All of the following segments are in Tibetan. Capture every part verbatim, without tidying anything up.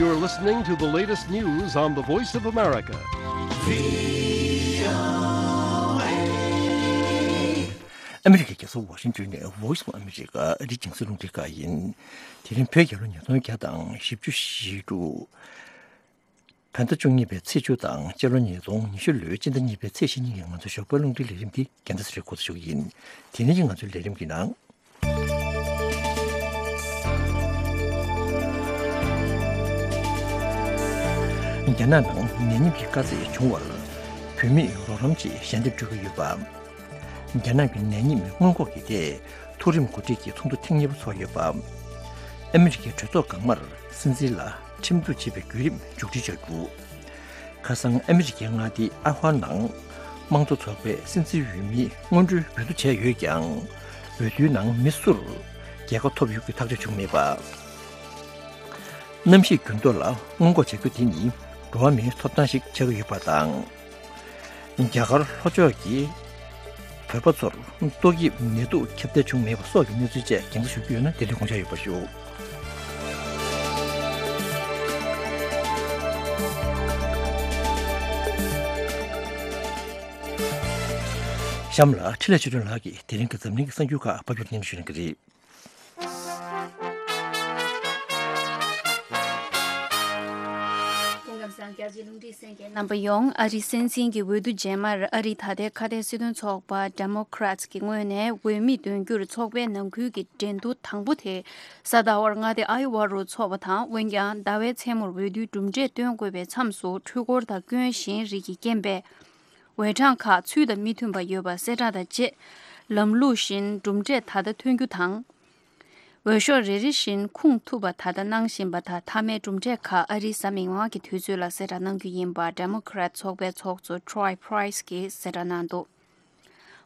You're listening to the latest news on the Voice of America. ཨ་མི་རི་ཀའི་རྒྱལ་ས་ཝ་ཤིང་ཏོན་ནས་Voice of America ཨ་རིའི་རྒྱང་སྲིང་རླུང་འཕྲིན་ཁང་ཡིན། དེ་རིང་བོད་རྒྱལ་ལོ་ཉིས་སྟོང་བརྒྱ་དང་བཞི་བཅུ་ཞེ་དྲུག་བོད་ཟླ་བཅུ་གཉིས་པའི་ཚེས་བཅུ་དང་སྤྱི་ལོ་ཉིས་སྟོང་ཉི་ཤུ་ལོའི་སྤྱི་ཟླ་གཉིས་པའི་ཚེས་ཉེར་གཉིས་ཉིན་ང་ཚོའི་ཞོགས་པའི་རླུང་འཕྲིན་ལས་རིམ་འདི་རྒྱལ་མཚན་ཚེ་རིང་འགོ་འཛུགས་ཞུ་གི་ཡིན། དེ་ནས་ཀྱི་ང་ཚོའི་ལས་རིམ་གྱི་ནང་། རྒྱ་ནག་ནང་ནད་ཉིམ་གྱི་དཀའ་ཚེགས་བྱུང་བར་བོད་མིས་རོགས་རམ་ཆེད་ཞལ་འདེབས་སྤྲོད་ཀྱི་ཡོད་པ། རྒྱ་ནག་གི་ནད་ཉིམ་སྔོན་འགོག་གི་ཐད་མཐོ་རིམ་འགོ་ཁྲིད་ཀྱི་ཚོགས་འདུ་ཐེངས་གཉིས་པ་འཚོགས་ཡོད་པ། ཨ་མི་རི་ཀའི་གྲོས་ཚོགས་འགག་མར་སྲིད་འཛིན་ལ་ཁྲིམས་གཏུག་བྱེད་པའི་བརྒྱུད་རིམ་མཇུག་སྒྲིལ་བྱ་རྒྱུ། ཁ་སང་ཨ་མི་རི་ཀའི་མངའ་སྡེ་ཨ་ཧྭ་ནང་དམངས་གཙོ་ཚོགས་པའི་སྲིད་འཛིན་འོས་མི་སྔོན་འགྲོའི་འོས་བསྡུ་བྱས་ཡོད་ཀྱང་། འོས་བསྡུའི་ནང་མི་སུར་རྒྱལ་ཁ་ཐོབ་ཡོད་ཀྱི་ཐག་གཅོད་བྱུང་མེད་པ། གནམ་གཤིས་འགྱུར་ལྡོག་ལ་སྔོན་འགོག་བྱ་རྒྱུ་དེ་ནི་འགྲོ་བ་མིའི་ཐོབ་ཐང་ཞིག་ཆགས་ཀྱི་ཡོད་པ་དང་། རྒྱ་གར་ལྷོ་ཕྱོགས་ཀྱི་བོད་པ་ཚོར་ཏོག་དབྱིབས་ནད་དུག་ཁྱབ་གདལ་བྱུང་མེད་པ་སོགས་ཀྱི་གནས་ཚུལ་བཅས་རྒྱང་སྲིང་ཞུ་རྒྱུ་ཡོད་ན་དེ་དུས་དགོངས་འཇགས་ཡོད་པ་ཞུ། གཤམ་ལ་འཕྲིན་ལས་ཆོས་སྒྲོན་ལགས་ཀྱིས་དེ་རིང་གི་འཛམ་གླིང་གི་གསར་འགྱུར་ཁག་ཕབ་སྒྱུར་སྙན་སྒྲོན་ཞུ་གནང་གི་རེད། སྐུ་ཁམས་བཟང་། རྒྱ་ཆེའི་རླུང་འཕྲིན་གསན་མཁན་རྣམ་པ་ཡོངས། ཨ་རིའི་སྲིད་འཛིན་གྱི་འོས་བསྡུ་རྗེས་མར་ཨ་རིའི་ད་ལྟའི་ཁ་བརྡའི་སྲིད་དོན་ཚོགས་པ་Democrats གི་ངོས་ནས་འོས་མི་འདོན་རྒྱུར་ཚོགས་པའི་ནང་ཁུལ་གྱི་འགྲན་བསྡུར་དང་པོ་དེ་གཟའ་ཟླ་བར་མངའ་སྡེ་ཨའི་ཝ་རུ་འཚོགས་པ་དང་། འོན་ཀྱང་ཟླ་བའི་མཚན་མོར་འོས་བསྡུའི་གྲུབ་འབྲས་སྟོན་དགོས་པའི་མཚམས་སུ་འཕྲུལ་འཁོར་དང་སྐྱོན་གཞན་རིགས་ཀྱི་རྐྱེན་པས། འོས་གྲངས་ཁག་ཚུལ་དང་མི་མཐུན་པ་ཡོད་པ་གསལ་བསྒྲགས་དང་བཅས། ལམ་ལུགས་བཞིན་གྲུབ་འབྲས་ད་ལྟ་ཐོན་རྒྱུ་དང་། འོས་ཤོག་རེ་རེ་བཞིན་ཁུངས་ཐུབ་པ་ད་ལྟ་གནང་བཞིན་པ་དང་། མཐའ་མའི་གྲུབ་འབྲས་ཁག་ཨ་རིའི་གཟའ་མིག་དམར་གྱི་དུས་ཚོད་ལ་གསལ་བསྒྲགས་གནང་རྒྱུ་ཡིན་པ་Democrat ཚོགས་པའི་ཚོགས་གཙོ་Troy Price གྱིས་གསལ་བསྒྲགས་གནང་འདུག་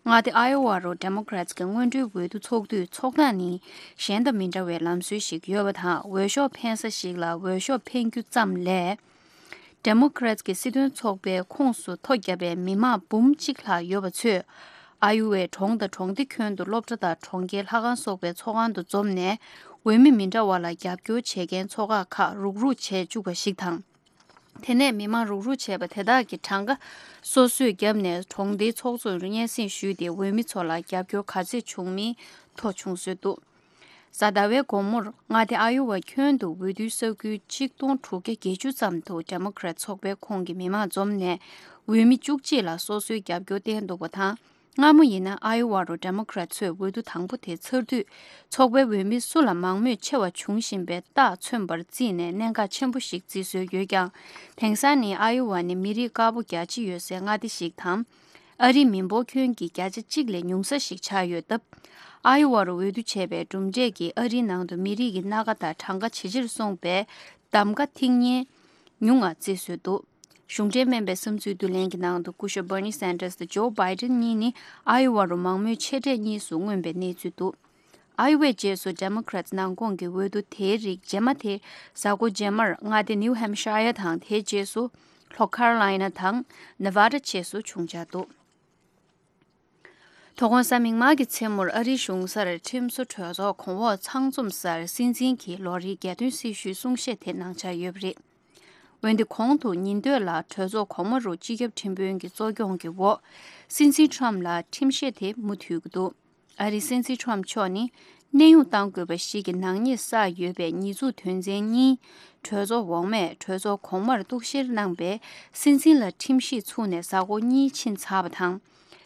མངའ་སྡེ་Iowa རུ་Democrats གི་སྔོན་འགྲོའི་འོས་བསྡུ་ཚོགས་དུས་ཚོགས་སྟངས་ནི་གཞན་དང་མི་འདྲ་བའི་ལམ་སྲོལ་ཞིག་ཡོད་པ་དང་། འོས་ཤོག་འཕེན་ས་ཞིག་ལ་འོས་ཤོག་འཕེན་རྒྱུ་ཙམ་ལས། Democrats གི་སྲིད་དོན་ཚོགས་པའི་ཁོངས་སུ་ཐོ་བརྒྱབ་པའི་མི་མང་འབུམ་གཅིག་ལྷག་ཡོད་པ་ཚོས། ཨ་ཡུ་ཝའི་གྲོང་དང་གྲོང་སྡེ་ཁྱོན་དུ་སློབ་གྲྭ་དང་གྲོང་ཁྱེར་ལྷ་ཁང་སོགས་པའི་ཚོགས་ཁང་དུ་འཛོམས་ནས། འོས་མི་མི་འདྲ་བ་ལ་རྒྱབ་སྐྱོར་བྱེད་མཁན་ཚོགས་ཁག་ཁག་རུག་རུག་བྱས་བཅུག་པ་ཞིག་དང་། དེ་ནས་མི་མང་རུག་རུག་བྱས་པ་དེ་དག་གིས་གྲངས་ཀ་སོ་སོས་བརྒྱབ་ནས་གྲོང་སྡེའི་ཚོགས་གཙོ་རུ་སྙན་སེང་ཞུས་ཏེ། འོས་མི་ཚོ་ལ་རྒྱབ་སྐྱོར་ག་ཚད་བྱུང་མིན་ཐོ་ཆུང་བཟོས་འདུག་གཟའ་ཟླ་བའི་དགོང་མོར་མངའ་སྡེ་ཨ་ཡོ་ཝ་ཁྱོན་དུ་འོས་བསྡུའི་ས་ཁུལ་ཆིག་སྟོང་དྲུག་བརྒྱ་བརྒྱད་ཅུ་ཙམ་དུ་Democrat ཚོགས་པའི་ཁོངས་ཀྱི་མི་མང་འཛོམས་ནས། འོས་མི་བཅུ་གཅིག་ལ་སོ་སོའི་རྒྱབ་སྐྱོར་བསྟན་འདུག་པ་དང་། སྔ་མོ་ཡིན་ན་ཨ་ཡོ་ཝ་རུ་Democrat ཚོས་འོས་བསྡུ་དང་པོ་དེ་ཚར་དུས། ཚོགས་པའི་འོས་མི་སུ་ལ་མང་མོས་ཆེ་བ་བྱུང་བཞིན་པའི་རྟགས་མཚོན་པར་བརྩིས་ནས་གནད་འགག་ཆེན་པོ་ཞིག་བརྩི་སྲོལ་ཡོད་ཀྱང་། དེང་སང་ནི་ཨ་ཡོ་ཝ་ནི་མི་རིགས་དཀར་པོ་རྒྱ་ཆེ་ཡོད་སའི་མངའ་སྡེ་ཞིག་དང་། ཨ་རིའི་མི་འབོར་ཁྱོན་གྱི་བརྒྱ་ཆ་གཅིག་ལས་ཉུང་ས་ཞིག་ཆགས་ཡོད་སྟབས། ཨ་ཡོ་ཝ་རུ་འོས་བསྡུ་བྱས་པའི་གྲུབ་འབྲས་ཀྱིས་ཨ་རིའི་ནང་དུ་མི་རིགས་ཀྱི་སྣ་ཁ་དང་གྲངས་ཀ་ཇེ་ཆེར་སོང་བའི་གདམ་ག་ཐིག་ངན་ཉུང་ང་བརྩི་སྲོལ་འདུག་གཞུང་འབྲེལ་སྨན་པའི་བསམ་ཚུལ་བསྡུ་ལེན་གྱི་ནང་དུ་སྐུ་ཞབས་Bernie Sanders དང་Joe Biden གཉིས་ནི་ཨ་ཡོ་ཝ་རུ་མང་མོས་ཆེ་གྲས་གཉིས་སུ་མངོན་པའི་གནས་ཚུལ་འདུག་ཨ་ཡོ་ཝའི་རྗེས་སུ་Democrats ནང་ཁོངས་ཀྱི་འོས་བསྡུ་དེའི་རིགས་རྗེས་མ་དེ་གཟའ་འཁོར་རྗེས་མར་མངའ་སྡེ་New Hampshire དང་། དེའི་རྗེས་སུ་ལྷོ་Carolina དང་Nevada བཅས་སུ་བྱུང་འཆར་འདུག་དོ་དགོང་གཟའ་མིག་དམར་གྱི་མཚན་མོར་ཨ་རིའི་གཞུང་སར་ཁྲིམས་བཟོ་གྲོས་ཚོགས་གོང་འོག་ཚང་འཛོམས་སར་སྲིད་འཛིན་གྱིས་ལོ་རེའི་རྒྱལ་དོན་སྲི་ཞུའི་གསུང་བཤད་དེ་གནང་འཆར་ཡོད་པ་རེད། འོན་ཏེ་གོང་དུ་ཉིན་སྟོད་ལ་གྲོས་ཚོགས་གོང་མ་རུ་སྤྱི་ཁྱབ་ཁྲིམས་དཔོན་གྱི་གཙོ་སྐྱོང་གི་འོག་སྲིད་འཛིན་Trump ལ་ཁྲིམས་བཤེར་དེ་མུ་མཐུད་ཀྱི་འདུག་ཨ་རིའི་སྲིད་འཛིན་Trump མཆོག་ནི་གནས་དབྱུང་གཏང་དགོས་པ་ཞིག་གི་ནག་ཉེས་བསགས་ཡོད་པའི་ཉེས་འཛུགས་དོན་ཚན་གཉིས། གྲོས་ཚོགས་འོག་མས་གྲོས་ཚོགས་གོང་མར་གཏུག་བཤེར་གནང་པའི་སྲིད་འཛིན་ལ་ཁྲིམས་ཞིབ་ཚུགས་ནས་གཟའ་འཁོར་གཉིས་ཕྱིན་ཚར་བ་དང་།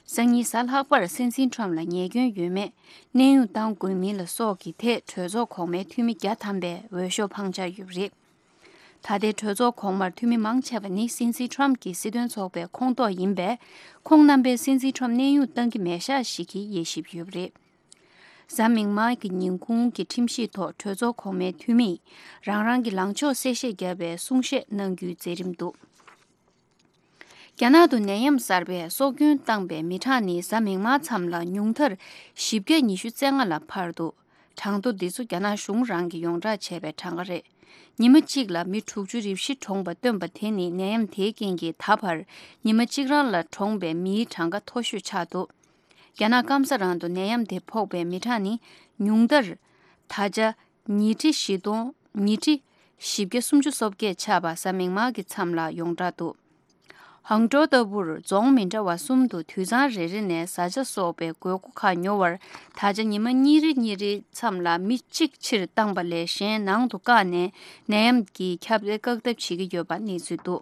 སང་ཉིན་གཟའ་ལྷག་པར་སྲིད་འཛིན་Trump ལ་ཉེས་སྐྱོན་ཡོད་མེད་གནས་དབྱུང་གཏང་དགོས་མིན་ལ་སོགས་ཀྱི་ཐད་གྲོས་ཚོགས་གོང་མའི་འཐུས་མི་བརྒྱ་ཐམ་པས་འོས་ཤོག་འཕངས་འཆར་ཡོད་པ་རེད། ད་ལྟའི་གྲོས་ཚོགས་གོང་མར་འཐུས་མི་མང་ཆེ་བ་ནི་སྲིད་འཛིན་Trump གྱི་སྲིད་དོན་ཚོགས་པའི་ཁོངས་གཏོགས་ཡིན་པས། ཁོང་རྣམ་པས་སྲིད་འཛིན་Trump གནས་དབྱུང་གཏང་གི་མེད་ཤག་ཞིག་གི་དབྱེ་ཞིབ་ཡོད་པ་རེད། གཟའ་མིག་དམར་གྱི་ཉིན་གུང་གི་ཁྲིམས་ཞིབ་ཐོག་གྲོས་ཚོགས་གོང་མའི་འཐུས་མིས་རང་རང་གི་ལངས་ཕྱོགས་གསལ་བཤད་བརྒྱབ་པའི་གསུང་བཤད་གནང་རྒྱུའི་མཛད་རིམ་འདུག་རྒྱ་ནག་ཏུ་ནད་ཡམས་གསར་པས་སྲོག་སྐྱོན་བཏང་པའི་མི་གྲངས་ནི་གཟའ་མིག་དམར་མཚམས་ལ་ཉུང་མཐར་བཞི་བརྒྱ་ཉི་ཤུ་རྩ་ལྔ་ལ་འཕར་འདུག་གྲངས་ཐོ་འདི་ཚོ་རྒྱ་ནག་གཞུང་རང་གིས་ཡོངས་བསྒྲགས་བྱས་པའི་གྲངས་ཀ་རེད། ཉི་མ་གཅིག་ལ་མི་དྲུག་ཅུ་རེ་བཞི་གྲོངས་པ་བཏོན་པ་དེ་ནི་ནད་ཡམས་དེའི་རྐྱེན་གྱིས་ད་བར་ཉི་མ་གཅིག་རང་ལ་གྲོངས་པའི་མིའི་གྲངས་ཀ་མཐོ་ཤོས་ཆགས་འདུག་རྒྱ་ནག་སྐམ་ས་རང་དུ་ནད་ཡམས་དེ་ཕོག་པའི་མི་གྲངས་ནི་ཉུང་མཐར་ད་ཆ་ཉིས་ཁྲི་བཞི་སྟོང་ཉིས་ཁྲི་ བཞི་བརྒྱ་སུམ་ཅུ་སོ་བརྒྱད་ཆགས་པ་གཟའ་མིག་དམར་གྱི་མཚམས་ལ་ཡོངས་གྲགས་འདུག་ཧང་ཀྲོའུ་ལྟ་བུར་རྫོང་མི་འདྲ་བ་གསུམ་དུ་དུད་ཚང་རེ་རེ་ནས་བཟའ་བཅའ་སོགས་པའི་དགོས་མཁོ་ཁག་ཉོ་བར་ད་ཆ་ཉི་མ་གཉིས་རེ་གཉིས་རེའི་མཚམས་ལ་མི་གཅིག་ཕྱིར་བཏང་པ་ལས་གཞན་ནང་དུ་བཀག་ནས་ནད་ཡམས་ཀྱི་ཁྱབ་གདལ་བཀག་ཐབས་བྱེད་ཀྱི་ཡོད་པ་གནས་ཚུལ་འདུག་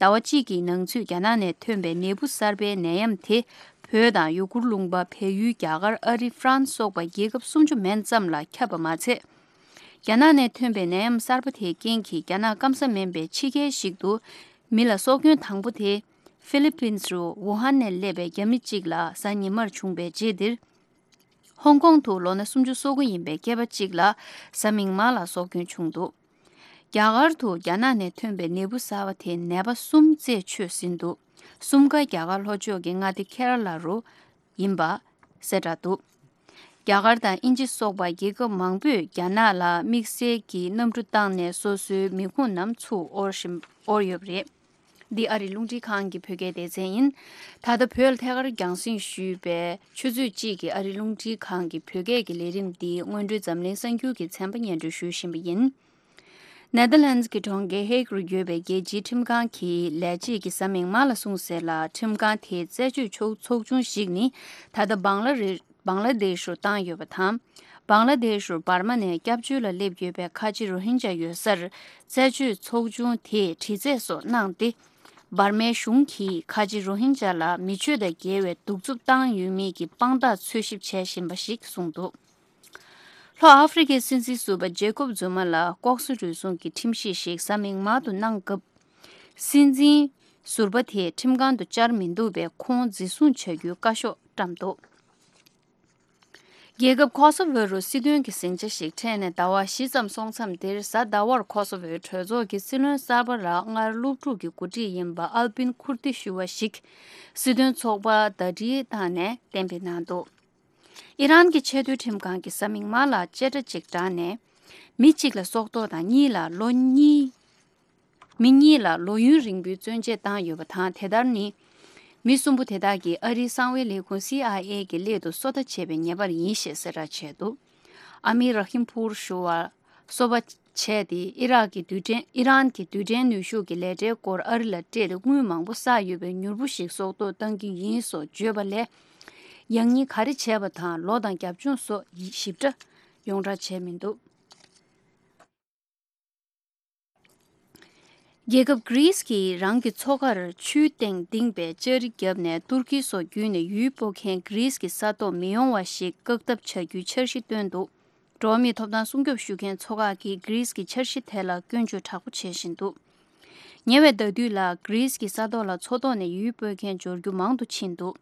ཟླ་བ་གཅིག་གི་ནང་ཚུད་རྒྱ་ནག་ནས་ཐོན་པའི་ནད་འབུ་གསར་པའི་ནད་ཡམས་དེ་བོད་དང་ཡུ་གུར་ལུང་པ། བལ་ཡུལ། རྒྱ་གར། ཨ་རི། ཧྥ་རན་སི་སོགས་པ་རྒྱལ་ཁབ་སུམ་ཅུ་མན་ཙམ་ལ་ཁྱབ་པ་མ་ཚད། རྒྱ་ནག་ནས་ཐོན་པའི་ནད་ཡམས་གསར་པ་དེའི་རྐྱེན་གྱིས་རྒྱ་ནག་སྐམ་ས་མིན་པའི་ཕྱི་རྒྱལ་ཞིག་ཏུ་མི་ལ་སྲོག་སྐྱོན་དང་པོ་དེ་ཧྥི་ལི་པིན་རུ་ཝུ་ཧན་ནས་སླེབས་པའི་རྒྱ་མི་གཅིག་ལ་གཟའ་ཉི་མར་བྱུང་བའི་རྗེས་འདིར། ཧོང་ཀོང་དུ་ལོ་ན་སུམ་ཅུ་སོ་དགུ་ཡིན་པའི་སྐྱེས་པ་གཅིག་ལ་གཟའ་མིག་དམར་ལ་སྲོག་སྐྱོན་བྱུང་འདུག་རྒྱ་གར་དུ་རྒྱ་ནག་ནས་ཐོན་པའི་ནད་འབུ་གསར་བ་དེས་ནད་པ་གསུམ་རྩད་ཆོད་ཟིན་འདུག་གསུམ་ཀ་རྒྱ་གར་ལྷོ་ཕྱོགས་ཀྱི་མངའ་སྡེ་ཁེ་ར་ལ་རུ་ཡིན་པ་གསལ་བསྒྲགས་འདུག་རྒྱ་གར་དང་དབྱིན་ཇི་སོགས་པ་རྒྱལ་ཁབ་མང་པོས་རྒྱ་ནག་ལ་དམིགས་བསལ་གྱི་གནམ་གྲུ་བཏང་ནས་སོ་སོའི་མི་ཁུངས་རྣམས་ཚུར་དབོར་བཞིན་དབོར་ཡོད་པ་རེད། འདི་ཨ་རིའི་རླུང་འཕྲིན་ཁང་གི་བོད་སྐད་སྡེ་ཚན་ཡིན། ད་ལྟ་བོད་ལ་ཐད་ཀར་རྒྱང་སྲིང་ཞུས་པའི་ཆུ་ཚོད་གཅིག་གི་ཨ་རིའི་རླུང་འཕྲིན་ཁང་གི་བོད་སྐད་ཀྱི་ལས་རིམ་འདི་སྔོན་འགྲོའི་འཛམ་གླིང་གསར་འགྱུར་གྱི་ཚན་པ་སྙན་སྒྲོན་ཞུ་བཞིན་པ་ཡིན། ནེ་དར་ལན་ཌི་གི་གྲོང་ཁྱེར་ཧེག་རུ་ཡོད་པའི་རྒྱལ་སྤྱིའི་ཁྲིམས་ཁང་གིས་ལས་བྱེད་ཀྱི་གཟའ་མིག་དམར་ལ་སོང་ཟེར་ལ། ཁྲིམས་ཁང་དེའི་རྩད་གཅོད་ཚོགས་ཆུང་ཞིག་ནི་ད་ལྟ་བང་ལ་རི་བང་ལ་དེ་ཤུར་བཏང་ཡོད་པ་དང་། བང་ལ་དེ་ཤུར་འབར་མ་ནས་སྐྱབས་བཅོལ་ལ་སླེབས་ཡོད་པའི་ཁ་ཆེ་རོ་ཧིན་ཇ་ཡོད་སར་རྩད་གཅོད་ཚོགས་ཆུང་དེས་དྲི་རྩད་སོགས་གནང་སྟེ། འབར་མའི་གཞུང་གིས་ཁ་ཆེ་རོ་ཧིན་ཇ་ལ་མི་ཆོས་དང་འགལ་བའི་གདུག་རྩུབ་བཏང་ཡོད་མེད་ཀྱི་དཔང་རྟགས་འཚོལ་ཞིབ་བྱེད་བཞིན་པ་ཞིག་གསུངས་འདུག་ལྷོ་ཨ་ཧྥེ་རི་ཁའི་སྲིད་འཛིན་ཟུར་པ་ཇེ་ཀོབ་ཛུ་མ་ལ་ལྐོག་ཟ་རུལ་སུངས་ཀྱི་ཁྲིམས་གཞི་ཞིག་གཟའ་མིག་དམར་དུ་གནང་སྐབས། སྲིད་འཛིན་ཟུར་པ་དེས་ཁྲིམས་ཁང་དུ་བཅར་མི་འདུག་པས་ཁོང་འཛིན་བཟུང་བྱ་རྒྱུའི་བཀའ་ཤོག་བཀྲམ་འདུག་རྒྱལ་ཁབ་ཁོ་སོ་ཝོ་རུ་སྲིད་དོན་གྱི་ཟིང་ཆ་ཞིག་འཕྲད་ནས་ཟླ་བ་བཞི་ཙམ་སོང་མཚམས་འདིར་གཟའ་ཟླ་བར་ཁོ་སོ་ཝོའི་གྲོས་ཚོགས་ཀྱི་སྲིད་བློན་གསར་པ་ར་སྔར་སློབ་ཕྲུག་གི་འགོ་ཁྲིད་ཡིན་པ་ཨལ་པིན་ཁུར་ཏི་ཞུ་བ་ཞིག་སྲིད་དོན་ཚོགས་པར་ཟླ་སྒྲིལ་བཏང་ནས་གཏན་འབེབས་གནང་འདུག་ཨི་རན་གྱི་ཆེས་མཐོའི་ཁྲིམས་ཁང་གིས་གཟའ་མིག་དམར་ལ་བཅད་ཁྲ་གཅིག་དྲངས་ནས། མི་གཅིག་ལ་སྲོག་ཐོག་དང་གཉིས་ལ་ལོ་གཉིས། མི་གཉིས་ལ་ལོ་ཡུན་རིང་པོའི་བཙོན་འཇལ་བཏང་ཡོད་པ་དང་། དེ་ལྟར་ནི། མི་གསུམ་པོ་དེ་དག་གིས་ཨ་རིའི་གསང་བའི་ལས་ཁུངས་སི་ཨའི་ཨེ་གི་སླད་དུ་སོ་ལྟ་བྱས་པའི་ཉེས་པར་ཡིན་ཞེས་གསལ་བསྒྲགས་བྱས་འདུག་ཨ་མིར་ར་ཧིམ་ཕུར་ཞུ་བ་སོ་པ་བྱས་ཏེ། ཨི་རག་གི་རྡུལ་ཕྲན། ཨི་རན་གྱི་རྡུལ་ཕྲན་ནུས་ཤུགས་ཀྱི་ལས་གྲྭའི་སྐོར་ཨ་རི་ལ་སྤྲད་དེ། དངུལ་མང་པོ་བསགས་ཡོད་པའི་མྱུར་བུ་ཞིག་སྲོག་ཐོག་བཏང་གི་ཡིན་སོགས་བརྗོད་པ་ལས། ཡང་སྙིང་ག་རེ་བྱས་པ་དང་ལོ་དང་རྒྱབ་ལྗོངས་སོགས་ཞིབ་ཕྲ་ཡོངས་བསྒྲགས་བྱས་མི་འདུག་རྒྱལ་ཁབ་གྷི་རིས་ཀྱིས་རང་གི་མཚོ་ཁར་ཆུའི་སྟེང་ལྡིང་བའི་ལྕགས་རི་བརྒྱབ་ནས་ཏུར་ཀི་སོགས་བརྒྱུད་ནས་ཡུལ་སྤོ་མཁན་གྷི་རིས་ཀྱི་ས་ཐོག་མི་ཡོང་བ་ཞིག་བཀག་ཐབས་བྱ་རྒྱུའི་འཆར་གཞི་བཏོན་འདུག་འགྲོ་བ་མིའི་ཐོབ་ཐང་སྲུང་སྐྱོབ་ཞུ་མཁན་ཚོ་ཁག་གིས་གྷི་རིས་ཀྱི་འཆར་གཞི་དེ་ལ་སྐྱོན་བརྗོད་དྲག་པོ་བྱེད་བཞིན་འདུག་ཉེ་བའི་ཟླ་དུས་ལ་གྷི་རིས་ཀྱི་ས་ཐོག་ལ་མཚོ་ཐོག་ནས་ཡུལ་སྤོ་མཁན་འབྱོར་རྒྱུ་མང་དུ་ཕྱིན་འདུག་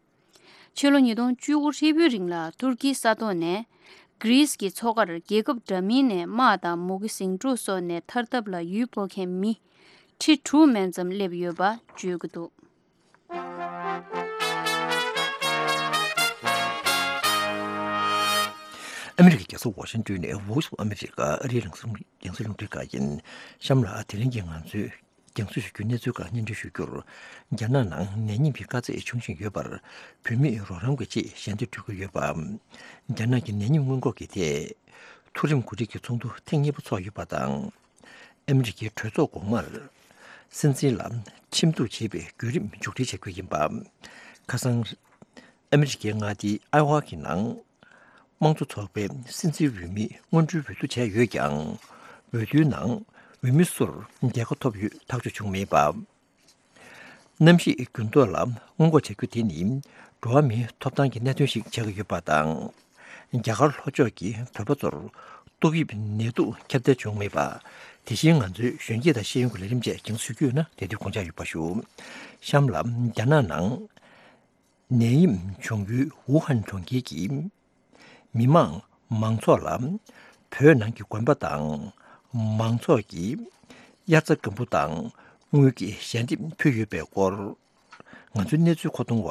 ཕྱི་ལོ་ཉིས་སྟོང་བཅུ་དགུ་ཧྲིལ་པོའི་རིང་ལ་ཏུར་ཀིའི་ས་ཐོག་ནས་གྷི་རིས་ཀྱི་མཚོ་ཁར་རྒྱལ་ཁབ་འདྲ་མིན་ནས་དམག་དང་མུ་གེ་ཟིང་འཁྲུག་སོགས་ནས་ཐར་ཐབས་ལ་ཡུལ་སྤོ་མཁན་མི་ཁྲི་དྲུག་མན་ཙམ་སླེབས་ཡོད་པ་བརྗོད་ཀྱི་འདུག་ཨ་མི་རི་ཀའི་རྒྱལ་ས་ཝ་ཤིང་ཏོན་ནས་Voice of America ཨ་རིའི་རང་སྲིད་རྒྱང་སྲིང་རླུང་འཕྲིན་ཁང་ཡིན། གཤམ་ལ་དེ་རིང་གི་ང་ཚོའི་རྒྱང་སྲིང་ཞུ་རྒྱུའི་གནས་ཚུལ་ཁག་སྙན་སྒྲོན་ཞུ་རྒྱུར། རྒྱ་ནག་ནང་ནད་ཡམས་ཀྱི་དཀའ་ཚེགས་བྱུང་བཞིན་ཡོད་པར། བོད་མིས་རོགས་རམ་གྱི་ཆེད་ཞལ་འདེབས་སྤྲོད་ཀྱི་ཡོད་པ། རྒྱ་ནག་གི་ནད་ཡམས་སྔོན་འགོག་གི་ཐད། མཐོ་རིམ་འགོ་ཁྲིད་ཀྱི་ཚོགས་འདུ་ཐེངས་གཉིས་པ་འཚོགས་ཡོད་པ་དང་། ཨ་མི་རི་ཀའི་གྲོས་ཚོགས་འོག་མར། སྲིད་འཛིན་ལ་ཁྲིམས་གཏུག་བྱེད་པའི་བརྒྱུད་རིམ་མཇུག་སྒྲིལ་བྱ་རྒྱུ་ཡིན་པ། ཁ་སང་། ཨ་མི་རི་ཀའི་མངའ་སྡེ་ཨའི་ཝ་གི་ནང་། དམངས་གཙོ་ཚོགས་པའི་སྲིད་འཛིན་འོས་མི་སྔོན་འགྲོའི་འོས་བསྡུ་བྱས་ཡོད་ཀྱང་། འོས་བསྡུའི་ནང་འོས་མི་སུར་རྒྱལ་ཁ་ཐོབ་ཡོད་ཐག་གཅོད་བྱུང་མེད་པ། གནམ་གཤིས་འགྱུར་ལྡོག་ལ་སྔོན་འགོག་བྱ་རྒྱུ་དེ་ནི་འགྲོ་བ་མིའི་ཐོབ་ཐང་གི་གནད་དོན་ཞིག་ཆགས་ཀྱི་ཡོད་པ་དང་། རྒྱ་གར་ལྷོ་ཕྱོགས་ཀྱི་བོད་པ་ཚོར་ཏོག་དབྱིབས་ནད་དུག་ཁྱབ་གདལ་བྱུང་མེད་པ། དེ་བཞིན་ང་ཚོའི་གཞོན་སྐྱེས་དང་ཤེས་ཡོན་གྱི་ལས་རིམ་བཅས་རྒྱང་སྲིང་ཞུ་རྒྱུ་ཡོད་ན་དེ་དུས་དགོངས་འཇགས་ཡོད་པ་ཞུ། གཤམ་ལ་རྒྱ་ནག་ནང་ནད་ཡམས་བྱུང་ཡུལ་ཝུ་ཧན་གྲོང་ཁྱེར་གྱི་མི་མང་མང་ཚོགས་ལ་བོད་ནང་གི་དགོན་པ་དང་མང་ཚོགས་ཀྱིས་དབྱར་རྩྭ་དགུན་འབུ་དང་དངུལ་གྱི་ཞལ་འདེབས་ཕུལ་ཡོད་པའི་སྐོར། ང་ཚོའི་གནས་ཚུལ་མཁོ་གཏོང་བ་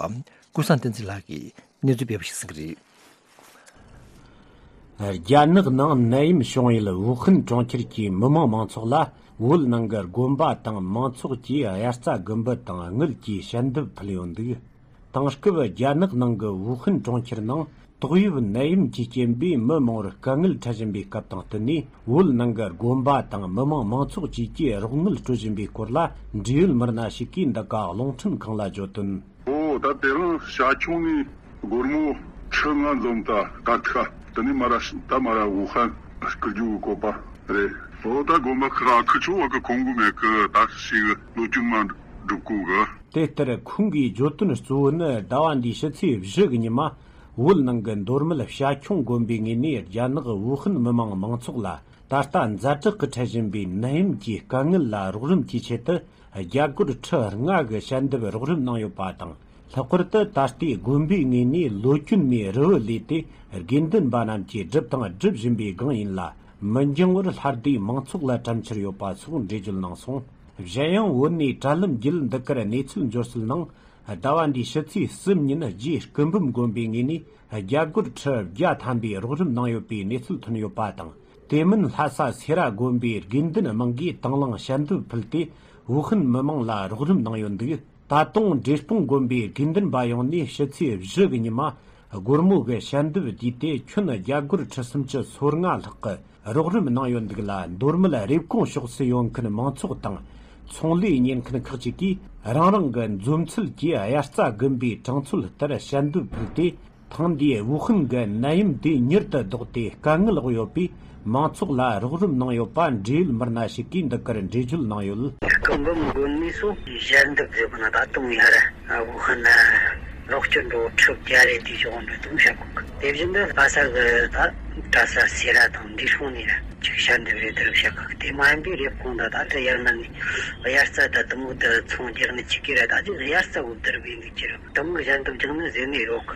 ཀུན་བཟང་བསྟན་འཛིན་ལགས་ཀྱིས་གནས་ཚུལ་སྤེལ་བ་ཞིག་གསན་གྱི་རེད། རྒྱ་ནག་ནང་ནད་ཡམས་བྱུང་ཡུལ་ཝུ་ཧན་གྲོང་ཁྱེར་གྱི་མི་མང་མང་ཚོགས་ལ་བོད་ནང་གི་དགོན་པ་དང་མང་ཚོགས་ཀྱིས་དབྱར་རྩྭ་དགུན་འབུ་དང་དངུལ་གྱི་ཞལ་འདེབས་ཕུལ་ཡོད་འདུག་དེང་སྐབས་རྒྱ་ནག་ནང་གི་ཝུ་ཧན་གྲོང་ཁྱེར་ནང་ ཏོག་དབྱིབས་ནད་ཡམས་ཀྱི་རྐྱེན་པས་མི་མང་བོར་དཀའ་ངལ་འཕྲད་བཞིན་པའི་སྐབས་དང་བསྟུན་ནས། བོད་ནང་གི་དགོན་པ་དང་མི་མང་མང་ཚོགས་བཅས་ཀྱིས་རོགས་དངུལ་སྤྲོད་བཞིན་པའི་སྐོར་ལ། འབྲེལ་ཡོད་མི་སྣ་ཞིག་གིས་འདི་ག་རླུང་འཕྲིན་ཁང་ལ་བརྗོད་དོན། ཨོ། ད་དེ་རིང་ཤར་ཕྱོགས་ནས་སྒོར་མོ་ཁྲི་ལྔ་འཛོམས་ད་ད་ཐ་དེ་ནས་མར་ར་ད་མར་ར་ཝུ་ཧན་སྐུ་རྒྱུ་གི་བཀོད་པ་རེད། ཨོ། ད་དགོན་པ་ཁག་ཁི་ཆོ་བ་གི་ཁོང་གི་མེད་གི་ད་ཞིག་ལོ་རྒྱུས་མ་འགྲུབ་གོ་གི། དེ་ལྟར་ཁོང་གིས་བརྗོད་དོན་གཙོ་བོ་ནི། ཟླ་བ་འདིའི་ཕྱི་ཚེས་བཞི་གི་ཉི་མ། བོད་ནང་གི་མདོ་སྨད་བྱ་ཁྱུང་དགོན་པའི་ངོས་ནས། རྒྱ་ནག་ཝུ་ཧན་མི་མང་མང་ཚོགས་ལ་ད་ལྟ་ཛ་དྲག་གི་འཕྲད་བཞིན་པའི་ནད་ཡམས་ཀྱི་དཀའ་ངལ་ལ་རོགས་རམ་གྱི་ཆེད་དུ། རྒྱ་སྒོར་ཁྲི་ལྔ་གི་ཞལ་འདེབས་རོགས་རམ་གནང་ཡོད་པ་དང་། ལྷག་པར་དུ་ད་ལྟའི་དགོན་པའི་ངོས་ནས་ལོ་གྱོན་ནས་རུ་བ་ལས་ཏེ། དགེ་འདུན་པ་རྣམས་ཀྱིས་བསྒྲུབས་དང་སྒྲུབ་བཞིན་པའི་སྒང་ཡིན་ལ། མི་འགྱང་བར་ལྷ་སྡེ་མང་ཚོགས་ལ་དྲན་འཆར་ཡོད་པ་སོགས་འགྲེལ་བརྗོད་གནང་སོང་། གཞན་ཡང་བོད་ནས་དྲ་ལམ་བརྒྱུད་འདི་གར་གནས་ཚུལ་འབྱོར་སྲོལ་ནང་། ཟླ་བ་འདིའི་ཕྱི་ཚེས་གསུམ་ཉིན་རྗེ་སྐུ་འབུམ་དགོན་པའི་ངོས་ནས་རྒྱ་སྒོར་ཁྲི་བརྒྱ་ཐམ་པའི་རོགས་རམ་གནང་ཡོད་པའི་གནས་ཚུལ་ཐོན་ཡོད་པ་དང་། དེ་མིན་ལྷ་ས་སེ་ར་དགོན་པའི་དགེ་འདུན་མང་གིས་དང་བླངས་ཞལ་འདེབས་ཕུལ་ཏེ། ཝུ་ཧན་མི་མང་ལ་རོགས་རམ་གནང་ཡོད་འདུག། ད་དུང་འབྲས་སྤུངས་དགོན་པའི་དགེ་འདུན་པ་ཡོངས་ནས་ཕྱི་ཚེས་བཞི་གི་ཉི་མ། སྒོར་མོ་གི་ཞལ་འདེབས་བསྡུས་ཏེ་ཁྱོན་རྒྱ་སྒོར་ཁྲི་སུམ་ཅུ་སོ་ལྔ་ལྷག་གི་རོགས་རམ་གནང་ཡོད་འདུག་ལ། མདོ་སྨད་རེབ་གོང་ཕྱོགས་སུ་ཡོད་མཁན་མང་ཚོགས་དང་ཚོང་ལས་གཉེར་མཁན་ཁག་ཅིག་གིས་རང་རང་གི་འཛོམས་ཚུལ་གྱིས་དབྱར་རྩྭ་དགུན་པའི་གྲངས་ཚོད་ལྟར་ཞལ་འདེབས་ཕུལ་ཏེ། ཐེངས་འདིའི་ཝུ་ཧན་གྱི་ནད་ཡམས་དེ་མྱུར་དུ་ལྡོག་སྟེ། དཀའ་ངལ་འོག་ཡོད་པའི་མང་ཚོགས་ལ་རོགས་རམ་གནང་ཡོད་པ་འབྲེལ་ཡོད་མི་སྣ་ཞིག་གིས་འདི་གར་འགྲེལ་བརྗོད་གནང་ཡོད། སྐུ་འབུམ་དགོན་ནས་སུ་ཞལ་འདེབས་ཟེར་བ་ན་ད་དུང་ཡར་ཝུ་ཧན་ན་རོགས་སྐྱོར་འགྲོ་ཁྲི་བརྒྱ་རེ་དེ་བྱུང་འགྲོ་དུང་བཤད་གོ་གི། དེ་བཞིན་དུ་ལྷ་ས་གི་ད་གྲྭ་ས་སེ་ར་དང་འབྲས་སྤུངས་ནས་ར་ཅིག་ཞལ་འདེབས་རེ་དེ་རུ་བཤད་གོ་གི། དེ་མ་ཡིན་པའི་རེབ་གོང་ད་ད་ད་ཡར་མར་ནས་དབྱར་རྩྭ་ད་དུ་མོ་དུ་ཚོང་རྒྱག་ནས་ཅིག་གི་ར་ད་ཅིག་དབྱར་རྩྭ་འུབ་དར་བའི་འདུག་ཅི་ར་དུ་མོ་ཞལ་འདེབས་རྒྱག་ནས་ཟེར་ནས་རོགས་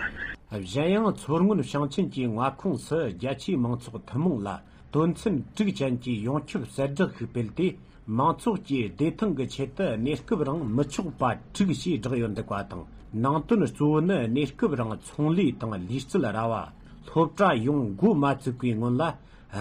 གི། གཞན་ཡང་མཚོ་སྔོན་ཞིང་ཆེན་གྱི་མངའ་ཁོངས་སུ་རྒྱ་ཆེའི་མང་ཚོགས་ཐུན་མོང་ལ་དོན་ཚན་དྲུག་ཅན་གྱི་ཡོངས་ཁྱབ་གསལ་བསྒྲགས་ཤིག་སྤེལ་ཏེ། མང་ཚོགས་ཀྱིས་བདེ་ཐང་གི་ཆེད་དུ་གནས་སྐབས་རིང་མི་ཆོག་པ་དྲུག་ཞེས་བསྒྲགས་ཡོད་འདུག་པ་དང་། ནང་དོན་གཙོ་བོ་ནི་གནས་སྐབས་རིང་ཚོང་ལས་དང་ལུས་རྩལ་ར་བ། སློབ་གྲྭ་ཡོང་འགོ་མ་བཙུགས་པའི་སྔོན་ལ་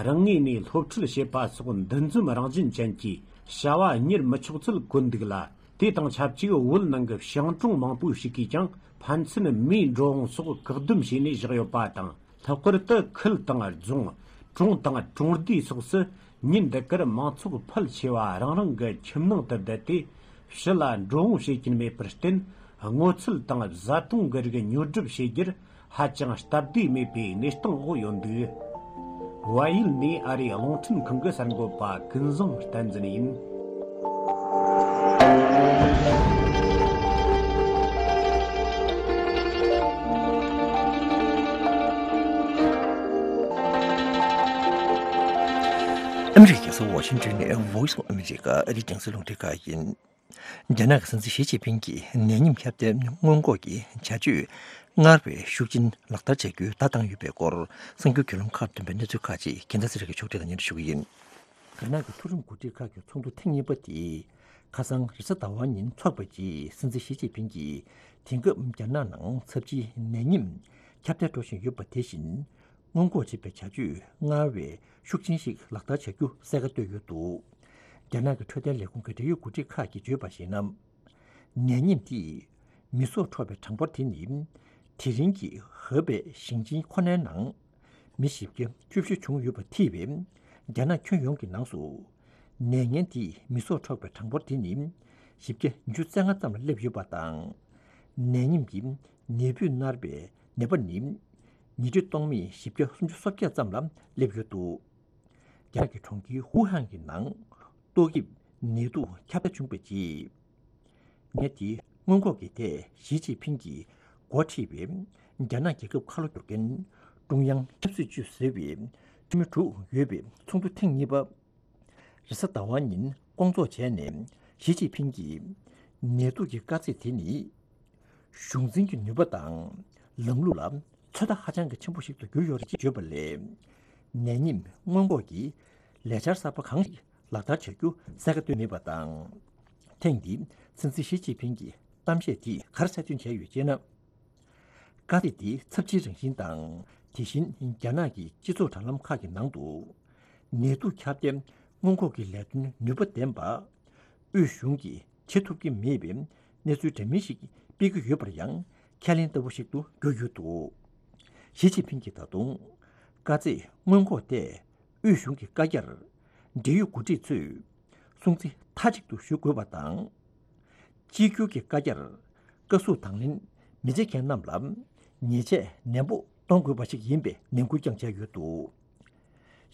རང་ངོས་ནས་སློབ་ཁྲིད་བྱེད་པ་སོགས་འདུ་འཛོམས་རང་བཞིན་ཅན་གྱི་བྱ་བ་གཉེར་མི་ཆོག་ཚུལ་བཀོད་འདུག་ལ། དེ་དང་ཆབས་ཅིག་བོད་ནང་གི་ཞིང་གྲོང་མང་པོ་ཞིག་གིས་ཀྱང་ཕན་ཚུན་མིའི་འགྲོ་འོང་སོགས་བཀག་སྡོམ་བྱས་ནས་བཞག་ཡོད་པ་དང་། ལྷག་པར་དུ་ཁུལ་དང་རྫོང་། གྲོང་དང་གྲོང་སྡེ་སོགས་སུ་ཉིན་འདི་གར་མང་ཚོགས་ཕལ་ཆེ་བ་རང་རང་གི་ཁྱིམ་ནང་དུ་བསྡད་དེ། ཕྱི་ལ་འགྲོ་འོང་བྱེད་ཀྱིན་མེད་པར་བརྟེན། སྔོ་ཚལ་དང་བཟའ་བཏུང་གི་རིགས་ཉོ་སྒྲུབ་བྱེད་རྒྱུར། ཧ་ཅང་སྟབས་བདེ་མེད་པའི་གནས་སྟངས་འོག་ཡོད་འདུག། བལ་ཡུལ་ནས་ཨ་རིའི་རླུང་འཕྲིན་ཁང་གི་གསར་འགོད་པ་ཀུན་བཟང་བསྟན་འཛིན་ཡིན། ཨ་མི་རི་ཀའི་རྒྱལ་ས་ཝ་ཤིང་ཏོན་ནས་Voice of America ཨ་རིའི་རྒྱང་སྲིང་རླུང་འཕྲིན་ཁང་ཡིན། རྒྱ་ནག་གི་སྲིད་འཛིན་ཞི་ཅིན་ཕིང་གིས་ནད་ཉིམ་ཁྱབ་གདལ་སྔོན་འགོག་གི་བྱ་སྤྱོད་སྔར་བས་ཤུགས་ཆེན་ལག་བསྟར་བྱ་རྒྱུའི་བརྡ་བཏང་ཡོད་པའི་སྐོར། གསར་འགྱུར་བརྒྱུད་ལམ་ཁག་ཏུ་ཐོན་པའི་གནས་ཚུལ་ཁག་ཅིག་རྒྱལ་མཚན་ཚེ་རིང་གིས་ཕྱོགས་སྒྲིག་དང་སྙན་སྒྲོན་ཞུ་གི་ཡིན། རྒྱ་ནག་གི་མཐོ་རིམ་འགོ་ཁྲིད་ཁག་གི་ཚོགས་འདུ་ཐེངས་གཉིས་པ་དེ་ཁ་སང་རེས་གཟའ་ཟླ་བ་ཉིན་འཚོགས་པའི་རྗེས། སྲིད་འཛིན་ཞི་ཅིན་ཕིང་གིས་དེང་སྐབས་རྒྱ་ནག་ནང་ཚབས་ཆེའི་ནད་ཉིམ་ཁྱབ་གདལ་འགྲོ་བཞིན་ཡོད་པ་དེ་བཞིན། སྔོན་འགོག་བྱེད་པའི་བྱ་སྤྱོད་སྔར་བས་ཤུགས་ཆེན་ཞིག་ལག་བསྟར་བྱ་རྒྱུ་གསལ་ཁ་བཏོད་ཡོད་འདུག། རྒྱ་ནག་གི་འཕྲོད་བསྟེན་ལས་ཁུངས་ཀྱི་འབྲེལ་ཡོད་འགོ་ཁྲིད་ཁག་གིས་བརྗོད་པར་གཞིགས་ན། ནད་ཉིམ་དེས་མི་སྲོག་འཕྲོག་པའི་གྲངས་འབོར་དེ་ནི། དེ་རིང་གི་ཧེ་པེ་ཞིང་ཆེན་ཁོ་ནའི་ནང་མི་བཞི་བརྒྱ་བཅུ་བཞི་བྱུང་ཡོད་པ་ཐེ་བའི་རྒྱ་ནག་ཁྱོན་ཡོངས་ཀྱི་ནང་དུ། ནད་ངན་དེས་མི་སྲོག་འཕྲོག་པའི་གྲངས་འབོར་དེ་ནི་བཞི་བརྒྱ་ཉི་ཤུ་རྩ་ལྔ་ཙམ་ལ་སླེབས་ཡོད་པ་དང་། ནད་ཉིམ་གྱི་ནད་འབུས་མནར་བའི་ནད་པ་ནི་ཉིས་ཁྲི་སྟོང་མེད་བཞི་བརྒྱ་སུམ་ཅུ་སོ་བརྒྱད་ཙམ་ལ་སླེབས་ཡོད་འདུག། རྒྱ་ནག་གི་གྲོང་ཁྱེར་ཧུའུ་ཧན་གྱི་ནང་ཏོག་དབྱིབས་ནད་དུག་ཁྱབ་གདལ་བྱུང་བའི་རྗེས། ནད་དེ་སྔོན་འགོག་གི་ཐད་ཞི་ཅིན་ཕིང་གིས་འགོ་ཁྲིད་པའི་རྒྱ་ནག་རྒྱལ་ཁབ་ཁ་ལོ་སྒྱུར་མཁན་ཀྲུང་དབྱང་ཆབ་སྲིད་ཅུས་ཟེར་བའི་འཐུས་མི་དྲུག་ཡོད་པའི་ཚོགས་འདུ་ཐེངས་གཉིས་པ། རེས་གཟའ་ཟླ་བ་ཉིན་སྐོང་ཚོགས་བྱས་ནས། ཞི་ཅིན་ཕིང་གིས་ནད་དུག་གི་དཀའ་ཚེགས་དེ་ནི་གཞུང་འཛིན་གྱི་ནུས་པ་དང་ལམ་ལུགས་ལ་ཚོད་ལྟ་ཧ་ཅང་གི་ཆེན་པོ་ཞིག་ཏུ་གྱུར་ཡོད་རེད་ཅེས་བརྗོད་པ་ལས། ནད་ཉིམ་སྔོན་འགོག་གི་ལས་འཆར་གསར་པ་གང་ཞིག་ལག་བསྟར་བྱ་རྒྱུ་གསལ་ཁ་བཏོན་མེད་པ་དང་། ཐེངས་འདིའི་སྲིད་འཛིན་ཞི་ཅིན་ཕིང་གི་གཏམ་བཤད་དེས་ག་རེ་གསལ་སྟོན་བྱས་ཡོད་ཅེ་ན། དཀའ་སྡུག་འདི་ཚབས་ཆེའི་རང་བཞིན་དང་། དེ་བཞིན་རྒྱ་ནག་གི་སྤྱི་ཚོགས་དྲ་ལམ་ཁག་གི་ནང་དུ་ནད་དུག་ཁྱབ་གདལ་སྔོན་འགོག་གི་ལས་དོན་ནུས་པ་ལྡན་པ་དབུས་གཞུང་གིས་བྱེད་ཐུབ་ཀྱི་མེད་པའི་གནས་ཚུལ་འདྲ་མིན་ཞིག་སྤེལ་གྱི་ཡོད་པར་ཡང་ཁས་ལེན་ལྟ་བུ་ཞིག་ཏུ་གྱུར་ཡོད་འདུག། ཞི་ཅིན་ཕིང་གིས་ད་དུང་དཀའ་ཚེགས་སྔོན་འགོག་ཐད་དབུས་གཞུང་གི་བཀའ་རྒྱར་འབྲེལ་ཡོད་འགོ་ཁྲིད་ཚོས་སྲུང་བརྩི་མཐའ་གཅིག་ཏུ་ཞུ་དགོས་པ་དང་། གཅིག་གྱུར་གྱི་བཀའ་རྒྱར་བཀའ་ཟུར་དང་ལེན་མི་བྱེད་མཁན་རྣམས་ལ་ཉེས་ཆད་ནན་པོ་གཏོང་དགོས་པ་ཞིག་ཡིན་པའི་ནན་སྐུལ་ཀྱང་བྱས་ཡོད་འདུག།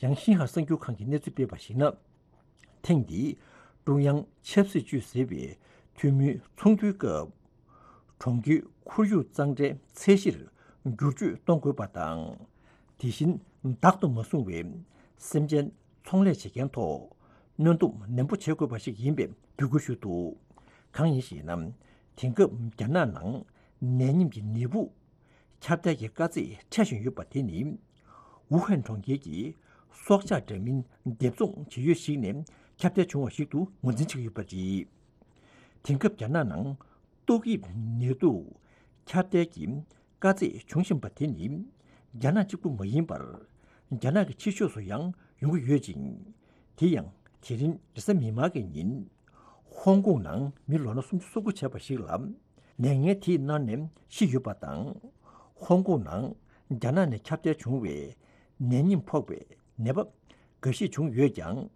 ཡང་ཤིན་ཧྭ་གསར་འགྱུར་ཁང་གིས་གནས་ཚུལ་སྤེལ་བར་གཞིགས་ན། ཐེངས་འདིའི་ཀྲུང་དབྱང་ཆབ་སྲིད་ཅུས་ཟེར་བའི་འཐུས་མིའི་ཚོགས་འདུའི་སྐབས། གྲོང་ཁྱེར་ཁོར་ཡུག་གཙང་སྦྲའི་ཚད་གཞིར་བསྒྱུར་བཅོས་གཏོང་དགོས་པ་དང་། དེ་བཞིན་བདག་ཏུ་མ་བཟུང་བའི་སེམས་ཅན་ཚོང་ལས་བྱེད་མཁན་ཐོག་གནོན་སྡོམ་ནན་པོ་བྱེད་དགོས་པ་ཞིག་ཡིན་པའི་འབོད་སྐུལ་ཞུས་འདུག། གང་ཡིན་ཞེ་ན། དེང་སྐབས་རྒྱ་ནག་ནང་ནད་ཉིམ་གྱི་ནད་འབུ་ཁྱབ་གདལ་གྱི་དཀའ་ཚེགས་འཕྲད་བཞིན་ཡོད་པ་དེ་ནི། ཝུ་ཧན་གྲོང་ཁྱེར་གྱི་སྲོག་ཆགས་འདྲ་མིན་སྡེབ་ཚོང་བྱེད་ཡུལ་ཞིག་ནས་ཁྱབ་གདལ་བྱུང་བ་ཞིག་ཏུ་ངོས་འཛིན་བྱེད་ཀྱི་ཡོད་པ་རེད། དེང་སྐབས་རྒྱ་ནག་ནང་ཏོག་དབྱིབས་ནད་དུག་ཁྱབ་གདལ་གྱི་དཀའ་ཚེགས་བྱུང་བཞིན་པ་དེ་ནི། རྒྱ་ནག་གཅིག་པུ་མ་ཡིན་པར། རྒྱ་ནག་གི་ཕྱི་ཕྱོགས་སུ་ཡང་ཡོང་གི་ཡོད་ཅིང་། དེ་ཡང་དེ་རིང་རེས་གཟའ་མིག་དམར་གྱི་ཉིན། ཧོང་ཀོང་ནང་མི་ལོ་ན་སུམ་ཅུ་སོ་དགུ་བྱས་པ་ཞིག་ལ། ནད་ངན་དེའི་མནར་ནས་ཤི་ཡོད་པ་དང་། ཧོང་ཀོང་ནང་རྒྱ་ནག་ནས་ཁྱབ་གདལ་བྱུང་བའི་ནད་ཉིམ་ཕོག་པའི་ནད་པ་འགའ་ཤས་བྱུང་ཡོད་ཀྱང་།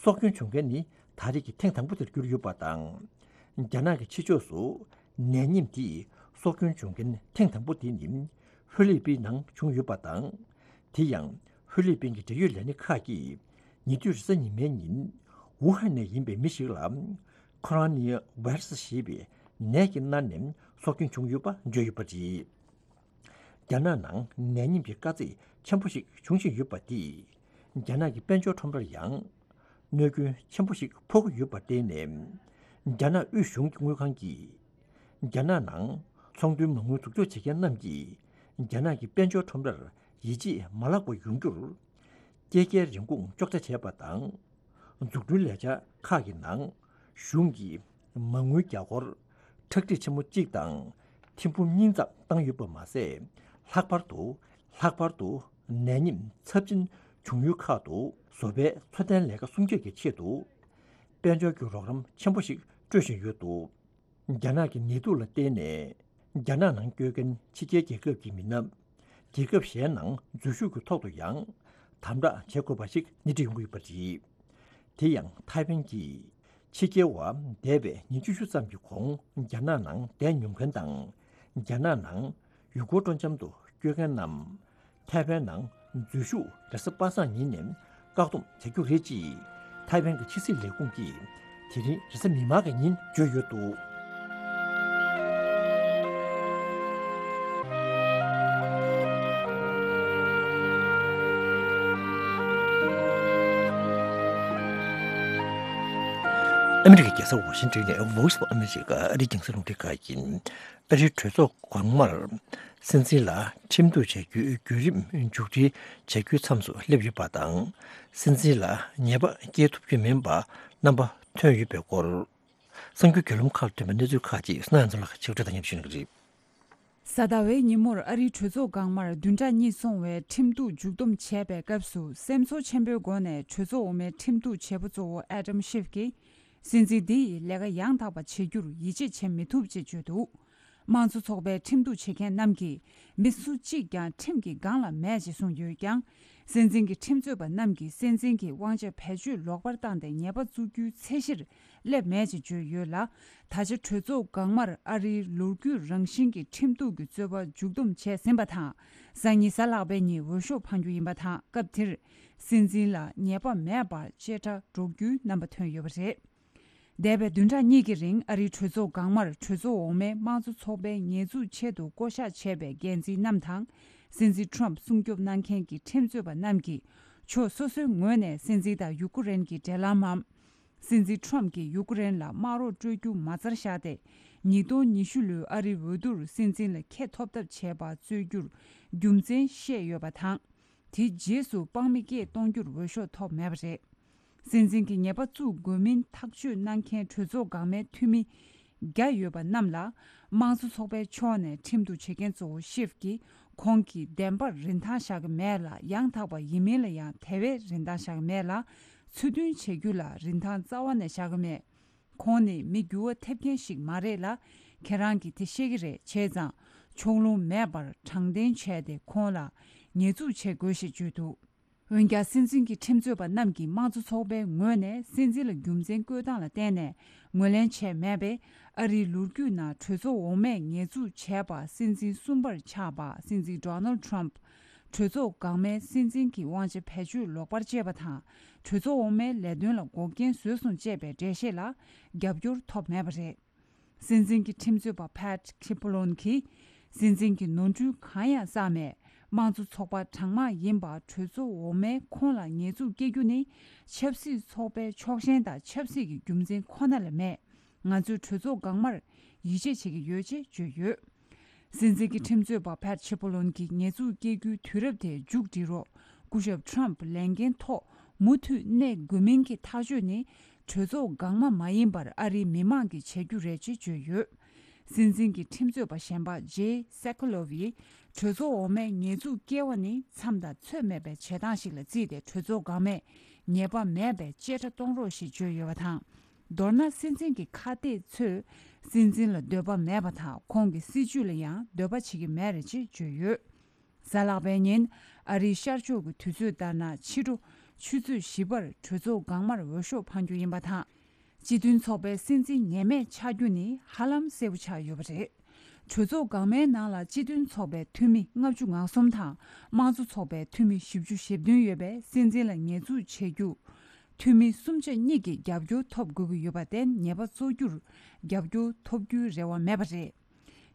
སྲོག་སྐྱོན་བྱུང་མཁན་ནི་ད་རེས་ཀྱི་ཐེངས་དང་པོ་དེར་གྱུར་ཡོད་པ་དང་། རྒྱ་ནག་གི་ཕྱི་ཕྱོགས་སུ་ནད་ཉིམ་དེས་སྲོག་སྐྱོན་བྱུང་མཁན་ཐེངས་དང་པོ་དེ་ནི་ཧྥི་ལི་པིན་ནང་བྱུང་ཡོད་པ་དང་། དེ་ཡང་ཧྥི་ལི་པིན་གྱི་འབྲེལ་ཡོད་ལས་སྣེ་ཁག་གིས་ཉེ་དུས་རེས་གཟའ་ཉི་མའི་ཉིན་ཝུ་ཧན་ནས་ཡིན་པའི་མི་ཞིག་ལ་ཁོ་རོ་ནའི་ཝེ་རུ་སི་ཞེས་པའི་ནད་ཀྱིས་མནར་ནས་སྲོག་སྐྱོན་བྱུང་ཡོད་པ་བརྗོད་ཡོད་པ་རེད། རྒྱ་ནག་ནང་ནད་ཉིམ་གྱི་དཀའ་ཚེགས་ཆེན་པོ་ཞིག་འབྱུང་བཞིན་ཡོད་པ་འདིས། རྒྱ་ནག་གི་དཔལ་འབྱོར་ཁྲོམ་རར་ཡང་གནོད་སྐྱོན་ཆེན་པོ་ཞིག་ཕོག་གི་ཡོད་པར་བརྟེན་ནས། རྒྱ་ནག་དབུས་གཞུང་གི་དངུལ་ཁང་གིས། རྒྱ་ནག་ནང་ཚོང་དོན་མ་དངུལ་འཛུགས་སྐྱོང་བྱེད་མཁན་རྣམས་ཀྱིས། རྒྱ་ནག་གི་དཔལ་འབྱོར་ཁྲོམ་རར་ཡིད་ཆེས་མ་བརླག་པ་ཡོང་རྒྱུར། སྐྱེད་ཀའི་རིན་གོང་གཅོག་ཆ་བྱས་པ་དང་། འཛུགས་སྐྲུན་ལས་འཆར་ཁག་གི་ནང་གཞུང་གིས་མ་དངུལ་རྒྱ་སྒོར་ཁྲག་ཁྲིག་ཆེན་མོ་གཅིག་དང་ཐེར་འབུམ་གཉིས་ཙམ་བཏང་ཡོད་པ་མ་ཟད། ལྷག་པར་དུ་ལྷག་པར་དུ་ནད་ཉིམ་ཚབས་ཆེན་བྱུང་ཡུལ་ཁག་ཏུ་བཟོ་པའི་འཚོ་རྟེན་ལས་ཀ་སྲུང་སྐྱོབ་ཀྱི་ཆེད་དུ་དཔལ་འབྱོར་གྱི་རོགས་རམ་ཆེན་པོ་ཞིག་སྤྲོད་བཞིན་ཡོད་འདུག། རྒྱ་ནག་གི་ནད་དུག་ལ་བརྟེན་ནས་རྒྱ་ནག་ནང་སྐྱོད་མཁན་ཕྱི་རྒྱལ་རྒྱལ་ཁབ་ཀྱི་མི་སྣ། རྒྱལ་ཁབ་གཞན་ནང་འཛུལ་ཞུགས་ཀྱི་ཐོག་ཏུ་ཡང་དམ་དྲག་བྱེད་དགོས་པ་ཞིག་སྣེ་ཁྲིད་ཡོང་གི་ཡོད་པ་རེད། དེ་ཡང་ཐའེ་ཝན་གྱིས་ཕྱི་རྒྱལ་བ་འདས་པའི་ཉིན་བཅུ་བཞི་ཙམ་གྱི་གོང་རྒྱ་ནག་ནང་བསྡད་མྱོང་མཁན་དང་། རྒྱ་ནག་ནང་ཡུལ་སྐོར་སྤྲོ་འཆམ་དུ་སྐྱོད་མཁན་རྣམས། ཐའེ་ཝན་ནང་འཛུལ་ཞུགས་རེས་གཟའ་པ་སངས་ཉིན་ནས་བཀག་སྡོམ་བྱ་རྒྱུ་རེད་ཅེས་ཐའེ་ཝན་གྱི་ཕྱི་སྲིད་ལས་ཁུངས་ཀྱིས་དེ་རིང་རེས་གཟའ་མིག་དམར་གྱི་ཉིན་བརྗོད་ཡོད་འདུག། ཨ་མི་རི་ཀའི་རྒྱལ་ས་ཝ་ཤིང་ཏོན་ནས་Voice of America ཨ་རིའི་རྒྱང་སྲིང་རླུང་འཕྲིན་ཁང་ཡིན། ཨ་རིའི་གྲོས་ཚོགས་གོང་མར་སྲིད་འཛིན་ལ་ཁྲིམས་གཏུག་བྱ་རྒྱུའི་བརྒྱུད་རིམ་མཇུག་སྒྲིལ་བྱ་རྒྱུའི་མཚམས་སུ་སླེབས་ཡོད་པ་དང་། སྲིད་འཛིན་ལ་ཉེས་པ་བཀལ་ཐུབ་རྒྱུ་མིན་པ་རྣམ་པ་ཐོན་ཡོད་པའི་སྐོར། གསར་འགྱུར་བརྒྱུད་ལམ་ཁག་ལ་ཐོན་པའི་གནས་ཚུལ་ཁག་ཅིག་གསན་ཡོང་ཚོ་ལགས་ཀྱིས་ཕྱོགས་སྒྲིག་དང་མཉམ་ཞུ་གནང་གི་རེད། གཟའ་ཟླ་བའི་ཉིན་མོར་ཨ་རིའི་གྲོས་ཚོགས་སྒང་མར་བདུན་ཕྲག་གཉིས་སོང་བའི་ཁྲིམས་གཏུག་མཇུག་བསྡོམས་བྱས་པའི་སྐབས་སུ་སེམས་ཚོར་ཆེན་པོའི་སྒོ་ནས་གྲོས་ཚོགས་འོག་མའི་ཁྲིམས་གཏུག་བྱེད་པོ་གཙོ་བོ་ཨེ་ཌམ་ཤིབ་ཀྱིས། སྲིད་འཛིན་འདི་ཡིས་ལས་ཀ་ཡང་དག་པ་བྱེད་རྒྱུར་ཡིད་ཆེས་བྱེད་མི་ཐུབ་ཅེས་བརྗོད་འདུག། དམངས་གཙོ་ཚོགས་པའི་ཁྲིམས་གཏུག་བྱེད་མཁན་རྣམས་ཀྱིས་མི་སུ་གཅིག་ཀྱང་ཁྲིམས་ཀྱི་སྒང་ལ་མེད་ཅེས་གསུངས་ཡོད་ཀྱང་། སྲིད་འཛིན་གྱི་ཁྲིམས་རྩོད་པ་རྣམས་ཀྱིས་སྲིད་འཛིན་གྱི་དབང་ཆ་བེད་སྤྱོད་ལོག་པར་བཏང་སྟེ་ཉེས་པ་བཙུགས་རྒྱུའི་ཚད་གཞིར་སླེབས་མེད་ཅེས་བརྗོད་ཡོད་ལ། ད་ཆ་གྲོས་ཚོགས་སྒང་མར་ཨ་རིའི་ལོ་རྒྱུས་རང་བཞིན་གྱི་ཁྲིམས་གཏུག་གི་རྩོད་པ་མཇུག་བསྡོམས་བྱས་ཟིན་པ་དང་། སང་ཉིན་གཟའ་ལྷག་པའི་ཉིན་འོས་ཤོག་འཕང་རྒྱུ་ཡིན་པ་དང་། སྐབས་དེར་སྲིད་འཛིན་ལ་ཉེས་པ་མེད་པར་བཅད་ཁྲ་སྒྲོག་རྒྱུའི་རྣམ་པ་ཐོན་ཡོད་པ་རེད། འདས་པའི་བདུན་ཕྲག་གཉིས་ཀྱི་རིང་ཨ་རིའི་གྲོས་ཚོགས་སྒང་མར་གྲོས་ཚོགས་འོག་མའི་དམངས་གཙོ་ཚོགས་པའི་ཉེས་འཛུགས་ཆེད་དུ་བསྐོ་གཞག་བྱས་པའི་འགན་འཛིན་རྣམས་དང་། སྲིད་འཛིན་ཁྲོམ་སྲུང་སྐྱོབ་གནང་མཁན་གྱི་ཁྲིམས་རྩོད་པ་རྣམས་ཀྱིས་ཕྱོགས་སོ་སོའི་ངོས་ནས་སྲིད་འཛིན་དང་ཡུ་ཀུ་རེན་གྱི་འབྲེལ་ལམ་མམ། སྲིད་འཛིན་ཁྲོམ་གྱིས་ཡུ་ཀུ་རེན་ལ་དམག་རོགས་སྤྲོད་རྒྱུ་མ་ཚར་བཞག་སྟེ། ཉིས་སྟོང་ཉི་ཤུ་ལོའི་ཨ་རིའི་འོས་བསྡུར་སྲིད་འཛིན་ལ་འཁེལ་ཐོབ་ཐབས་བྱས་པ་རྩོད་རྒྱུར་རྒྱུ་མཚན་བཤད་ཡོད་པ་དང་། དེའི་རྗེས་སུ་དཔང་མི་སྐད་གཏོང་རྒྱུར་འོས་ཤོག་ཐོབ་མེད་པ་རེད། སྲིད་འཛིན་གྱི་ཉེས་པ་བཙུགས་དགོས་མིན་ཐག་གཅོད་གནང་མཁན་གྲོས་ཚོགས་འགག་མའི་འཐུས་མི་བརྒྱ་ཡོད་པ་རྣམས་ལ། དམངས་གཙོ་ཚོགས་པའི་ཕྱོགས་ནས་ཁྲིམས་གཏུག་བྱེད་མཁན་གཙོ་བོ་ཤིབ་ཀྱིས་ཁོང་གིས་བདེན་པར་རིན་ཐང་བཞག་གི་མེད་ལ། ཡང་དག་པ་ཡིན་མིན་ལ་ཡང་དེ་བས་རིན་ཐང་བཞག་གི་མེད་ལ། ཚུལ་མཐུན་བྱེད་རྒྱུ་ལ་རིན་ཐང་རྩ་བ་ནས་བཞག་གི་མེད། ཁོང་ནི་མི་འགྱུར་བ་ཐེབས་མཁན་ཞིག་མ་རེད་ལ། ཁྱེད་རང་གིས་དེ་ཤེས་ཀྱི་རེད། བྱས་ཙང་ ཕྱོགས་ལྷུང་མེད་པར་དྲང་བདེན་བྱས་ཏེ་ཁོང་ལ་ཉེས་འཛུགས་བྱེད་དགོས་ཞེས་བརྗོད་འདུག་འོན་ཀྱང་སྲིད་འཛིན་གྱི་ཁྲིམས་རྩོད་པ་རྣམས་ཀྱིས་དམངས་གཙོ་ཚོགས་པའི་ངོས་ནས་སྲིད་འཛིན་ལ་རྒྱུ་མཚན་བཀོད་སྟངས་ལ་བརྟེན་ནས་ངོས་ལེན་བྱས་མེད་པས། ཨ་རིའི་ལོ་རྒྱུས་ནང་གྲོས་ཚོགས་འོག་མས་ཉེས་འཛུགས་བྱས་པ། སྲིད་འཛིན་གསུམ་པར་ཆགས་པ་སྲིད་འཛིན་Donald Trump གྲོས་ཚོགས་འགག་མེད་སྲིད་འཛིན་གྱི་དབང་ཆ་བེད་སྤྱོད་ལོག་པར་སྤྱད་པ་དང་། གྲོས་ཚོགས་འོག་མའི་ལས་དོན་ལ་འགོག་རྐྱེན་བཟོས་སོང་ཅེས་པའི་འགྲེལ་བཤད་ལ་རྒྱབ་སྐྱོར་ཐོབ་མེད་པ་རེད། སྲིད་འཛིན་གྱི་ཁྲིམས་རྩོད་པ་Pat Cipollone གྱིས། སྲིད་འཛིན་གྱིས་ནོར་འཁྲུལ་གང་ཡང་བསགས་མེད། དམངས་གཙོ་ཚོགས་པ་གྲངས་མང་ཡིན་པ་གྲོས་ཚོགས་འོག་མས་ཁོང་ལ་ཉེས་འཛུགས་སྐྱེལ་རྒྱུ་ནི། ཆབ་སྲིད་ཚོགས་པའི་ཕྱོགས་ཞེན་དང་ཆབ་སྲིད་ཀྱི་རྒྱུ་མཚན་ཁོ་ན་ལས་མེད། ང་ཚོས་གྲོས་ཚོགས་འགག་མར་ཡིད་ཆེས་བྱེད་ཀྱི་ཡོད་ཅེས་བརྗོད་ཡོད། སྲིད་འཛིན་གྱི་ཁྲིམས་རྩོད་པ་Pat Cipollone གྱིས་ཉེས་འཛུགས་སྐྱེལ་རྒྱུའི་དུས་རབས་དེ་མཇུག་སྒྲིལ་རོགས། སྐུ་ཞབས་Trump ལས་འགན་ཐོག་མུ་མཐུད་གནས་དགོས་མིན་གྱི་ཐག་གཅོད་ནི། གྲོས་ཚོགས་འགག་མ་མ་ཡིན་པར་ཨ་རིའི་མི་མང་གིས་བྱེད་རྒྱུ་རེད་ཅེས་བརྗོད་ཡོད། སྲིད་འཛིན་གྱི་ཁྲིམས་རྩོད་པ་གཞན་པ་Jay Sekulow ཡིས། གྲོས་ཚོགས་འོག་མས་ཉེས་འཛུགས་སྐྱེལ་བ་ནི་མཚམས་དང་ཚོད་མེད་པའི་བྱེད་སྟངས་ཤིག་ལ་བརྩིས་ཏེ། གྲོས་ཚོགས་འགག་མས་ཉེས་པ་མེད་པའི་བཅད་ཁྲ་གཏོང་རོགས་ཞེས་བརྗོད་ཡོད་པ་དང་། མདོར་ན། སྲིད་འཛིན་གྱི་ཁ་གཏད་ཚོས་སྲིད་འཛིན་ལ་འདོད་པ་མེད་པ་དང་། ཁོང་གི་སྲིད་བྱུས་ལ་ཡང་འདོད་པ་བྱེད་ཀྱི་མེད་རེད་ཅེས་བརྗོད་ཡོད། གཟའ་ལྷག་པའི་ཉིན། ཨ་རིའི་ཤར་ཕྱོགས་ཀྱི་དུས་ཚོད་ལྟར་ན། ཕྱི་དྲོ་ཆུ་ཚོད་བཞི་པར་གྲོས་ཚོགས་འགག་མར་འོས་ཤོག་འཕང་རྒྱུ་ཡིན་པ་དང་། སྤྱི་མཐུན་ཚོགས་པའི་སྲིད་འཛིན་ངེས་མེད་ཆགས་རྒྱུ་ནི་ཧ་ལམ་གསལ་པོ་ཆགས་ཡོད་པ་རེད། གྲོས་ཚོགས་འགག་མའི་ནང་ལ་སྤྱི་མཐུན་ཚོགས་པའི་འཐུས་མི་ལྔ་བཅུ་ང་གསུམ་དང་། དམངས་གཙོ་ཚོགས་པའི་འཐུས་མི་བཞི་བཅུ་ཞེ་བདུན་ཡོད་པས། སྲིད་འཛིན་ལ་ཉེས་འཛུགས་བྱེད་རྒྱུ། འཐུས་མི་སུམ་ཆ་གཉིས་ཀྱི་རྒྱབ་སྐྱོར་ཐོབ་དགོས་ཀྱི་ཡོད་པར་བརྟེན། ཉེས་པ་བཙུགས་རྒྱུར་རྒྱབ་སྐྱོར་ཐོབ་རྒྱུའི་རེ་བ་མེད་པ་རེད།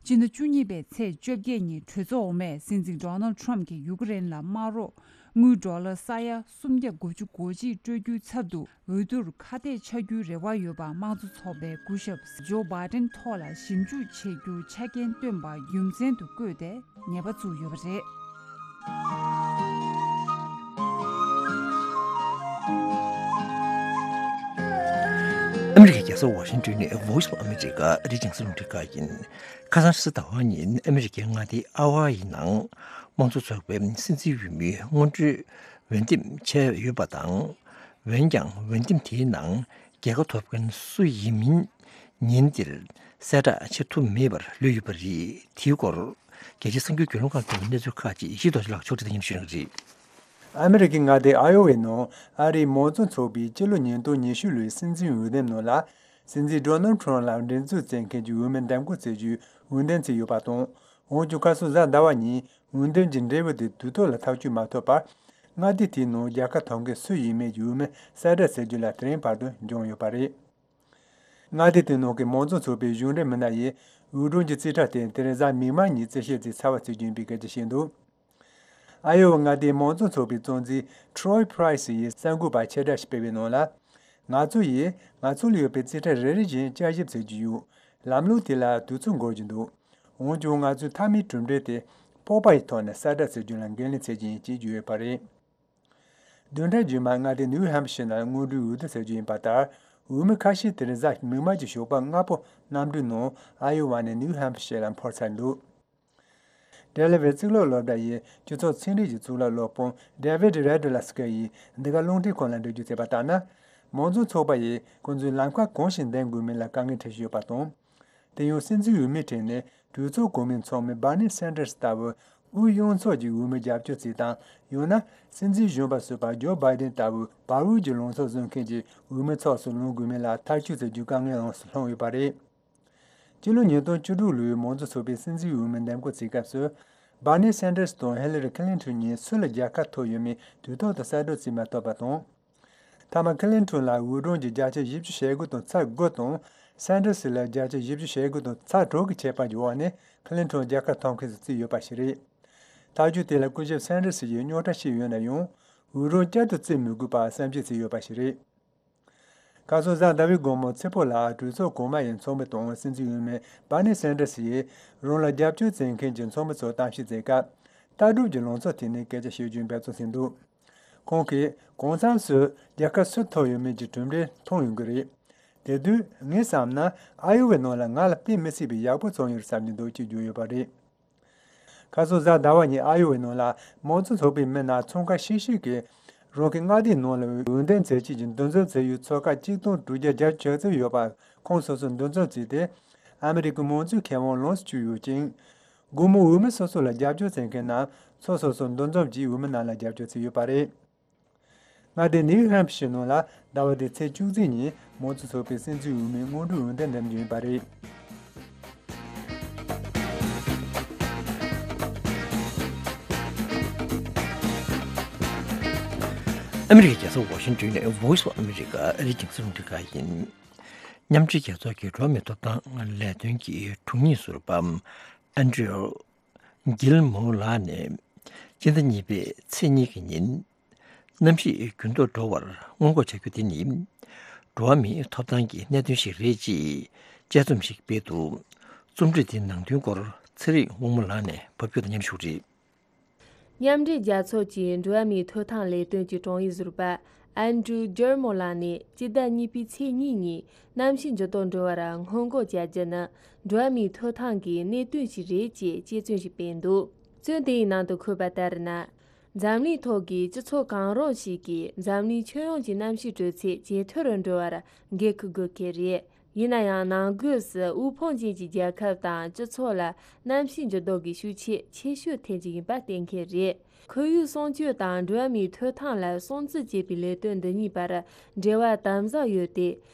སྤྱི་ཟླ་བཅུ་གཉིས་པའི་ཚེས་བཅོ་བརྒྱད་ཉིན། གྲོས་ཚོགས་འོག་མས་སྲིད་འཛིན་Donald Trump གྱིས་ཡུ་ཀེ་རེན་ལ་དམག་རོགས་དངུལ་ཌོ་ལར་ས་ཡ་སུམ་བརྒྱ་དགུ་བཅུ་གོ་གཅིག་སྤྲོད་རྒྱུའི་ཚབ་ཏུ། འོས་བསྡུར་ཁ་གཏད་ཆགས་རྒྱུའི་རེ་བ་ཡོད་པ། དམངས་གཙོ་ཚོགས་པས་སྐུ་ཞབས་Joe Biden ཐོག་ལ་ཞིབ་འཇུག་བྱེད་རྒྱུ་ཆ་རྐྱེན་བཏོན་པ་རྒྱུ་མཚན་དུ་བཀོད་དེ་ཉེས་པ་བཙུགས་ཡོད་པ་རེད། ཨ་མི་རི་ཀའི་རྒྱལ་ས་ཝ་ཤིང་ཊོན་ནས་Voice of America ཨ་རིའི་རྒྱང་སྲིང་རླུང་འཕྲིན་ཁང་ཡིན། ཁ་སང་ཕྱི་ཟླ་བ་ཉིན་ཨ་མི་རི་ཀའི་མངའ་སྡེ་ཨ་ཝ་ཡི་ནང་དམངས་གཙོ་ཚོགས་པའི་སྲིད་འཛིན་འོས་མིའི་སྔོན་འགྲོའི་འོས་འདེམས་བྱས་ཡོད་པ་དང་། འོན་ཀྱང་འོས་འདེམས་དེའི་ནང་རྒྱལ་ཁ་ཐོབ་མཁན་སུ་ཡིན་མིན་ཉིན་འདིར་གསལ་བསྒྲགས་བྱེད་ཐུབ་མེད་པར་ལུས་ཡོད་པ་རེད། དེའི་སྐོར་རྒྱལ་སྤྱིའི་གསར་འགྱུར་བརྒྱུད་ལམ་ཁག་ཏུ་གནས་ཚུལ་ཁག་ཅིག་ཡེ་ཤེས་རྡོ་རྗེ་ལགས་ཕྱོགས་སྒྲིག་དང་མཉམ་དུ་ཞུ་གནང་གི་རེད། ཨ་མི་རི་ཀའི་མངའ་སྡེ་ཨ་ཡོ་ཝའི་ནང་ཨ་རིའི་མང་གཙོ་ཚོགས་པའི་སྤྱི་ལོ་ཉིས་སྟོང་ཉི་ཤུ་ལོའི་སྲིད་འཛིན་འོས་འདེམས་ནང་ལ། སྲིད་འཛིན་Donald Trump ལ་འགྲན་རྩོད་བྱེད་མཁན་གྱི་འོས་མི་འདེམས་བསྐོ་བྱེད་རྒྱུའི་འོས་འདེམས་བྱས་ཡོད་པ་དང་། འོན་ཀྱང་ཁ་སང་གཟའ་ཟླ་བ་ཉིན་འོས་འདེམས་ཀྱི་འབྲས་བུ་དེ་དུས་ཐོག་ལ་ཐག་གཅོད་མ་ཐུབ་པར། མངའ་སྡེ་དེའི་ནང་རྒྱལ་ཁ་ཐོབ་མཁན་སུ་ཡིན་མིན་གྱི་འོས་མི་གསལ་བསྒྲགས་བྱེད་རྒྱུ་ལ་དེ་རིང་བར་དུ་འགྱངས་ཡོད་པ་རེད། མངའ་སྡེ་དེའི་ནང་གི་མང་གཙོ་ཚོགས་པའི་གཞུང་འབྲེལ་མི་སྣ་ཡིས་འོས་སྒྲུང་གི་རྩིས་ཁྲ་དེ་དེ་རིང་གཟའ་མིག་དམར་ཉིན་རྩིས་བཤེར་བྱས་ཚར་བ་བྱེད་རྒྱུ་ཡིན་པའི་སྐད་ཆ་བཤད་འདུག་ཨ་ཡོ་ཝ་མངའ་སྡེའི་མང་གཙོ་ཚོགས་པའི་གཙོ་འཛིན་Troy Price ཡིས་གསར་འགོད་པར་ཕྱིར་བསྒྲགས་ཤིག་སྤེལ་བའི་ནང་ལ། ང་ཚོ་ཡིས་ང་ཚོ་ལ་ཡོད་པའི་རྩིས་ཁྲ་རེ་རེ་བཞིན་བསྐྱར་ཞིབ་བྱེད་ཀྱི་ཡོད། ལམ་ལུགས་དེ་ལ་དུས་ཚོད་འགོར་གྱི་འདུག་འོན་ཀྱང་ང་ཚོའི་མཐའ་མའི་གྲུབ་འབྲས་དེ་སྤོབས་པ་ཡི་ཐོག་ནས་གསལ་བསྒྲགས་བྱེད་རྒྱུ་ལ་འགན་ལེན་བྱེད་ཀྱི་ཡིན་ཅེས་བརྗོད་ཡོད་པ་རེད། བདུན་ཕྲག་རྗེས་མར་མངའ་སྡེ་ནིའུ་ཧེམ་ཤེར་ནང་སྔོན་འགྲོའི་འོས་བསྡུ་བྱེད་རྒྱུ་ཡིན་པ་ལྟར། འོས་མི་ཁ་ཤས་དེ་རིང་གཟའ་མིག་དམར་གྱི་ཞོགས་པ་སྔ་པོ་གནམ་གྲུའི་ནང་ཨ་ཡོ་ཝ་ནས་ནིའུ་ཧེམ་ཤེར་ལ་འཕུར་ཚར་འདུག་ཌེ་ལ་ཝེར་གཙུག་ལག་སློབ་གྲྭ་ཡི་སྤྱི་ཚོགས་ཚན་རིག་གི་གཙུག་ལག་སློབ་དཔོན་David Redlowski ཡིས་འདི་ག་རླུང་འཕྲིན་ཁང་ལ་འགྲེལ་བརྗོད་བྱས་པ་ལྟར་ན། མང་གཙོ་ཚོགས་པ་ཡིས་ཁོང་ཚོའི་ལམ་ཁ་གང་ཞིག་འདེམས་དགོས་མིན་ལ་དཀའ་ངལ་འཕྲད་བཞིན་ཡོད་པ་དང་། དེ་ཡང་སྲིད་འཛིན་འོས་མིའི་གྲས་ནས་གྲོས་ཚོགས་གོང་མའི་ཚོགས་མི་Bernie Sanders ལྟ་བུ་དབུས་གཡོན་ཕྱོགས་ཀྱི་འོས་མི་རྒྱབ་སྐྱོར་བྱེད་སྟངས། ཡང་ན་སྲིད་འཛིན་གཞོན་པ་གསོད་པ་ཇོ་བྷའི་ཌེན་ལྟ་བུའི་བར་འོས་ཀྱི་ལངས་ཕྱོགས་བཟུང་མཁན་གྱི་འོས་མི་ཚོགས་སུ་ལངས་དགོས་མིན་ལ་ཐག་གཅོད་བྱེད་རྒྱུའི་དཀའ་ངལ་ཡོངས་སུ་ལྷུང་ཡོད་པ་རེད། སྤྱི་ལོ་ཉིས་སྟོང་བཅུ་དྲུག་ལོའི་མང་གཙོ་ཚོགས་པའི་སྲིད་འཛིན་འོས་མི་འདེམས་བསྐོ་བྱེད་སྐབས་སུ། Bernie Sanders དང་Hillary Clinton གཉིས་སུ་ལ་རྒྱལ་ཁ་ཐོབ་ཡོད་མེད་དུས་ཐོག་ཏུ་གསལ་བསྒྲགས་བྱེད་མ་ཐུབ་པ་དང་། མཐའ་མ་Clinton ལ་འོས་སྒྲུང་གི་བརྒྱ་ཆ་བཞི་བཅུ་ཞེ་དགུ་དང་ཚེག་དགུ་དང་། Sanders ལ་བརྒྱ་ཆ་བཞི་བཅུ་ཞེ་དགུ་དང་ཚེག་དྲུག་གི་ཁྱད་པར་གྱི་འོག་ནས་Clinton རྒྱལ་ཁ་ཐོབ་མཁན་དུ་བརྩིས་ཡོད་པ་ཞིག་རེད། ཐག་གཅོད་དེ་ལ་སྐུ་ཞབས་Sanders ཡིས་རྙོག་དྲ་བཤད་ཡོད་ན་ཡང་། འོས་སྒྲུང་བསྐྱར་དུ་བརྩི་མི་དགོས་པ་བསམ་ཤེས་བྱས་ཡོད་པ་ཞིག་རེད། ཁ་སང་གཟའ་ཟླ་བའི་དགོང་མོ་ཚེ་ཕོ་ལ་གྲོས་ཚོགས་གོང་མ་ཡི་ཚོགས་མི་དང་སྲིད་འཛིན་འོས་མི་Bernie Sanders ཡིས་རང་ལ་རྒྱབ་སྐྱོར་བྱེད་མཁན་གྱི་ཚོགས་མི་ཚོར་གཏམ་བཤད་བྱེད་སྐབས། ལྟ་གྲུབ་ཀྱི་ལངས་ཕྱོགས་ཐད་ནས་སྐད་ཆ་བཤད་རྒྱུའི་འབད་བརྩོན་བྱས་འདུག་ཁོང་གིས་གང་འཚམ་སུ་རྒྱལ་ཁ་སུ་ཐོབ་ཡོད་མེད་ཀྱི་གྲུབ་འབྲས་མཐོང་ཡོང་གི་རེད། དེ་དུས་ངས་བསམ་ན་ཨ་ཡོ་ཝའི་ནང་ལ་ང་ལ་དཔེ་མི་སྲིད་པའི་ཡག་པོ་བྱུང་ཡོད་བསམ་གྱི་འདུག་ཅེས་བརྗོད་ཡོད་པ་རེད། ཁ་སང་གཟའ་ཟླ་བ་ཉིན་ཨ་ཡོ་ཝའི་ནང་ལ་མང་གཙོ་ཚོགས་པའི་མི་སྣ་ཚོགས་ཁག་ཤིག་ཤིག་གིས་རང་གི་མངའ་སྡེའི་ནང་ལ་འོས་འདེམས་བྱེད་ཆེད་ཀྱི་འདུ་འཛོམས་བྱས་ཡོད་ཚོགས་ཁག་གཅིག་སྟོང་དྲུག་བརྒྱ་བརྒྱད་ཅུ་གྱ་གཅིག་ཡོད་པ་ཁོང་སོ་སོར་འདུ་འཛོམས་བྱས་ཏེ། ཨ་མི་རི་ཀའི་མང་གཙོའི་ཁེ་དབང་ལོངས་སུ་སྤྱོད་ཡོད་ཅིང་། སྒོར་མོ་འོས་མི་སོ་སོ་ལ་རྒྱབ་སྐྱོར་བྱེད་མཁན་རྣམས་ཚོགས་སོ་སོར་འདུ་འཛོམས་ཀྱིས་འོས་མི་རྣམས་ལ་རྒྱབ་སྐྱོར་བྱས་ཡོད་པ་རེད། མངའ་སྡེ་ནིའུ་ཧེམ་ཕི་ཤར་ནང་ལ་ཟླ་བ་འདིའི་ཚེས་བཅུ་གཅིག་ཉིན་མང་གཙོ་ཚོགས་པའི་སྲིད་འཛིན་འོས་མིའི་སྔོན་འགྲོའི་འོས་འདེམས་འགྲིམ་རྒྱུ་ཡིན་པ་རེད། ཨ་མི་རི་ཀའི་རྒྱལ་ས་ཝ་ཤིང་ཊོན་ནས་Voice of America ཨ་རིའི་རྒྱང་སྲིང་རླུང་འཕྲིན་ཁང་ཡིན། མཉམ་འབྲེལ་རྒྱལ་ཚོགས་ཀྱི་འགྲོ་བ་མིའི་ཐོབ་ཐང་ལས་དོན་གྱི་དྲུང་ཡིག་ཟུར་པ་ཨན་ཌྲིའུ་གྷིལ་མོར་ལགས་ནས་སྤྱི་ཟླ་གཉིས་པའི་ཚེས་གཉིས་ཀྱི་ཉིན་གནམ་གཤིས་འགྱུར་ལྡོག་འགྲོ་བར་སྔོན་འགོག་བྱ་རྒྱུ་དེ་ནི་འགྲོ་བ་མིའི་ཐོབ་ཐང་གི་གནད་དོན་ཞིག་རེད་ཅེས་དཔྱད་རྩོམ་ཞིག་སྤེལ་འདུག་རྩོམ་སྒྲིག་དེའི་ནང་དོན་སྐོར་ཚེ་རིང་དབང་མོ་ལགས་ནས་ཕབ་སྒྱུར་དང་མཉམ་ཞུགས་རེད། མཉམ་འབྲེལ་རྒྱལ་ཚོགས་ཀྱི་འགྲོ་བ་མིའི་ཐོབ་ཐང་ལས་དོན་གྱི་དྲུང་ཡིག་ཟུར་པ་ཨན་ཌྲུ་ཇར་མོ་ལགས་ནས་སྤྱི་ཟླ་གཉིས་པའི་ཚེས་གཉིས་ཉིན་གནམ་གཤིས་འགྱུར་ལྡོག་འགྲོ་བར་སྔོན་འགོག་བྱ་རྒྱུ་ནི་འགྲོ་བ་མིའི་ཐོབ་ཐང་གི་གནད་དོན་ཞིག་རེད་ཅེས་དཔྱད་རྩོམ་ཞིག་སྤེལ་འདུག་རྩོམ་དེའི་ནང་དུ་འཁོད་པ་ལྟར་ན། འཛམ་གླིང་ཐོག་གི་སྤྱི་ཚོགས་གང་རུང་ཞིག་གིས་འཛམ་གླིང་ཁྱོན་ཡོངས་ཀྱི་གནམ་གཤིས་དྲོད་ཚད་ཇེ་མཐོ་རུ་འགྲོ་བར་འགན་འཁུར་དགོས་ཀྱི་རེད། ཡིན་ན་ཡང་ནང་སྒོས་སུ་དབུལ་ཕོངས་ཅན་གྱི་རྒྱལ་ཁབ་དང་སྤྱི་ཚོགས་ལ་གནམ་གཤིས་འགྱུར་ལྡོག་གི་ཤུགས་རྐྱེན་ཆེ་ཤོས་ཐེབས་ཀྱི་ཡིན་པ་གཏན་འཁེལ་རེད། ཁོར་ཡུག་སྲུང་སྐྱོབ་དང་འགྲོ་བ་མིའི་ཐོབ་ཐང་ལ་སྲུང་བརྩི་བྱེད་པའི་ལས་དོན་འདི་གཉིས་བར་འབྲེལ་བ་དམ་ཟབ་ཡོད་དེ།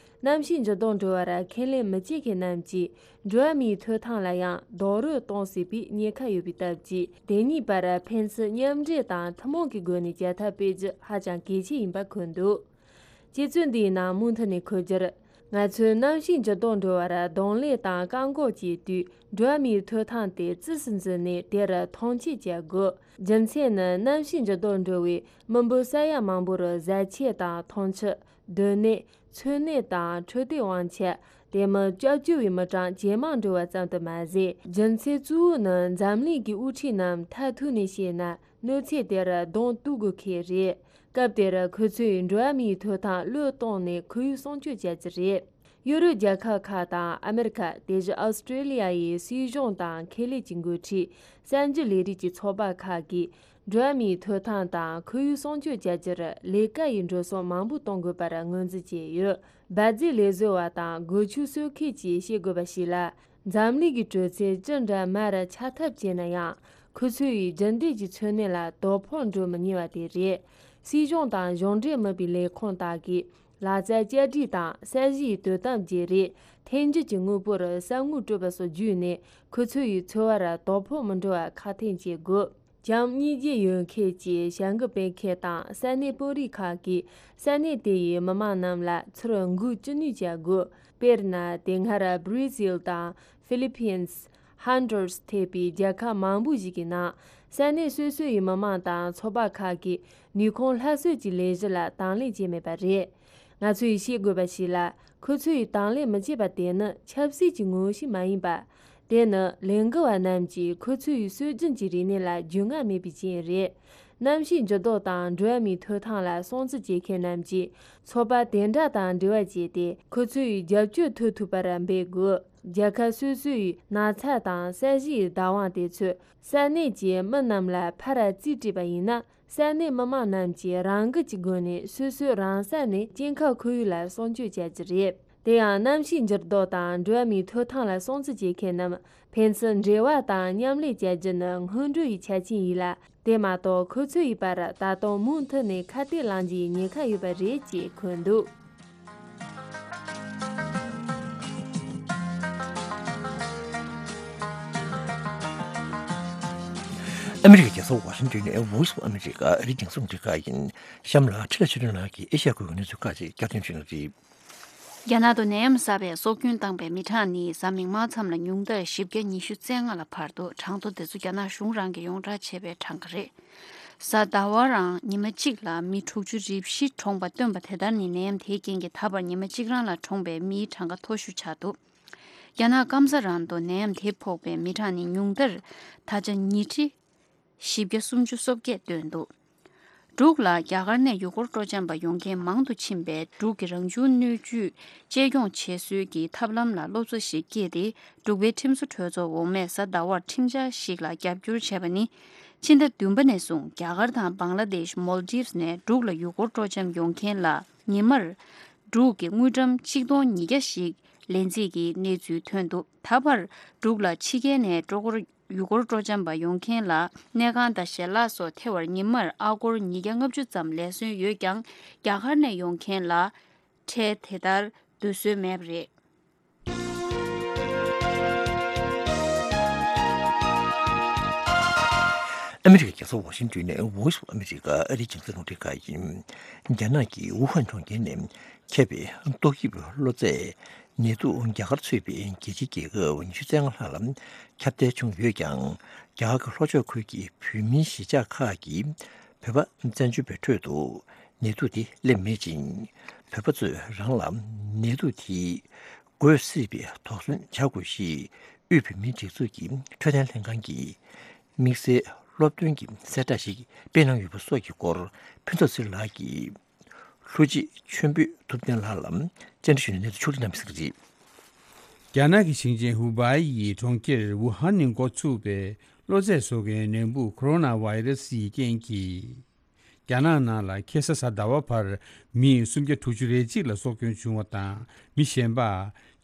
གནམ་གཤིས་འགྱུར་ལྡོག་འགྲོ་བར་ཁས་ལེན་མི་བྱེད་མཁན་རྣམས་ཀྱིས་འགྲོ་བ་མིའི་ཐོབ་ཐང་ལ་ཡང་རྡོག་རོལ་གཏོང་སྲིད་པའི་ཉེན་ཁ་ཡོད་པའི་སྟབས་ཀྱིས། དེ་གཉིས་བར་ཕན་ཚུན་མཉམ་འབྲེལ་དང་ཐུན་མོང་གི་སྒོ་ནས་བྱ་ཐབས་སྤེལ་རྒྱུ་ཧ་ཅང་གལ་ཆེ་ཡིན་པ་འཁོད་འདུག་དཔྱད་རྩོམ་འདིའི་ནང་མུ་མཐུད་ནས་འཁོད་རྒྱུར། ང་ཚོས་གནམ་གཤིས་འགྱུར་ལྡོག་འགྲོ་བར་གདོང་ལེན་དང་བཀག་འགོག་བྱེད་དུས། འགྲོ་བ་མིའི་ཐོབ་ཐང་དེ་རྩིས་སུ་འཛིན་ནས་དེར་མཐོང་ཆེན་བྱ་དགོས། རྒྱུ་མཚན་ནི། གནམ་གཤིས་འགྱུར་ལྡོག་འགྲོ་བས་མི་འབོར་ས་ཡ་མང་པོར་བཟའ་ཆས་དང་འཐུང་ཆུ། སྡོད་གནས། འཚོ་གནས་དང་འཕྲོད་བསྟེན་དབང་ཆ། དེ་མིན་སྐྱབས་བཅོལ་བའི་མི་གྲངས་ཇེ་མང་འགྲོ་བ་ཙམ་དུ་མ་ཟད། རྒྱུ་མཚན་གཙོ་བོ་ནི་འཛམ་གླིང་གི་དབུ་ཁྲིད་རྣམས་མཐར་ཐུག་ནས་བཤད་ན། གནོད་འཚེ་དེར་གདོང་གཏུག་དགོས་ཁེལ་རེད། སྐབས་དེར་ཁོ་ཚོས་འགྲོ་བ་མིའི་ཐོབ་ཐང་བློས་གཏོང་ནས་ཁོར་ཡུག་སྲུང་སྐྱོབ་བྱ་རྒྱུ་རེད། ཡོ་རོབ་རྒྱལ་ཁབ་ཁག་དང་ཨ་མེ་རི་ཁ། དེ་བཞིན་ཨོ་སི་ཀྲེ་ལི་ཡ་ཡི་སྲིད་གཞུང་དང་ཁེ་ལས་ཀྱི་འགོ་ཁྲིད། གསར་འགྱུར་ལས་རིགས་ཀྱི་ཚོགས་པ་ཁག་གིས། འགྲོ་བ་མིའི་ཐོབ་ཐང་དང་ཁོར་ཡུག་སྲུང་སྐྱོབ་བྱ་རྒྱུར་ལས་ཀ་ཡི་འགྲོ་སོང་མང་པོ་གཏོང་དགོས་པར་ངོས་འཛིན་བྱས་ཡོད། འབར་རྫས་ལས་བཟོ་བ་དང་སྒོ་ཕྱུགས་གསོ་མཁན་གྱིས་བཤད་དགོས་པ་ཞིག་ལ། འཛམ་གླིང་གི་དྲོད་ཚད་ཅི་འདྲ་མར་ཆག་ཐབས་བྱས་ན་ཡང་། ཁོ་ཚོ་ཡིས་རྒྱུན་ལྡན་གྱི་འཚོ་གནས་ལ་དོ་ཕོག་འགྲོ་མི་ཉེན་པ་དེ་རེད། སྲིད་གཞུང་དང་གཞུང་འབྲེལ་མིན་པའི་ལས་ཁུངས་དག་གིས། ལག་རྩལ་བསྐྱར་སྒྲིག་དང་ས་གཞིའི་དོ་དམ་བརྗེ་རེས། ཐོན་རྒྱུ་གྱི་དངོས་པོར་ས་དངུལ་སྤྲོད་པ་སོགས་བརྒྱུད་ནས། ཁོ་ཚོ་ཡི་འཚོ་བར་དོ་ཕོག་མི་འགྲོ་བ་ཁག་ཐེག་བྱེད་དགོས། བྱམས་སྙིང་རྗེ་ཡོད་མཁན་གྱི་བྱ་འགུལ་སྤེལ་མཁན་དང་ས་གནས་དཔོན་རིགས་ཁག་གིས། ས་གནས་དེ་ཡི་མི་མང་རྣམས་ལ་ཚུར་འགུག་ཅི་ནུས་བྱ་དགོས། དཔེར་ན། དེ་སྔར་བྷི་རི་ཟིལ་དང་ཧྥི་ལི་ཕིན། ཧོན་ཌུ་ར་སི་ཐེ་བའི་རྒྱལ་ཁབ་མང་པོ་ཞིག་གི་ནང་། ས་གནས་སོ་སོ་ཡི་མི་མང་དང་ཚོགས་པ་ཁག་གིས་ནུས་ཁུངས་སླར་གསོ་གྱི་ལས་གཞི་ལ་དང་ལེན་བྱས་མེད་པ་རེད། ང་ཚོ་ཡིས་ཤེས་དགོས་པ་ཞིག་ལ། ཁོ་ཚོ་ཡིས་དང་ལེན་མི་བྱེད་པ་དེ་ནི་ཆབ་སྲིད་ཀྱི་ངོ་བོ་ཞིག་མ་ཡིན་པ། དེ་ནི་ལས་འགུལ་བ་རྣམས་ཀྱིས་ཁོ་ཚོ་ཡི་སྲོལ་རྒྱུན་གྱི་རིག་གནས་ལ་རྒྱུས་མངའ་མེད་པའི་རྐྱེན་རེད། གནམ་གཤིས་འགྱུར་ལྡོག་དང་འགྲོ་བ་མིའི་ཐོབ་ཐང་ལ་སྲུང་བརྩི་བྱེད་མཁན་རྣམས་ཀྱིས་ཚོགས་པ་དེ་འདྲ་དང་འབྲེལ་བ་བྱས་ཏེ། ཁོ་ཚོ་ཡི་རྒྱབ་སྐྱོར་ཐོབ་ཐུབ་པར་འབད་དགོས། རྒྱལ་ཁབ་སོ་སོ་ཡི་ན་ཚ་དང་ས་གཞིའི་བདག་དབང་དེ་ཚོས་ས་གནས་ཀྱི་མི་རྣམས་ལ་ཕར་རྩིས་སྤྲད་པ་ཡིན་ན། ས་གནས་མི་མང་རྣམས་ཀྱིས་རང་འགུལ་གྱི་སྒོ་ནས་སོ་སོའི་རང་ས་ནས་སྐྱེ་ཁམས་ཁོར་ཡུག་ལ་སྲུང་སྐྱོབ་བྱ་རྒྱུ་རེད། དེ་ཡང་གནམ་གཤིས་འགྱུར་ལྡོག་དང་འགྲོ་བ་མིའི་ཐོབ་ཐང་ལ་སྲུང་བརྩི་བྱེད་མཁན་རྣམས་ཕན་ཚུན་འབྲེལ་བ་དང་མཉམ་ལས་བྱ་རྒྱུ་ནི་སྔོན་འགྲོ་ཡི་ཆ་རྐྱེན་ཡིན་ལ། དེ་མ་གཏོགས་ཁོ་ཚོ་ཡི་བར་ད་དུང་མུ་མཐུད་ནས་ཁ་གཏད་ལངས་རྒྱུའི་ཉེན་ཁ་ཡོད་པ་རེད་ཅེས་འཁོད་འདུག་ཨ་མི་རི་ཀའི་རྒྱལ་ས་ཝ་ཤིང་ཏོན་ནས་Voice of America ཨ་རིའི་རྒྱང་སྲིང་རླུང་འཕྲིན་ཁང་ཡིན། གཤམ་ལ་འཕྲིན་ལས་ཆོས་སྒྲོན་ལགས་ཀྱིས་ཨེ་ཤ་ཡ་ཁུལ་གྱི་གནས་ཚུལ་ཁག་ཅིག་བསྐྱར་ཟློས་བྱེད་གནང་གི་རེད། རྒྱ་ནག་ཏུ་ནད་ཡམས་ཟ་བའི་སྲོག་སྐྱོན་བཏང་པའི་མི་གྲངས་ནི་གཟའ་མིག་དམར་མཚམས་ལ་ཉུང་མཐར་བཞི་བརྒྱ་ཉི་ཤུ་རྩ་ལྔ་ལ་འཕར་འདུག་གྲངས་ཐོ་འདི་ཚོ་རྒྱ་ནག་གཞུང་རང་གིས་ཡོངས་བསྒྲགས་བྱས་པའི་གྲངས་ཀ་རེད། གཟའ་ཟླ་བ་རང་ཉི་མ་གཅིག་ལ་མི་དྲུག་ཅུ་རེ་བཞི་གྲོངས་པ་བཏོན་པ་དེ་ལྟར་ནི་ནད་ཡམས་དེའི་རྐྱེན་གྱིས་ད་བར་ཉི་མ་གཅིག་རང་ལ་གྲོངས་པའི་མིའི་གྲངས་ཀ་མཐོ་ཤོས་ཆགས་འདུག་རྒྱ་ནག་སྐམ་ས་རང་དུ་ནད་ཡམས་དེ་ཕོག་པའི་མི་གྲངས་ནི་ཉུང་མཐར་ད་ཆ་ཉིས་ཁྲི་བཞི་བརྒྱ་སུམ་ཅུ་སོ་བརྒྱད་བཏོན་འདུག་འབྲུག་ལ་རྒྱ་གར་ནས་ཡུལ་སྐོར་སྤྲོ་འཆམ་པ་ཡོང་མཁན་མང་དུ་ཕྱིན་པས། འབྲུག་གི་རང་བྱུང་སྣོད་བཅུད་གཅེས་སྐྱོང་བྱེད་སྲོལ་གྱི་ཐབས་ལམ་ལ་སློབ་གསོ་ཞིག་སྐྱེས་ཏེ། འབྲུག་པའི་ཁྲིམས་བཟོ་གྲོས་ཚོགས་འོག་མས་གཟའ་ཟླ་བར་ཁྲིམས་འཆར་ཞིག་ལ་རྒྱབ་སྐྱོར་བྱས་པ་ནི། ཕྱི་ཟླ་བདུན་པ་ནས་བཟུང་རྒྱ་གར་དང་བང་ལ་དེཤ། མོལ་ཌིབས་ནས་འབྲུག་ལ་ཡུལ་སྐོར་སྤྲོ་འཆམ་ཡོང་མཁན་ལ་ཉི་མར་འབྲུག་གི་དངུལ་ཀྲམ་གཅིག་སྟོང་ཉིས་བརྒྱ་ཞིག་ལེན་རྩིས་ཀྱི་གནས་ཚུལ་ཐོན་འདུག་ད་བར་འབྲུག་ལ་ཕྱི་རྒྱལ་ནས་སྤྲོ་འཁོར་ ཡུལ་སྐོར་སྤྲོ་འཆམ་པ་ཡོང་མཁན་ལ་གནས་ཁང་དང་ཞལ་ལག་སོགས་ཐེ་བར་ཉིན་མར་ཨ་སྒོར་ཉིས་བརྒྱ་ལྔ་བཅུ་ཙམ་ལས་སོན་ཡོད་ཀྱང་། རྒྱ་གར་ནས་ཡོང་མཁན་ལ་ཁྲལ་དེ་ལྟར་བསྡུ་སྲོལ་མེད་པ་རེད། ཨ་མི་རི་ཀའི་རྒྱལ་ས་ཝ་ཤིང་ཏོན་ནས་Voice of America ཨ་རིའི་རྒྱང་སྲིང་རླུང་འཕྲིན་ཁང་ཡིན། རྒྱ་ནག་གི་ཝུ་ཧན་གྲོང་ཁྱེར་ནས་ཁྱབ་པའི་ཏོག་དབྱིབས་གློ་ཚད་ནད་དུག་རྒྱ་གར་ཚུད་པའི་རྒྱལ་སྤྱིའི་རྒྱལ་ཁབ་ཉི་ཤུ་རྩ་ལྔ་ལྷག་ལ་ཁྱབ་གདལ་བྱུང་ཡོད་ཀྱང་། རྒྱ་གར་གྱི་ལྷོ་ཕྱོགས་ཁུལ་གྱི་བོད་མིའི་གཞིས་ཆགས་ཁག་གི་བོད་པ་བཙན་བྱོལ་བའི་ཁྲོད་དུ་ནད་དུག་དེ་སླེབས་མེད་ཅིང་། བོད་པ་ཚོས་རང་ལ་ནད་དུག་དེ་འགོས་སྲིད་པའི་དོགས་ཟོན་བྱ་དགོས་ཞེས་དབུས་བོད་མིའི་སྒྲིག་འཛུགས་ཀྱི་འཕྲོད་བསྟེན་ལྷན་ཁང་གིས་དམིགས་བསལ་སློབ་སྟོན་གྱི་གསལ་བསྒྲགས་ཤིག་སྤེལ་གནང་ཡོད་པ་སོགས་ཀྱི་སྐོར་ཕུན་ཚོགས་ཚེ་རིང་ལགས་ཀྱིས་ལྷུ་ཅི་ཆོས་འབུལ་ཐུབ་བསྟན་ལགས་ལ་བཅར་འདྲི་ཞུས་ནས་གནས་ཚུལ་ཕྱོགས་སྒྲིག་གནང་པ་ཞིག་རེད། རྒྱ་ནག་གི་ཞིང་ཆེན་ཧུ་བའི་ཡི་གྲོང་ཁྱེར་ཝུ་ཧན་ནས་འགོ་ཚུགས་པའི་གློ་ཚད་བཟོ་མཁན་ནད་འབུ་ཁོ་རོ་ན་བྷའི་རེ་སི་ཡི་རྐྱེན་གྱིས། རྒྱ་ནག་ནང་ལ་ཁ་སང་གཟའ་ཟླ་བ་བར་མི་སུམ་བརྒྱ་དྲུག་ཅུ་རེ་གཅིག་ལ་སྲོག་སྐྱོན་བྱུང་བ་དང་། མི་གཞན་པ་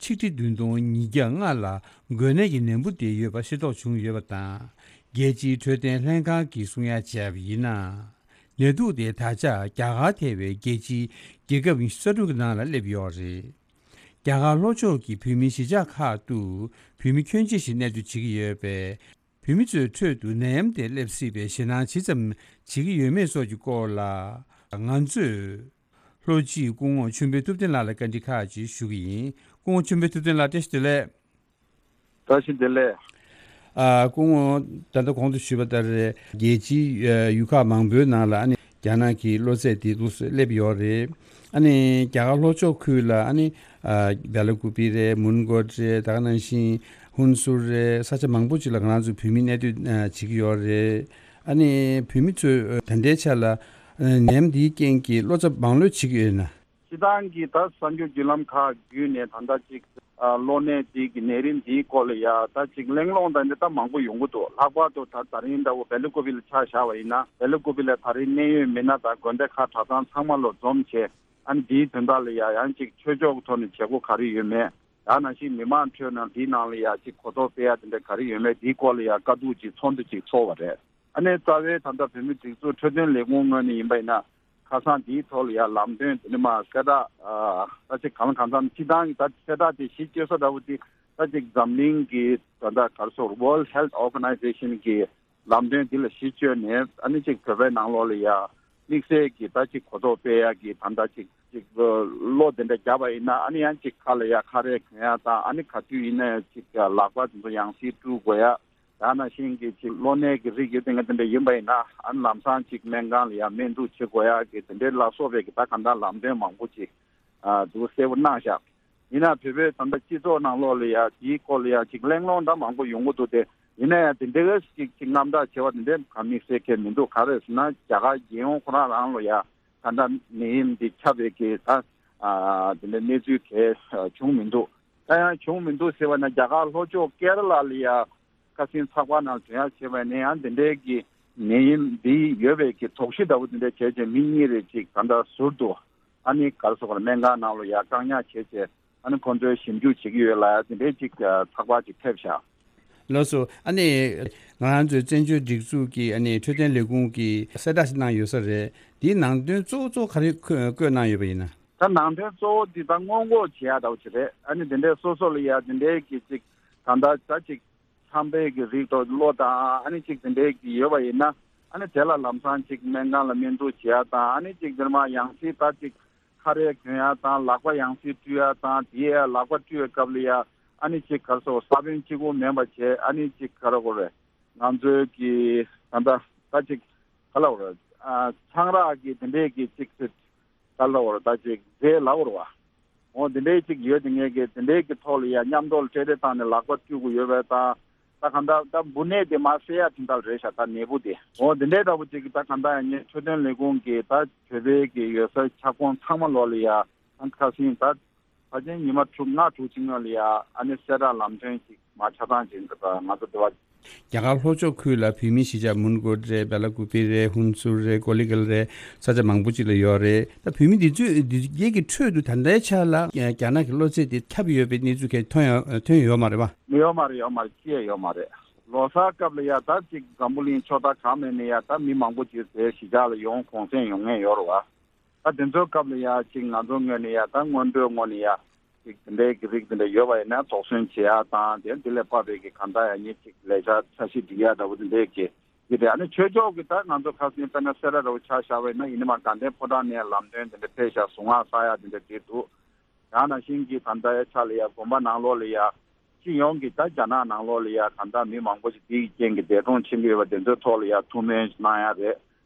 ཆིག་ཁྲི་བདུན་སྟོང་ཉིས་བརྒྱ་ལྔ་ལ་འགོས་ནད་ཀྱི་ནད་འབུ་དེ་ཡོད་པ་ཤེས་རྟོགས་བྱུང་ཡོད་པ་དང་། རྒྱལ་སྤྱིའི་འཕྲོད་བསྟེན་ལྷན་ཁང་གིས་གསུང་ཡ་བྱས་པ་ཡིན་ན། ནད་དུག་དེ་ད་ཆ་རྒྱ་གར་ཐེ་བའི་རྒྱལ་སྤྱིའི་རྒྱལ་ཁབ་ཉི་ཤུ་རྩ་དྲུག་གི་ནང་ལ་སླེབས་ཡོད་རེད། རྒྱ་གར་ལྷོ་ཕྱོགས་ཀྱི་བོད་མིའི་གཞིས་ཆགས་ཁག་ཏུ་བོད་མི་ཁྱོན་ཆེ་ཞིག་གནས་སྡོད་བྱེད་ཀྱི་ཡོད་པས། བོད་མི་ཚོའི་ཁྲོད་དུ་ནད་ཡམས་དེ་སླེབས་སྲིད་པའི་ཞེད་སྣང་ཇི་ཙམ་བྱེད་ཀྱི་ཡོད་མེད་སོགས་ཀྱི་སྐོར་ལ། ང་ཚོས་ལྷོ་སྤྱི་སྐུ་ངོ་ཆོས་འཕེལ་ཐུབ་བསྟན་ལགས་ལ་བཀའ་འདྲི་ཁག་ཅིག་ཞུ་གི་ཡིན། སྐུ་ངོ་ཆོས་འཕེལ་ཐུབ་བསྟན་ལགས། བཀྲ་ཤིས་བདེ་ལེགས། བཀྲ་ཤིས་བདེ་ལེགས། ཨ། སྐུ་ངོ། ད་ལྟ་གོང་དུ་ཞུས་པ་ལྟར། རྒྱལ་སྤྱིའི་ཡུལ་ཁག་མང་པོའི་ནང་ལ་ཨ་ནི་རྒྱ་ནག་གི་གློ་ཚད་དེ་འདུག་སེ་སླེབས་ཡོད་རེད། ཨ་ནི་རྒྱ་གར་ལྷོ་ཕྱོགས་ཁུལ་ལ་ཨ་ནི་ཨ་བེ་ལ་ཀུ་པི་རེད། མོན་གྷོ་རེད། ད་ག་ནང་བཞིན་ཧུན་སུར་རེད། ས་ཆ་མང་པོ་ཅིག་ལ་ང་རང་ཚོ་བོད་མི་གནས་སྡོད་བྱེད་ཀྱི་ཡོད་རེད། ཨ་ནི་བོད་མི་ཚོས་ད་ལྟའི་ཆ་ལ་ནད་ཡམས་འདིའི་རྐྱེན་གྱིས་བློ་འཚབ་མང་ལོས་བྱེད་ཀྱི་ཡོད་ན། སྤྱིར་བཏང་གི་ད་གསར་འགྱུར་བརྒྱུད་ལམ་ཁག་བརྒྱུད་ནས་ད་ལྟ་ཅིག་ཨ་གློ་ནད་འདི་གི་ནད་རིམས་འདིའི་སྐོར་ལ་ཡ་ད་ཅིག་གླེང་སློང་དང་འདི་ད་མང་པོ་ཡོང་གི་འདུག་ལྷག་པར་དུ་ད་ད་རིང་འདྲ་བོ་བེ་ལི་ཀུ་པི་ལ་ཆ་བཞག་པ་ཡིན་ན། བེ་ལི་ཀུ་པི་ལ་ད་རིང་གནད་ཡོད་མི་སྣ་དང་དགོན་སྡེ་ཁག་གྲྭ་ཚང་ཚང་མ་ལོ་འཛོམས་བྱས། ཨ་ནི་འདིའི་དོན་དག་ལ་ཡ་ཡང་ཅིག་ཆོས་ཕྱོགས་ཀྱི་ཐོག་ནས་བྱེད་སྒོ་ག་རེ་ཡོད་མེད། ད་ནང་བཞིན་མི་མང་ཁྲོད་ནང་འདིའི་ནང་ལ་ཡ་ཅིག་གོ་རྟོགས་སྤེལ་ཡ་དེ་འདྲ་ག་རེ་ཡོད་མེད། འདིའི་སྐོར་ལ་ཡ་བཀའ་བསྡུར་ཅིག་ཚོགས་འདུ་ཅིག་ཚོགས་པ་རེད། ཨ་ནི་རྩ་བའི་ད་ལྟ་བོད་མི་སྒྲིག་འཛུགས་འཕྲོད་བསྟེན་ལས་ཁུངས་ངོས་ནས་ཡིན་པ་ཡིན་ན། ཁ་སང་འདིའི་ཐོག་ལ་ཡ་ལམ་སྟོན་དེ་ནི་མ་གསལ་བསྒྲགས། ཨ་ད་ཅིག་གང་ལ་གང་འཚམ་སྤྱིར་བཏང་གི་ད་གསལ་བསྒྲགས་དེ་གཞི་བཅོལ་ས་འདྲ་བོ་དེ་ད་ཅིག་འཛམ་གླིང་གི་ད་ལྟ་ག་རེ་ཟེར་World Health Organization གི་ལམ་སྟོན་འདི་ལ་གཞི་བཅོལ་ནས། ཨ་ནི་ཅིག་བོད་པའི་ནང་ལོགས་ལ་ཡ་དམིགས་བསལ་གྱི་ད་ཅིག་གོ་རྟོགས་སྤེལ་ཡ་གི་ད་ལྟ་ཅིག་ཅིག་གློ་དེ་འདྲ་བརྒྱབ་པ་ཡིན་ན། ཨ་ནི་ཡང་ཅིག་ཁ་ལ་ཡ་ཁ་རས་གྱོན་ཡ་དང་། ཨ་ནི་ག་དུས་ཡིན་ན་ཡང་ཅིག་ལག་པ་དེ་ཚོ་ཡང་སེ་བཀྲུ་དགོས་ཡ། ད་ནང་བཞིན་གྱི་ཅིག་གློ་ནད་ཀྱི་རིགས་ཡོད་དེ་འདྲ་དེ་འདྲ་ཡིན་པ་ཡིན་ན། ཨ་ནི་ལམ་སང་ཅིག་སྨན་ཁང་ལ་ཡ་སྨན་བསྡུ་བྱེད་དགོས་ཡ་གི་དེ་འདྲའི་ལ་སོགས་པའི་གི་ད་གང་ལྟར་ལམ་སྟོན་མང་པོ་ཅིག་ཨ་འདུག་གསལ་པོ་གནང་ཤག་ཡིན་ན་བོད་པའི་ད་ལྟ་སྤྱི་ཚོགས་ནང་ལོགས་ལ་ཡ་དེའི་སྐོར་ལ་ཡ་ཅིག་གླེང་སློང་འདྲ་མང་པོ་ཡོང་གི་འདུག་སྟེ། ཡིན་ན་ཡང་དེ་འདྲའི་ཅིག་ཅིག་རྔམ་སྐྲག་བྱེད་པ་དེ་འདྲའི་ག་དམིགས་བསལ་གང་མི་འདུག་ག་རེ་ཟེར་ན། རྒྱ་གར་རྒྱལ་ཡོངས་ཁོ་རང་རང་ལ་ཡ་ད་ལྟ་ནད་ཡམས་འདི་ཁྱབ་པའི་གི་ད་ཨ་དེ་འདྲའི་གནས་ཚུལ་གང་བྱུང་མི་འདུག་ད་ཡང་བྱུང་མི་འདུག་ཟེར་བ་ན། རྒྱ་གར་ལྷོ་ཕྱོགས་ཀེ་ར་ལ་ལ་ཡ་ཁ་སང་ཚགས་པར་ནང་ཐོན་ཡ་བྱས་པ་ནས། ཡང་དེ་འདྲའི་གི་ནད་ཡམས་འདི་ཡོད་པའི་གི་དོགས་གཞི་འདྲ་བོ་དེ་འདྲ་བྱས་བྱས། མི་གཉིས་རེ་ཅིག་ད་ལྟ་ཟུར་དུ་ཨ་ནི་ག་རེ་ཟེར་དགོས་རེད། སྨན་ཁང་ནང་ལ་ཡ་བཀག་ཉར་བྱས་བྱས། ཨ་ནི་ཁོང་ཚོས་ཞིབ་འཇུག་བྱེད་ཀྱི་ཡོད་ལ་ཡ། དེ་འདྲའི་ཅིག་ཚགས་པར་ཅིག་ཕེབས་ཤག་ལགས་སོ། ཨ་ནི་ང་རང་ཚོའི་བཙན་བྱོལ་སྒྲིག་འཛུགས་ཀྱི་ཨ་ནི་འཕྲོད་བསྟེན་ལས་ཁུངས་ཀྱིས་གསལ་བསྒྲགས་ཤིག་གནང་ཡོད་ས་རེད། དེའི་ནང་དོན་གཙོ་བོ་གཙོ་བོ་ག་རེ་བཀོད་བཀོད་གནང་ཡོད་པ་ཡིན་ན། ད་ནང་དོན་གཙོ་བོ་འདི་ད་སྔོན་འགོག་བྱེད་ཡ་འདྲ་བོ་ཅིག་རེད། ཨ་ནི་དེ་འདྲའི་སོ་སོ་ལ་ཡ་དེ་འདྲའི་གི་ཅིག་གང་ལྟར་ད་ཅིག་ཆམ་པའི་གི་རིགས་དང་གློ་དང་ཨ་ནི་ཅིག་དེ་འདྲའི་གི་ཡོད་པ་ཡིན་ན། ཨ་ནི་དེ་ལ་ལམ་སང་ཅིག་སྨན་ཁང་ལ་སྨན་བསྡུ་བྱེད་ཡ་དང་། ཨ་ནི་ཅིག་དེར་མ་ཡང་སྲིད་ད་ཅིག་ཁ་རས་གྱོན་ཡ་དང་། ལག་པ་ཡང་སྲིད་བཀྲུ་ཡ་དང་། དེ་ཡ་ལག་པ་བཀྲུ་བའི་སྐབས་ལ་ཡ་ཨ་ནི་ཅིག་ག་རེ་ཟེར་དགོས་རེད། ས་བོན་གཅིག་པོ་མིན་པ་བྱས། ཨ་ནི་ཅིག་ག་རེ་ཟེར་དགོས་རེད། ང་ཚོའི་གི་ད་ལྟ་ད་ཅིག་ག་རེ་ཟེར་དགོས་རེད། ཨ་ཆང་རག་གི་དེ་འདྲའི་གི་ཅིག་ཅིག་ག་རེ་ཟེར་དགོས་རེད། ད་ཅིག་རྫས་ལབ་དགོས་རེད་པ། འོ་དེ་འདྲའི་ཅིག་ཡོད་དེ། ངས་གི་དེ་འདྲའི་གི་ཐོག་ལ་ཡ་མཉམ་དུ་སྤྲེལ་རེ་བཏང་ནས་ལག་པ་བཀྲུ་དགོས་ཡོད་པ་དང་། ད་གང་ལྟར་ད་འབུ་ནད་དེ་མར་སེལ་ཡ་དེ་འདྲ་རེད་ཤག་ད་ནད་འབུ་དེ། འོ་དེ་འདྲའི་འདྲ་པོ་ཅིག་གི་ད་གང་ལྟར་ཡང་ངས་འཕྲོད་བསྟེན་ལས་ཁུངས་ཀྱི་ད་བོད་པའི་གི་ཡོད་སའི་ཁྱབ་ཁོངས་ཚང་མ་ལོག་ལ་ཡ་ཨང་ཁ་སིང་ད་ཕལ་ཆེར་ཉི་མ་དྲུག་ལྔ་དྲུག་ཅིག་སྔོན་ལ་ཡ་ཨ་ནི་གསལ་བསྒྲགས་ལམ་སྟོན་ཅིག་མར་ཆ་ཚང་ཅིག་འདི་ད་ང་ཚོ་འདི་བ། རྒྱ་གར་ལྷོ་ཕྱོགས་ཁུལ་ལ་བོད་མིའི་གཞིས་ཆགས་མོན་གྷོ་རེད། བེ་ལ་ཀུ་པི་རེད། ཧུན་སུར་རེད། ཀོ་ལི་གྷལ་རེད། ས་ཆ་མང་པོ་ཅིག་ལ་ཡོད་རེད། ད་བོད་མི་འདི་ཚོས་འདི་གའི་གི་ཁྲོད་དུ་ད་ལྟའི་ཆ་ལ་རྒྱ་ནག་གི་གློ་ཚད་དེ་ཁྱབ་ཡོད་པའི་གནས་ཚུལ་གང་ཐོན་ཡོད་ཐོན་ཡོད་མ་རེད་པ། ཡོད་མ་རེད། ཡོད་མ་རེད། ཅི་ཡང་ཡོད་མ་རེད། ལོ་གསར་སྐབས་ལ་ཡ་ད་ཅིག་འཛམ་བུ་གླིང་ཕྱོགས་མཐའ་གང་མེད་ནས་ཡ་ད་མི་མང་པོ་ཅིག་དེ་གཞིས་ཆགས་ལ་ཡོང་གུང་སེང་ཡོང་མཁན་ཡོད་རེད་བ། ད་དེ་ཚོའི་སྐབས་ལ་ཡ་ཅིག་ང་ཚོ་ངོས་ནས་ཡ་ད་སྔོན་འགྲོའི་ངོས་ནས་ཡ་ཅིག་དེ་འདྲའི་གི་རིགས་དེ་འདྲ་ཡོད་པ་ཡིན་ན་དོགས་ཟོན་བྱེད་ཡ་དང་དེ་འདི་ལས་ཕབ་པའི་གི་གང་ལྟར་ཡ་ཉིད་ཅིག་ལས་འཆར་འཆར་གཞི་སྒྲིག་ཡ་འདྲ་བོ་དེ་འདྲའི་གི་ཡིན་ཏེ། ཨ་ནི་ཆོས་ཕྱོགས་ཀྱི་ད་ང་ཚོ་ཁ་སང་དཔེར་ན་སེ་ར་འདྲ་བོ་ཆ་བཞག་པ་ཡིན་ན་ཡིན་ནི་མ་དགའ་ལྡན་ཕོ་བྲང་ནས་ལམ་སྟོན་དེ་འདྲ་ཕེབས་ཤག་གཟུངས་སྔགས་བསགས་ཡ་དེ་འདྲ་བྲིས་འདུག་ཡང་ན་ཤིང་གི་ད་ལྟ་ཡ་ཆ་ལ་ཡ་དགོན་པ་ནང་ལོགས་ལ་ཡ་སྤྱི་ཡོངས་ཀྱི་ད་རྒྱ་ནག་ནང་ལོགས་ལ་ཡ་གང་ལྟར་མི་མང་པོ་ཞིག་དེའི་རྐྱེན་གྱིས་འདས་གྲོངས་ཕྱིན་གྱི་ཡོད་པ་དེ་ཚོའི་ཐོག་ལ་ཡ་ཐུགས་སྨོན་གནང་ཡ་རེད།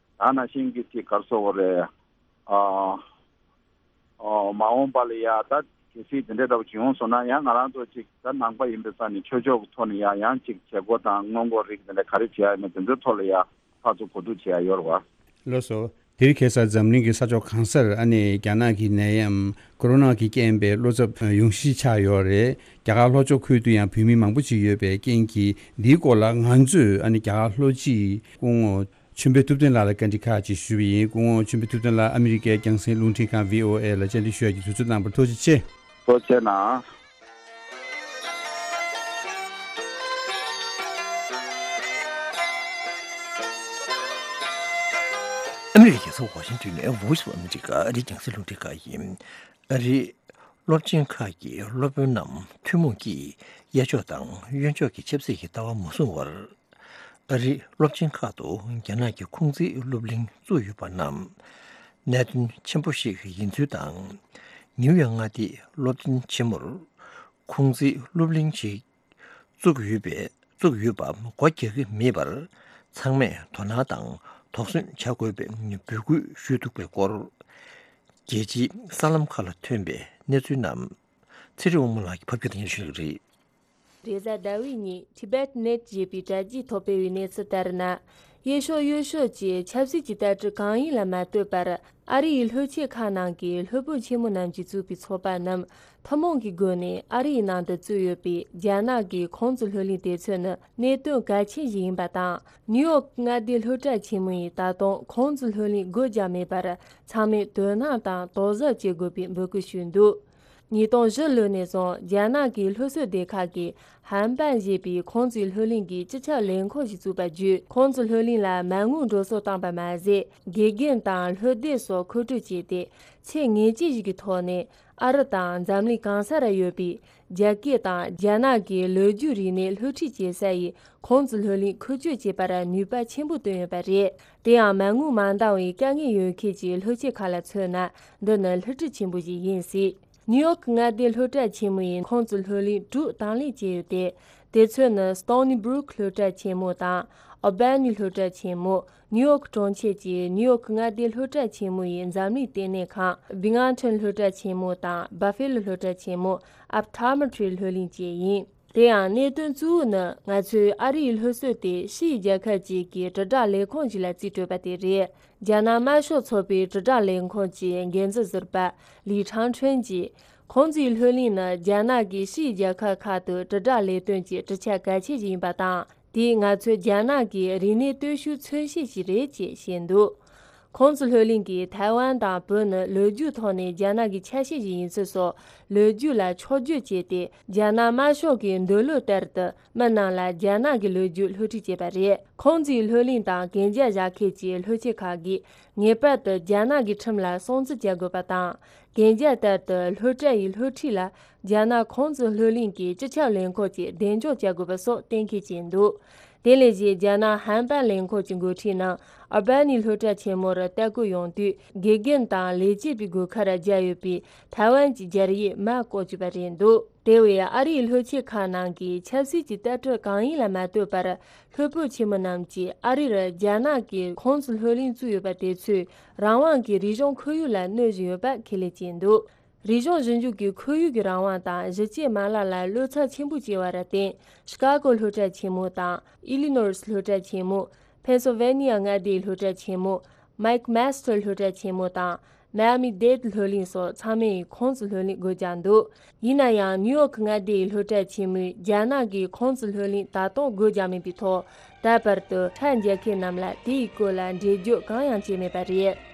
ཡང་ན་ཤིང་གི་ཅིག་གར་སོ་བ་རེད། ཨ། ཨོ། མ་འོངས་པ་ལ་ཡ་ད་གལ་སྲིད་དེ་འདྲའི་འདྲ་བོ་ཅིག་ཡོང་སོང་ན་ཡང་ང་རང་ཚོ་ཅིག་ད་ནང་པ་ཡིན་པའི་ས་ནས་ཆོས་ཕྱོགས་ཀྱི་ཐོག་ནས་ཡ་ཡང་ཅིག་བྱེད་སྒོ་དང་སྔོན་འགོག་རིགས་དེ་འདྲ་ག་རེ་བྱེད་ཡ་ཡིན་ན་དེ་ཚོའི་ཐོག་ལ་ཡ་ཕར་ཚུར་གོ་བསྡུར་བྱེད་ཡ་ཡོད་རེད་བ། ལགས་སོ། དེ་རིང་ཁ་སང་འཛམ་གླིང་གི་ས་ཕྱོགས་གང་སར་ཨ་ནི་རྒྱ་ནག་གི་ནད་ཡམས་ཀོ་རོ་ན་གི་རྐྱེན་པས་བློ་འཚབ་ཡོང་གཞི་ཆགས་ཡོད་རེད། རྒྱ་གར་ལྷོ་ཕྱོགས་ཁུལ་དུ་ཡང་བོད་མི་མང་པོ་ཅིག་ཡོད་པའི་རྐྱེན་གྱིས་འདིའི་སྐོར་ལ་ང་ཚོས་ཨ་ནི་རྒྱ་གར་ལྷོ་སྤྱི་སྐུ་ངོ་ཆོས་འཕེལ་ཐུབ་བསྟན་ལགས་ལ་བཀའ་འདྲི་ཁག་ཅིག་ཞུས་པ་ཡིན། སྐུ་ངོ་ཆོས་འཕེལ་ཐུབ་བསྟན་ལགས་ཨ་མི་རི་ཀའི་རྒྱང་སྲིང་རླུང་འཕྲིན་ཁང་བྷི་ཨོ་ཨེ་ལ་བཅར་འདྲི་ཞུ་ཡ་གི་དུས་ཚོད་གནང་བར་ཐུགས་རྗེ་ཆེ། ཐུགས་རྗེ་གནང་། ཨ་མི་རི་ཀའི་རྒྱལ་ས་ཝ་ཤིང་ཏོན་ནས་Voice of America ཨ་རིའི་རྒྱང་སྲིང་རླུང་འཕྲིན་ཁང་ཡིན། ཨ་རིའི་སློབ་ཆེན་ཁག་གི་སློབ་དཔོན་རྣམས་ཐུན་མོང་གིས་གཡས་ཕྱོགས་དང་གཡོན་ཕྱོགས་ཀྱི་ཆབ་སྲིད་ཀྱི་ལྟ་བ་མ་བཟུང་བར། ཨ་རིའི་སློབ་ཆེན་ཁག་ཏུ་རྒྱ་ནག་གི་ཁུང་ཙི་སློབ་གླིང་བཙུགས་ཡོད་པ་རྣམས་གནད་དོན་ཆེན་པོ་ཞིག་ཡིན་ཚུལ་དང་། ནིའུ་ཡོག་མངའ་སྡེའི་སློབ་ཆེན་ཆེན་མོར་ཁུང་ཙི་སློབ་གླིང་ཞིག་བཙུགས་ཡོད་པའི་བཙུགས་ཡོད་པ་སྒོ་རྒྱག་གི་མེད་པར་ཚང་མས་དོ་སྣང་དང་དོགས་ཟོན་བྱ་དགོས་པའི་འབོད་སྐུལ་ཞུས་འདུག་པའི་སྐོར། རྒྱལ་སྤྱིའི་གསར་ལམ་ཁག་ལ་ཐོན་པའི་གནས་ཚུལ་རྣམས་ཚེ་རིང་དབང་མོ་ལགས་ཀྱིས་ཕབ་སྒྱུར་དང་སྙན་ཞུ་ཞུ་གི་རེད། རེས་གཟའ་ཟླ་བའི་ཉིན་Tibet Net ཞེས་པའི་དྲ་རྒྱའི་ཐོག་སྤེལ་བའི་གནས་ཚུལ་ལྟར་ན། གཡས་ཕྱོགས་གཡོན་ཕྱོགས་ཀྱི་ཆབ་སྲིད་ཀྱི་ལྟ་གྲུབ་གང་ཡིན་ལ་མ་ལྟོས་པར་ཨ་རི་ཡི་ལྷོ་ཆས་ཁག་ནང་གི་སློབ་དཔོན་ཆེན་མོ་རྣམས་ཀྱིས་བཙུགས་པའི་ཚོགས་པ་རྣམས་ཐུན་མོང་གི་སྒོ་ནས་ཨ་རི་ཡི་ནང་དུ་བཙུགས་ཡོད་པའི་རྒྱ་ནག་གི་ཁུང་ཙི་ལྷོད་གླིང་དེ་ཚོ་ནི་གནད་དོན་གལ་ཆེན་ཞིག་ཡིན་པ་དང་། ནིའུ་ཡོག་མངའ་སྡེའི་སློབ་གྲྭ་ཆེན་མོ་ཡིས་ད་དུང་ཁུང་ཙི་ལྷོད་གླིང་སྒོ་རྒྱག་མེད་པར་ཚང་མས་དོ་སྣང་དང་དོགས་ཟབ་བྱེད་དགོས་པའི་འབོད་སྐུལ་ཞུས་འདུག་ཉིས་སྟོང་བཞི་ལོ་ནས་བཟུང་རྒྱ་ནག་གི་སློབ་གསོ་སྡེ་ཁག་གིས་ཧན་པན་ཞེས་པའི་ཁུང་ཙི་ལྷོད་གླིང་གི་སྤྱི་ཁྱབ་ལས་ཁུངས་ཤིག་བཙུགས་པ་བརྒྱུད། ཁུང་ཙི་ལྷོད་གླིང་ལ་མ་དངུལ་འགྲོ་སོང་བཏང་པ་མ་ཟད། དགེ་རྒན་དང་སློབ་དེབ་སོགས་མཁོ་སྤྲོད་བྱས་ཏེ། ཚད་ངེས་ཅན་ཞིག་གི་ཐོག་ནས་ཨ་རི་དང་འཛམ་གླིང་གང་ས་ར་ཡོད་པའི་རྒྱ་སྐད་དང་རྒྱ་ནག་གི་ལོ་རྒྱུས་རིག་གནས་སློབ་ཁྲིད་བྱེད་ས་ཡི་ཁུང་ཙི་ལྷོད་གླིང་འཁོ་སྤྱོད་བྱེད་པར་ནུས་པ་ཆེན་པོ་བཏོན་ཡོད་པ་རེད། དེ་ཡང་མ་དངུལ་མ་འདང་བའི་དཀའ་ངལ་ཡོད་མཁན་གྱི་སློབ་ཆེན་ཁག་ལ་མཚོན་ན་འདི་ནི་སློབ་ཁྲིད་ཆེན་པོ་ཞིག་ཡིན་སྲིད། ནིའུ་ཡོག་མངའ་སྡེའི་སློབ་གྲྭ་ཆེན་མོ་ཡིས་ཁུང་ཙི་ལྷོད་གླིང་དྲུག་དང་ལེན་བྱས་ཡོད་དེ། དེ་ཚོ་ནི་Stony Brook སློབ་གྲྭ་ཆེན་མོ་དང་། Albany སློབ་གྲྭ་ཆེན་མོ། ནིའུ་ཡོག་གྲོང་ཁྱེར་གྱི་ནིའུ་ཡོག་མངའ་སྡེའི་སློབ་གྲྭ་ཆེན་མོ་ཡི་འཛམ་གླིང་ལྟེ་གནས་ཁང་། Binghamton སློབ་གྲྭ་ཆེན་མོ་དང་། Buffalo སློབ་གྲྭ་ཆེན་མོ། Optometry སློབ་གླིང་བཅས་ཡིན། དེ་ཡང་གནད་དོན་གཙོ་བོ་ནི་ང་ཚོས་ཨ་རིའི་སློབ་གསོ་དེ་ཕྱིའི་རྒྱལ་ཁབ་ཅིག་གི་དྲིལ་བསྒྲགས་ལས་ཁུངས་ཤིག་ལ་རྩིས་སྤྲོད་པ་དེ་རེད། རྒྱ་ནག་དམར་ཤོག་ཚོགས་པའི་དྲིལ་བསྒྲགས་ལས་ཁུངས་ཀྱི་འགན་འཛིན་ཟུར་པ་ལི་ཁྲང་ཁྲོན་གྱིས། ཁུང་ཙིའི་ལྷོད་གླིང་ནི་རྒྱ་ནག་གིས་ཕྱིའི་རྒྱལ་ཁབ་ཁག་ཏུ་དྲིལ་བསྒྲགས་ལས་དོན་གྱི་གྲུབ་ཆ་གལ་ཆེ་ཞིག་ཡིན་པ་དང་། དེས་ང་ཚོའི་རྒྱ་ནག་གི་རིག་གནས་སྟོབས་ཤུགས་མཚོན་བྱེད་ཅིག་རེད་ཅེས་བཤད་འདུག་ཁུང་ཙི་ལྷོད་གླིང་གིས་ཐའེ་ཝན་དང་བོད་ནི་ལོ་རྒྱུས་ཐོག་ནས་རྒྱ་ནག་གི་ཆ་ཤས་ཤིག་ཡིན་ཚུལ་སོགས་ལོ་རྒྱུས་ལ་ཕྱོགས་བསྒྱུར་བྱས་ཏེ། རྒྱ་ནག་དམར་ཤོག་གི་འདོད་བློ་ལྟར་དུ་མི་རྣམས་ལ་རྒྱ་ནག་གི་ལོ་རྒྱུས་སློབ་ཁྲིད་བྱས་པ་རེད། ཁུང་ཙིའི་ལྷོད་གླིང་དང་གན་རྒྱ་བཞག་མཁན་གྱི་སློབ་ཆེན་ཁག་གིས་ངེས་པར་དུ་རྒྱ་ནག་གི་ཁྲིམས་ལ་སྲུང་བརྩི་བྱ་དགོས་པ་དང་། གན་རྒྱ་ལྟར་དུ་སློབ་གྲྭ་ཡི་སློབ་ཁྲིད་ལ་རྒྱ་ནག་ཁུང་ཙི་ལྷོད་གླིང་གི་སྤྱི་ཁྱབ་ལས་ཁུངས་ཀྱིས་གདེང་འཇོག་བྱ་དགོས་པ་སོགས་གཏན་འཁེལ་བྱས་འདུག་དེ་ལས་གཞན་རྒྱ་ནག་ཧན་པན་ལས་ཁུངས་ཀྱི་འགོ་ཁྲིད་རྣམས་ཨལ་བྷ་ནི་སློབ་གྲྭ་ཆེན་མོ་རུ་ལྟ་སྐོར་ཡོང་དུས། དགེ་རྒན་དང་ལས་བྱེད་པའི་སྒོ་ཁར་སྦྱར་ཡོད་པའི་ཐའེ་ཝན་གྱི་སྦྱར་ཡིག་མར་བཀོག་བཅུག་པ་རེད་འདུག་དེ་བས་ཨ་རིའི་སློབ་ཆེན་ཁག་ནང་གི་ཆབ་སྲིད་ཀྱི་ལྟ་གྲུབ་གང་ཡིན་ལ་མ་ལྟོས་པར། སློབ་དཔོན་ཆེན་མོ་རྣམས་ཀྱིས་ཨ་རིར་རྒྱ་ནག་གིས་ཁུང་ཙི་ལྷོད་གླིང་བཙུགས་ཡོད་པ་དེ་ཚོས་རང་དབང་གི་རིག་གཞུང་ཁོར་ཡུག་ལ་གནོད་བཞིན་ཡོད་པ་ཁས་ལེན་བྱས་འདུག་རིག་གཞུང་ཞིབ་འཇུག་གི་ཁོར་ཡུག་གི་རང་དབང་དང་གཞི་བྱེས་མ་ལག་ལ་བློ་འཚབ་ཆེན་པོ་སྐྱེ་བ་ར་བརྟེན། ཤི་ཀ་གོ་སློབ་གྲྭ་ཆེན་མོ་དང་། ཨི་ལི་ནོས་སློབ་གྲྭ་ཆེན་མོ། ཕེན་སིལ་ཝེ་ནི་ཡ་མངའ་སྡེའི་སློབ་གྲྭ་ཆེན་མོ། མེག་མེ་སི་ཊར་སློབ་གྲྭ་ཆེན་མོ་དང་། མ་ཡ་མི་ཌེ་ཌི་སློབ་གླིང་སོགས་ཚང་མས་ཁུང་ཙི་ལྷོད་གླིང་སྒོ་བརྒྱབ་འདུག་ཡིན་ན་ཡང་ནིའུ་ཡོག་མངའ་སྡེའི་སློབ་གྲྭ་ཆེན་མོས་རྒྱ་ནག་གིས་ཁུང་ཙི་ལྷོད་གླིང་ད་དུང་སྒོ་བརྒྱབ་མེད་པའི་ཐོག་ད་བར་དུ་ཁྲལ་འཇལ་མཁན་རྣམས་ལ་དེའི་སྐོར་ལ་འགྲེལ་བརྗོད་གང་ཡང་བྱས་མེད་པ་རེད།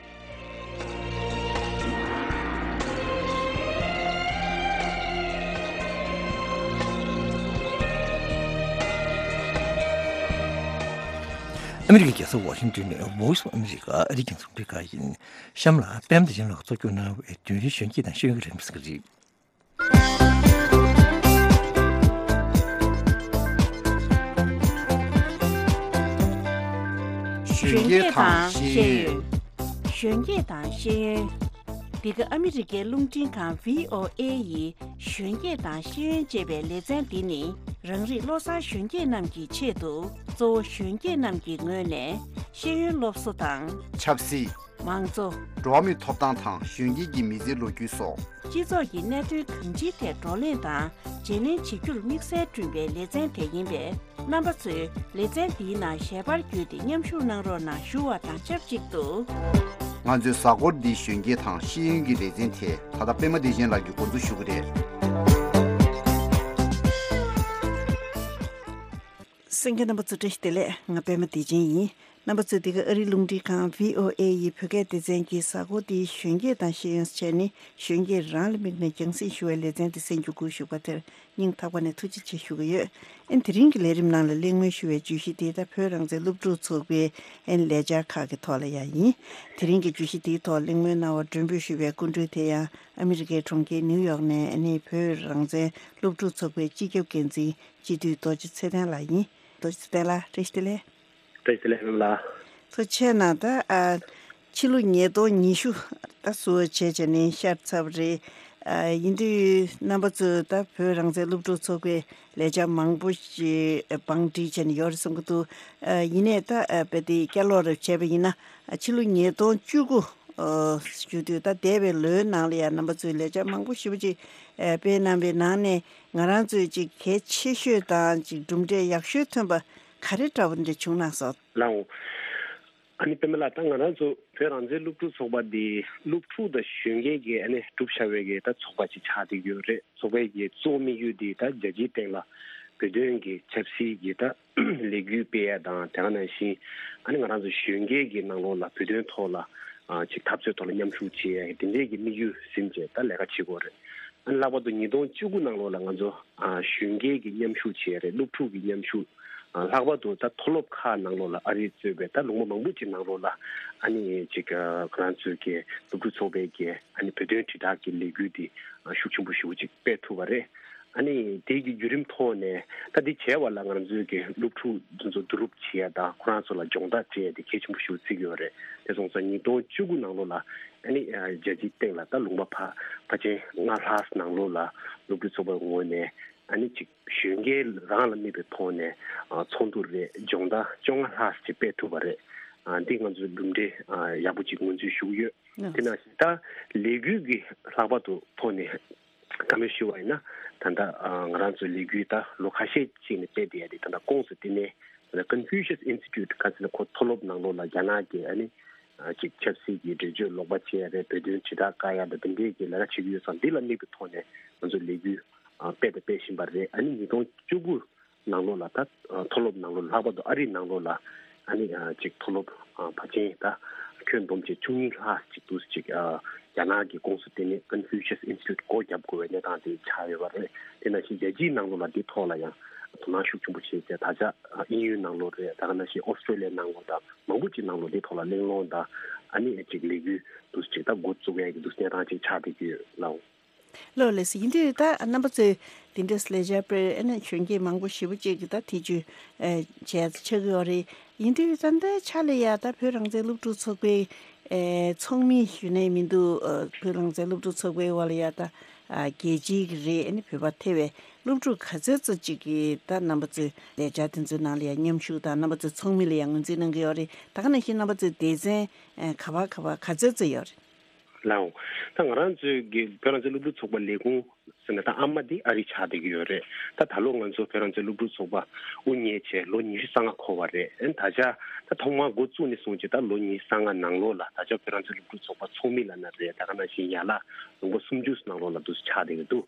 ཨ་མི་རི་ཀའི་རྒྱལ་ས་ཝ་ཤིང་ཏོན་ནས་Voice of America ཨ་རིའི་རྒྱང་སྲིང་རླུང་འཕྲིན་ཁང་ཡིན། གཤམ་ལ་པད་མ་བདེ་ཆེན་ལགས་གཙོ་སྐྱོང་གནང་བའི་དུས་རིང་གཞོན་སྐྱེས་དང་ཤེས་ཡོན་གྱི་རིམ་གཟིགས་རེད། གཞོན་སྐྱེས་དང་ཤེས་ཡོན། གཞོན་སྐྱེས་དང་ཤེས་ཡོན། འདི་ག་ཨ་མི་རི་ཀའི་རླུང་འཕྲིན་ཁང་བྷི་ཨོ་ཨེ་ཡི་གཞོན་སྐྱེས་དང་ཤེས་ཡོན་ཅེས་པའི་ལེ་ཚན་འདི་ནི། རང་རིགས་བློ་བཟང་གཞོན་སྐྱེས་རྣམས་ཀྱི་ཆེད་དུ། གཙོ་བོ་གཞོན་སྐྱེས་རྣམས་ཀྱི་ངོས་ནས་ཤེས་ཡོན་སློབ་གསོ་དང་། ཆབ་སྲིད། མང་གཙོ། འགྲོ་བ་མིའི་ཐོབ་ཐང་དང་གཞོན་སྐྱེས་ཀྱི་མི་ཚེའི་ལོ་རྒྱུས་སོགས། སྤྱི་ཚོགས་ཀྱི་གནད་དོན་གང་ཅིའི་ཐད་བགྲོ་གླེང་དང་བརྗེ་ལེན་བྱེད་རྒྱུར་དམིགས་བསལ་བསྐྲུན་པའི་ལེ་ཚན་དེ་ཡིན་པས། རྣམ་པ་ཚོས་ལེ་ཚན་འདིའི་ནང་ཞལ་པར་བརྒྱུད་དེ་མཉམ་ཞུགས་གནང་རོགས་གནང་ཞུ་བ་དང་ཆབས་ཅིག་ཏུ། ང་ཚོའི་གཟའ་འཁོར་འདིའི་གཞོན་སྐྱེས་དང་ཤེས་ཡོན་གྱི་ལེ་ཚན་དེ་ད་ལྟ་པད་མ་བདེ་ཆེན་ལགས་ཀྱིས་འགོ་འཛུགས་ཞུ་གི་རེད། གསན་མཁན་རྣམ་པ་ཚོ་བཀྲ་ཤིས་བདེ་ལེགས། ང་པད་མ་བདེ་ཆེན་ཡིན། རྣམ་པ་ཚོས་འདི་ག་ཨ་རིའི་རླུང་འཕྲིན་ཁང་བྷི་ཨོ་ཨེ་ཡི་བོད་སྐད་སྡེ་ཚན་གྱི་གཟའ་འཁོར་འདིའི་གཞོན་སྐྱེས་དང་ཤེས་ཡོན་བྱས་ནས་གཞོན་སྐྱེས་རང་ལ་དམིགས་ནས་རྒྱང་སྲིང་ཞུ་བའི་ལེ་ཚན་འདི་གསན་རྒྱུ་སྒུག་བཞུགས་པ་དེར་སྙིང་ཐག་པ་ནས་ཐུགས་རྗེ་ཆེ་ཞུ་གི་ཡོད། ཨན་དེ་རིང་གི་ལས་རིམ་ནང་ལ་གླེང་མོལ་ཞུ་བའི་བརྗོད་གཞི་དེ་ད་བོད་རང་བཙན་སློབ་ཕྲུག་ཚོགས་པའི་ཨན་ལས་འཆར་ཁག་གི་ཐོག་ལ་ཡང་ཡིན། དེ་རིང་གི་བརྗོད་གཞི་དེའི་ཐོག་གླེང་མོལ་གནང་བར་མགྲོན་འབོད་ཞུ་བའི་སྐུ་མགྲོན་དེ་ཡང་ཨ་མི་རི་ཀའི་གྲོང་ཁྱེར་ནིའུ་ཡོག་ནས་ཨ་ནི་བོད་རང་བཙན་སློབ་ཕྲུག་ཚོགས་པའི་སྤྱི་ཁྱབ་འགན་འཛིན་སྤྱི་འཐུས་རྡོ་རྗེ་ཚེ་བརྟན་ལགས་ཡིན། རྡོ་རྗེ་ཚེ་བརྟན་ལགས་བཀྲ་ཤིས་བདེ་ལེགས། བཀྲ་ཤིས་བདེ་ལེགས་པད་མ་ལགས། ཐུགས་རྗེ་ཆེ་གནང་། ད་ཨ་ཕྱི་ལོ་ཉིས་སྟོང་ཉི་ཤུ་ད་ཟུར་བྱས་བྱས་ནས་ཤར་ཚར་བ་རེད། ཨ་ཡིན་དུས་རྣམ་པ་ཚོས་ད་བོད་རང་བཙན་སློབ་ཕྲུག་ཚོགས་པའི་ལས་འཆར་མང་པོ་ཞིག་བང་སྒྲིག་བྱས་ནས་ཡོད་རེད་བསམ་གྱི་འདུག་ཨ་ཡིན་ནའི་ད་ཨ་དཔེ་དེ་བསྐྱར་ལོག་རེ་བྱས་པ་ཡིན་ན་ཨ་ཕྱི་ལོ་ཉིས་སྟོང་བཅུ་དགུ་ཨ་ཞུ་དུས་ད་འདས་པའི་ལོའི་ནང་ལ་ཡང་རྣམ་པ་ཚོས་ལས་འཆར་མང་པོ་ཞེ་པོ་ཅིག་ཨ་སྤེལ་གནང་བའི་ནང་ནས་ང་རང་ཚོས་ཅིག་གལ་ཆེ་ཤོས་དང་ཅིག་གྲུབ་འབྲས་ཡག་ཤོས་ཐོན་པ་ག་རེ་འདྲ་བོ་འདྲ་བྱུང་ན་སོགས། ལའོ། ཨ་ནི་པད་མ་ལགས། ད་ང་རང་ཚོ་བོད་རང་བཙན་སློབ་ཕྲུག་ཚོགས་པ་འདི་སློབ་ཕྲུག་དང་གཞོན་སྐྱེས་ཀྱིས་ཨ་ནི་གྲུབ་བཞག་པའི་གི་ད་ཚོགས་པ་ཅིག་ཆགས་བསྡད་ཀྱི་ཡོད་རེད། ཚོགས་པའི་གི་གཙོ་བོ་དམིགས་ཡུལ་འདི་ད་རྒྱལ་སྤྱིའི་སྟེང་ལ་བོད་དོན་གྱི་ཆབ་སྲིད་ཀྱི་ད་ལས་འགུལ་སྤེལ་ཡ་དང་། དེ་ག་ནང་བཞིན་ཨ་ནི་ང་རང་ཚོ་གཞོན་སྐྱེས་ཀྱི་ནང་ལོགས་ལ་བོད་དོན་ཐོག་ལ་ཨ་ཅིག་འཐབ་རྩོད་ཐོག་ལ་མཉམ་ཞུགས་བྱེད་ཡ་དེ་འདྲའི་གི་དམིགས་ཡུལ་ཟིན་བྱས་ད་ལས་ཀ་བྱེད་དགོས་རེད། ཨ་ནི་ལྷག་པར་དུ་ཉིས་སྟོང་བཅུ་དགུ་ནང་ལོགས་ལ་ང་ཚོ་ཨ་གཞོན་སྐྱེས་ཀྱི་མཉམ་ཞུགས་བྱས་རེད། སློབ་ཕྲུག་གི་མཉམ་ཞུགས། ཨ་ལྷག་པར་དུ་ད་མཐོ་སློབ་ཁག་ནང་ལོགས་ལ་ཨ་རི་གཙོས་པའི་ད་ལུང་པ་མང་པོ་ཅིག་ནང་ལོགས་ལ་ཨ་ནི་ཅིག་ཨ་ང་རང་ཚོའི་གི་སློབ་ཕྲུག་ཚོགས་པའི་གི་ཨ་ནི་བོད་དོན་དྲིལ་བསྒྲགས་ཀྱི་ལས་འགུལ་འདི་ཨ་ཤུགས་ཆེན་པོ་ཞེ་པོ་ཅིག་སྤེལ་ཐུབ་པ་རེད། ཨ་ནི་དེ་གི་བརྒྱུད་རིམ་ཐོག་ནས་ད་འདི་བྱས་པ་ལ་ང་རང་ཚོའི་གི་སློབ་ཕྲུག་འདི་ཚོ་བསྡུ་རུབ་བྱེད་ཡ་དང་ཁོ་རང་ཚོ་ལ་སྦྱོང་བརྡར་སྤྲད་ཡ་དེ་གལ་ཆེན་པོ་ཞེ་པོ་བརྩི་གི་ཡོད་རེད། དེ་སོང་ཙང་ཉིས་སྟོང་བཅུ་དགུ་ནང་ལོགས་ལ་ཨ་ནི་ཨ་རྒྱལ་སྤྱིའི་སྟེང་ལ་ད་ལུང་པ་ཕ་ཕལ་ཆེར་ལྔ་ལྷག་ནང་ལོགས་ལ་སློབ་ཕྲུག་ཚོགས་པའི་ངོས་ནས་ཨ་ནི་ཅིག་གཞོན་སྐྱེས་རང་ལ་དམིགས་པའི་ཐོག་ནས་ཨ་ཚོགས་འདུ་རེ་སྦྱོང་བརྡར་བཅོ་ལྔ་ལྷག་ཅིག་སྤེལ་ཐུབ་པ་རེད། ཨ་འདི་ང་ཚོའི་གྲུབ་འབྲས་ཨ་ཡག་པོ་ཅིག་ངོས་འཛིན་ཞུ་གི་ཡོད། ཨ་དེ་ནང་བཞིན་ད་ལས་འགུལ་གྱི་ལྷག་པར་དུ་ཐོག་ནས་བཀའ་མོལ་ཞུ་བ་ཡིན་ན། ད་ལྟ་ཨ་ང་རང་ཚོའི་ལས་འགུལ་ད་ལོ་ཁ་ཤས་ཅིག་ནས་སྤེལ་བསྡད་ཡ་དེ་ད་ལྟ་ཁོངས་སུ་བསྟི་གནས་ད་ལྟ་Confucius Institute ག་ཟེར་ན་ཁོ་མཐོ་སློབ་ནང་ལོགས་ལ་རྒྱ་ནག་གི་ཨ་ནི་ཨ་ཅིག་ཆབ་སྲིད་ཀྱི་འགྲེལ་བརྗོད་ལོག་པ་བྱེད་ཡ་རེད། བོད་དོན་དྲིལ་བསྒྲགས་བཀག་ཡ་དང་དེ་འདྲའི་གི་ལས་ཀ་བྱེད་ཀྱི་ཡོད་ཙང་འདི་ལ་དམིགས་པའི་ཐོག་ནས་ང་ཚོ་ལས་འགུལ་ཨ་སྤེལ་དང་སྤེལ་བཞིན་པ་རེད། ཨ་ནི་ཉིས་སྟོང་བཅུ་དགུ་ནང་ལོགས་ལ་ད་ཨ་མཐོ་སློབ་ནང་ལོགས་ལྷག་པར་དུ་ཨ་རི་ནང་ལོགས་ལ་ཨ་ནི་ཨ་ཅིག་མཐོ་སློབ་ཨ་ཕལ་ཆེར་ད་ཁྱོན་བསྡོམས་བྱས་བཅུ་གཉིས་ལྷག་ཅིག་འདུག་ཅིག་ཨ་རྒྱ་ནག་གི་ཁོངས་སུ་བསྟི་གནས་Confucius Institute སྒོ་བརྒྱབ་དགོས་པའི་གནས་སྟངས་དེ་ཆགས་ཡོད་པ་རེད། དེ་ནང་བཞིན་རྒྱལ་སྤྱིའི་ནང་ལོགས་ལ་འདི་ཐོག་ལ་ཡང་དོ་སྣང་ཤུགས་ཆེན་པོ་བྱས་ཏེ་ད་ཆ་ཨ་དབྱིན་ཡུལ་ནང་ལོགས་རེད། ད་ག་ནང་བཞིན་ཨོ་སི་ཀྲོ་ལི་ཡའི་ནང་ལོགས་དང་མང་པོ་ཅིག་ནང་ལོགས་འདི་ཐོག་ལ་གླེང་སློང་དང་ཨ་ནི་ཅིག་ལས་འགུལ་འདུག་ཅིག་ད་འགོ་བཙུགས་ཡས་ཀྱི་འདུག་གནས་སྟངས་ཅིག་ཆགས་བསྡད་ཀྱི་ཡོད་ལགས། ལགས་ལགས་སོ། ཡིན་དུས་ད་རྣམ་པ་ཚོས་འདི་འདྲས་ལས་འཆར་སྤེལ་ཨ་ནི་གཞོན་སྐྱེས་མང་པོ་ཞེ་པོ་ཅིག་གིས་ད་ཐེ་བྱུས་ཨེ་བྱས་ཆགས་ཀྱི་ཡོད་རེད། ཡིན་དུས་ད་ལྟའི་ཆ་ལ་ཡ་ད་བོད་རང་བཙན་སློབ་ཕྲུག་ཚོགས་པའི་ཨེ་ཚོགས་མི་ཞུ་ནས་མི་འདུག་ཨ་བོད་རང་བཙན་སློབ་ཕྲུག་ཚོགས་པའི་འོག་ལ་ཡ་ད་ཨ་རྒྱལ་སྤྱིའི་གི་རེད། ཨ་ནི་བོད་པ་ཐེ་བའི་སློབ་ཕྲུག་ག་ཚོད་ཙམ་ཅིག་གིས་ད་རྣམ་པ་ཚོའི་ལས་འཆར་དེ་ཚོའི་ནང་ལ་ཡ་མཉམ་ཞུགས་དང་རྣམ་པ་ཚོའི་ཚོགས་མི་ལ་ཡ་ངོས་འཛིན་གནང་གི་ཡོད་རེད། ད་ག་ནང་བཞིན་རྣམ་པ་ཚོའི་སྡེ་ཚན་ཨེ་ག་པར་ག་པར་ག་ཚོད་ཙམ་ཡོད་རེད། ལའོ། ད་ང་རང་ཚོའི་གི་བོད་རང་བཙན་སློབ་ཕྲུག་ཚོགས་པ་ལས་ཁུངས་ཟེར་ན་ད་ཨ་མ་འདི་ཨ་རི་ཆགས་བསྡད་ཀྱི་ཡོད་རེད། ད་ད་ལོ་ང་ཚོ་བོད་རང་བཙན་སློབ་ཕྲུག་ཚོགས་པ་དབུ་བརྙེས་བྱས་ལོ་ཉི་ཤུ་རྩ་ལྔ་འཁོར་བ་རེད། ཨན་ད་ཆ་ད་ཐོག་མར་འགོ་བཙུགས་ནས་བཟུང་བྱས་ད་ལོ་ཉི་ཤུ་རྩ་ལྔ་ནང་ལོགས་ལ་ད་ཆ་བོད་རང་བཙན་སློབ་ཕྲུག་ཚོགས་པ་ཚོགས་མི་ལབ་ན་རེད། ད་ག་ནང་བཞིན་ཡན་ལག་ལུང་པ་སུམ་ཅུ་ནང་ལོགས་ལ་འདུག་ཆགས་བསྡད་ཀྱི་འདུག་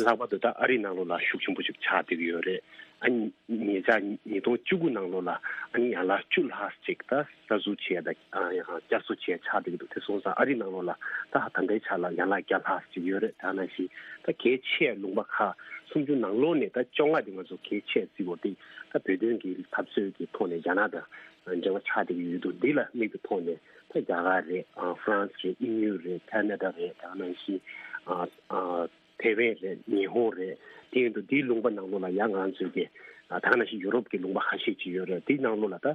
ལྷག་པར་དུ་ད་ཨ་རི་ནང་ལོགས་ལ་ཤུགས་ཆེན་པོ་ཞིག་ཆགས་བསྡད་ཀྱི་ཡོད་རེད། ཨ་ནི་ཉེ་ཆར་ཉིས་སྟོང་བཅུ་དགུ་ནང་ལོགས་ལ་ཨ་ནི་ཡན་ལག་བཅུ་ལྷག་ཅིག་ད་གསར་འཛུགས་བྱས་དང་ཨ་ཡང་བསྐྱར་གསོ་བྱས་ཆགས་བསྡད་ཀྱི་འདུག་དེ་སོང་ཙང་ཨ་རི་ནང་ལོགས་ལ་ད་ད་ལྟའི་ཆ་ལ་ཡན་ལག་བརྒྱ་ལྷག་ཅིག་ཡོད་རེད། ད་ནང་བཞིན་ད་ གལ་ཆེ་ལུང་པ་ཁག་སུམ་ཅུ་ནང་ལོགས་ནས་ད་བཅོ་ལྔ་དེ་ང་ཚོ་གལ་ཆེ་བརྩི་བ་དེ་ད་བོད་དོན་གྱི་འཐབ་རྩོད་ཀྱི་ཐོག་ནས་རྒྱ་ནག་དང་འབྲེལ་བ་ཆགས་བསྡད་ཀྱི་ཡོད་འདུག་འདི་ལ་དམིགས་པའི་ཐོག་ནས་ད་རྒྱ་གར་རེད། ཨ་ཧྥ་རན་སི་རེད། དབྱིན་ཡུལ་རེད། ཁ་ན་ཌ་རེད། དེ་ནང་བཞིན་ཨ་ཨ་ཐེ་ཝན་རེད། ཉི་ཧོང་རེད། དེ་ཡིན་དུས་འདིའི་ལུང་པ་ནང་ལོགས་ལ་ཡང་ང་ཚོའི་གི་ཨ་ད་ག་ནང་བཞིན་ཡུ་རོབ་ཀྱི་ལུང་པ་ཁ་ཤས་ཅིག་ཡོད་རེད། དེའི་ནང་ལོགས་ལ་ད་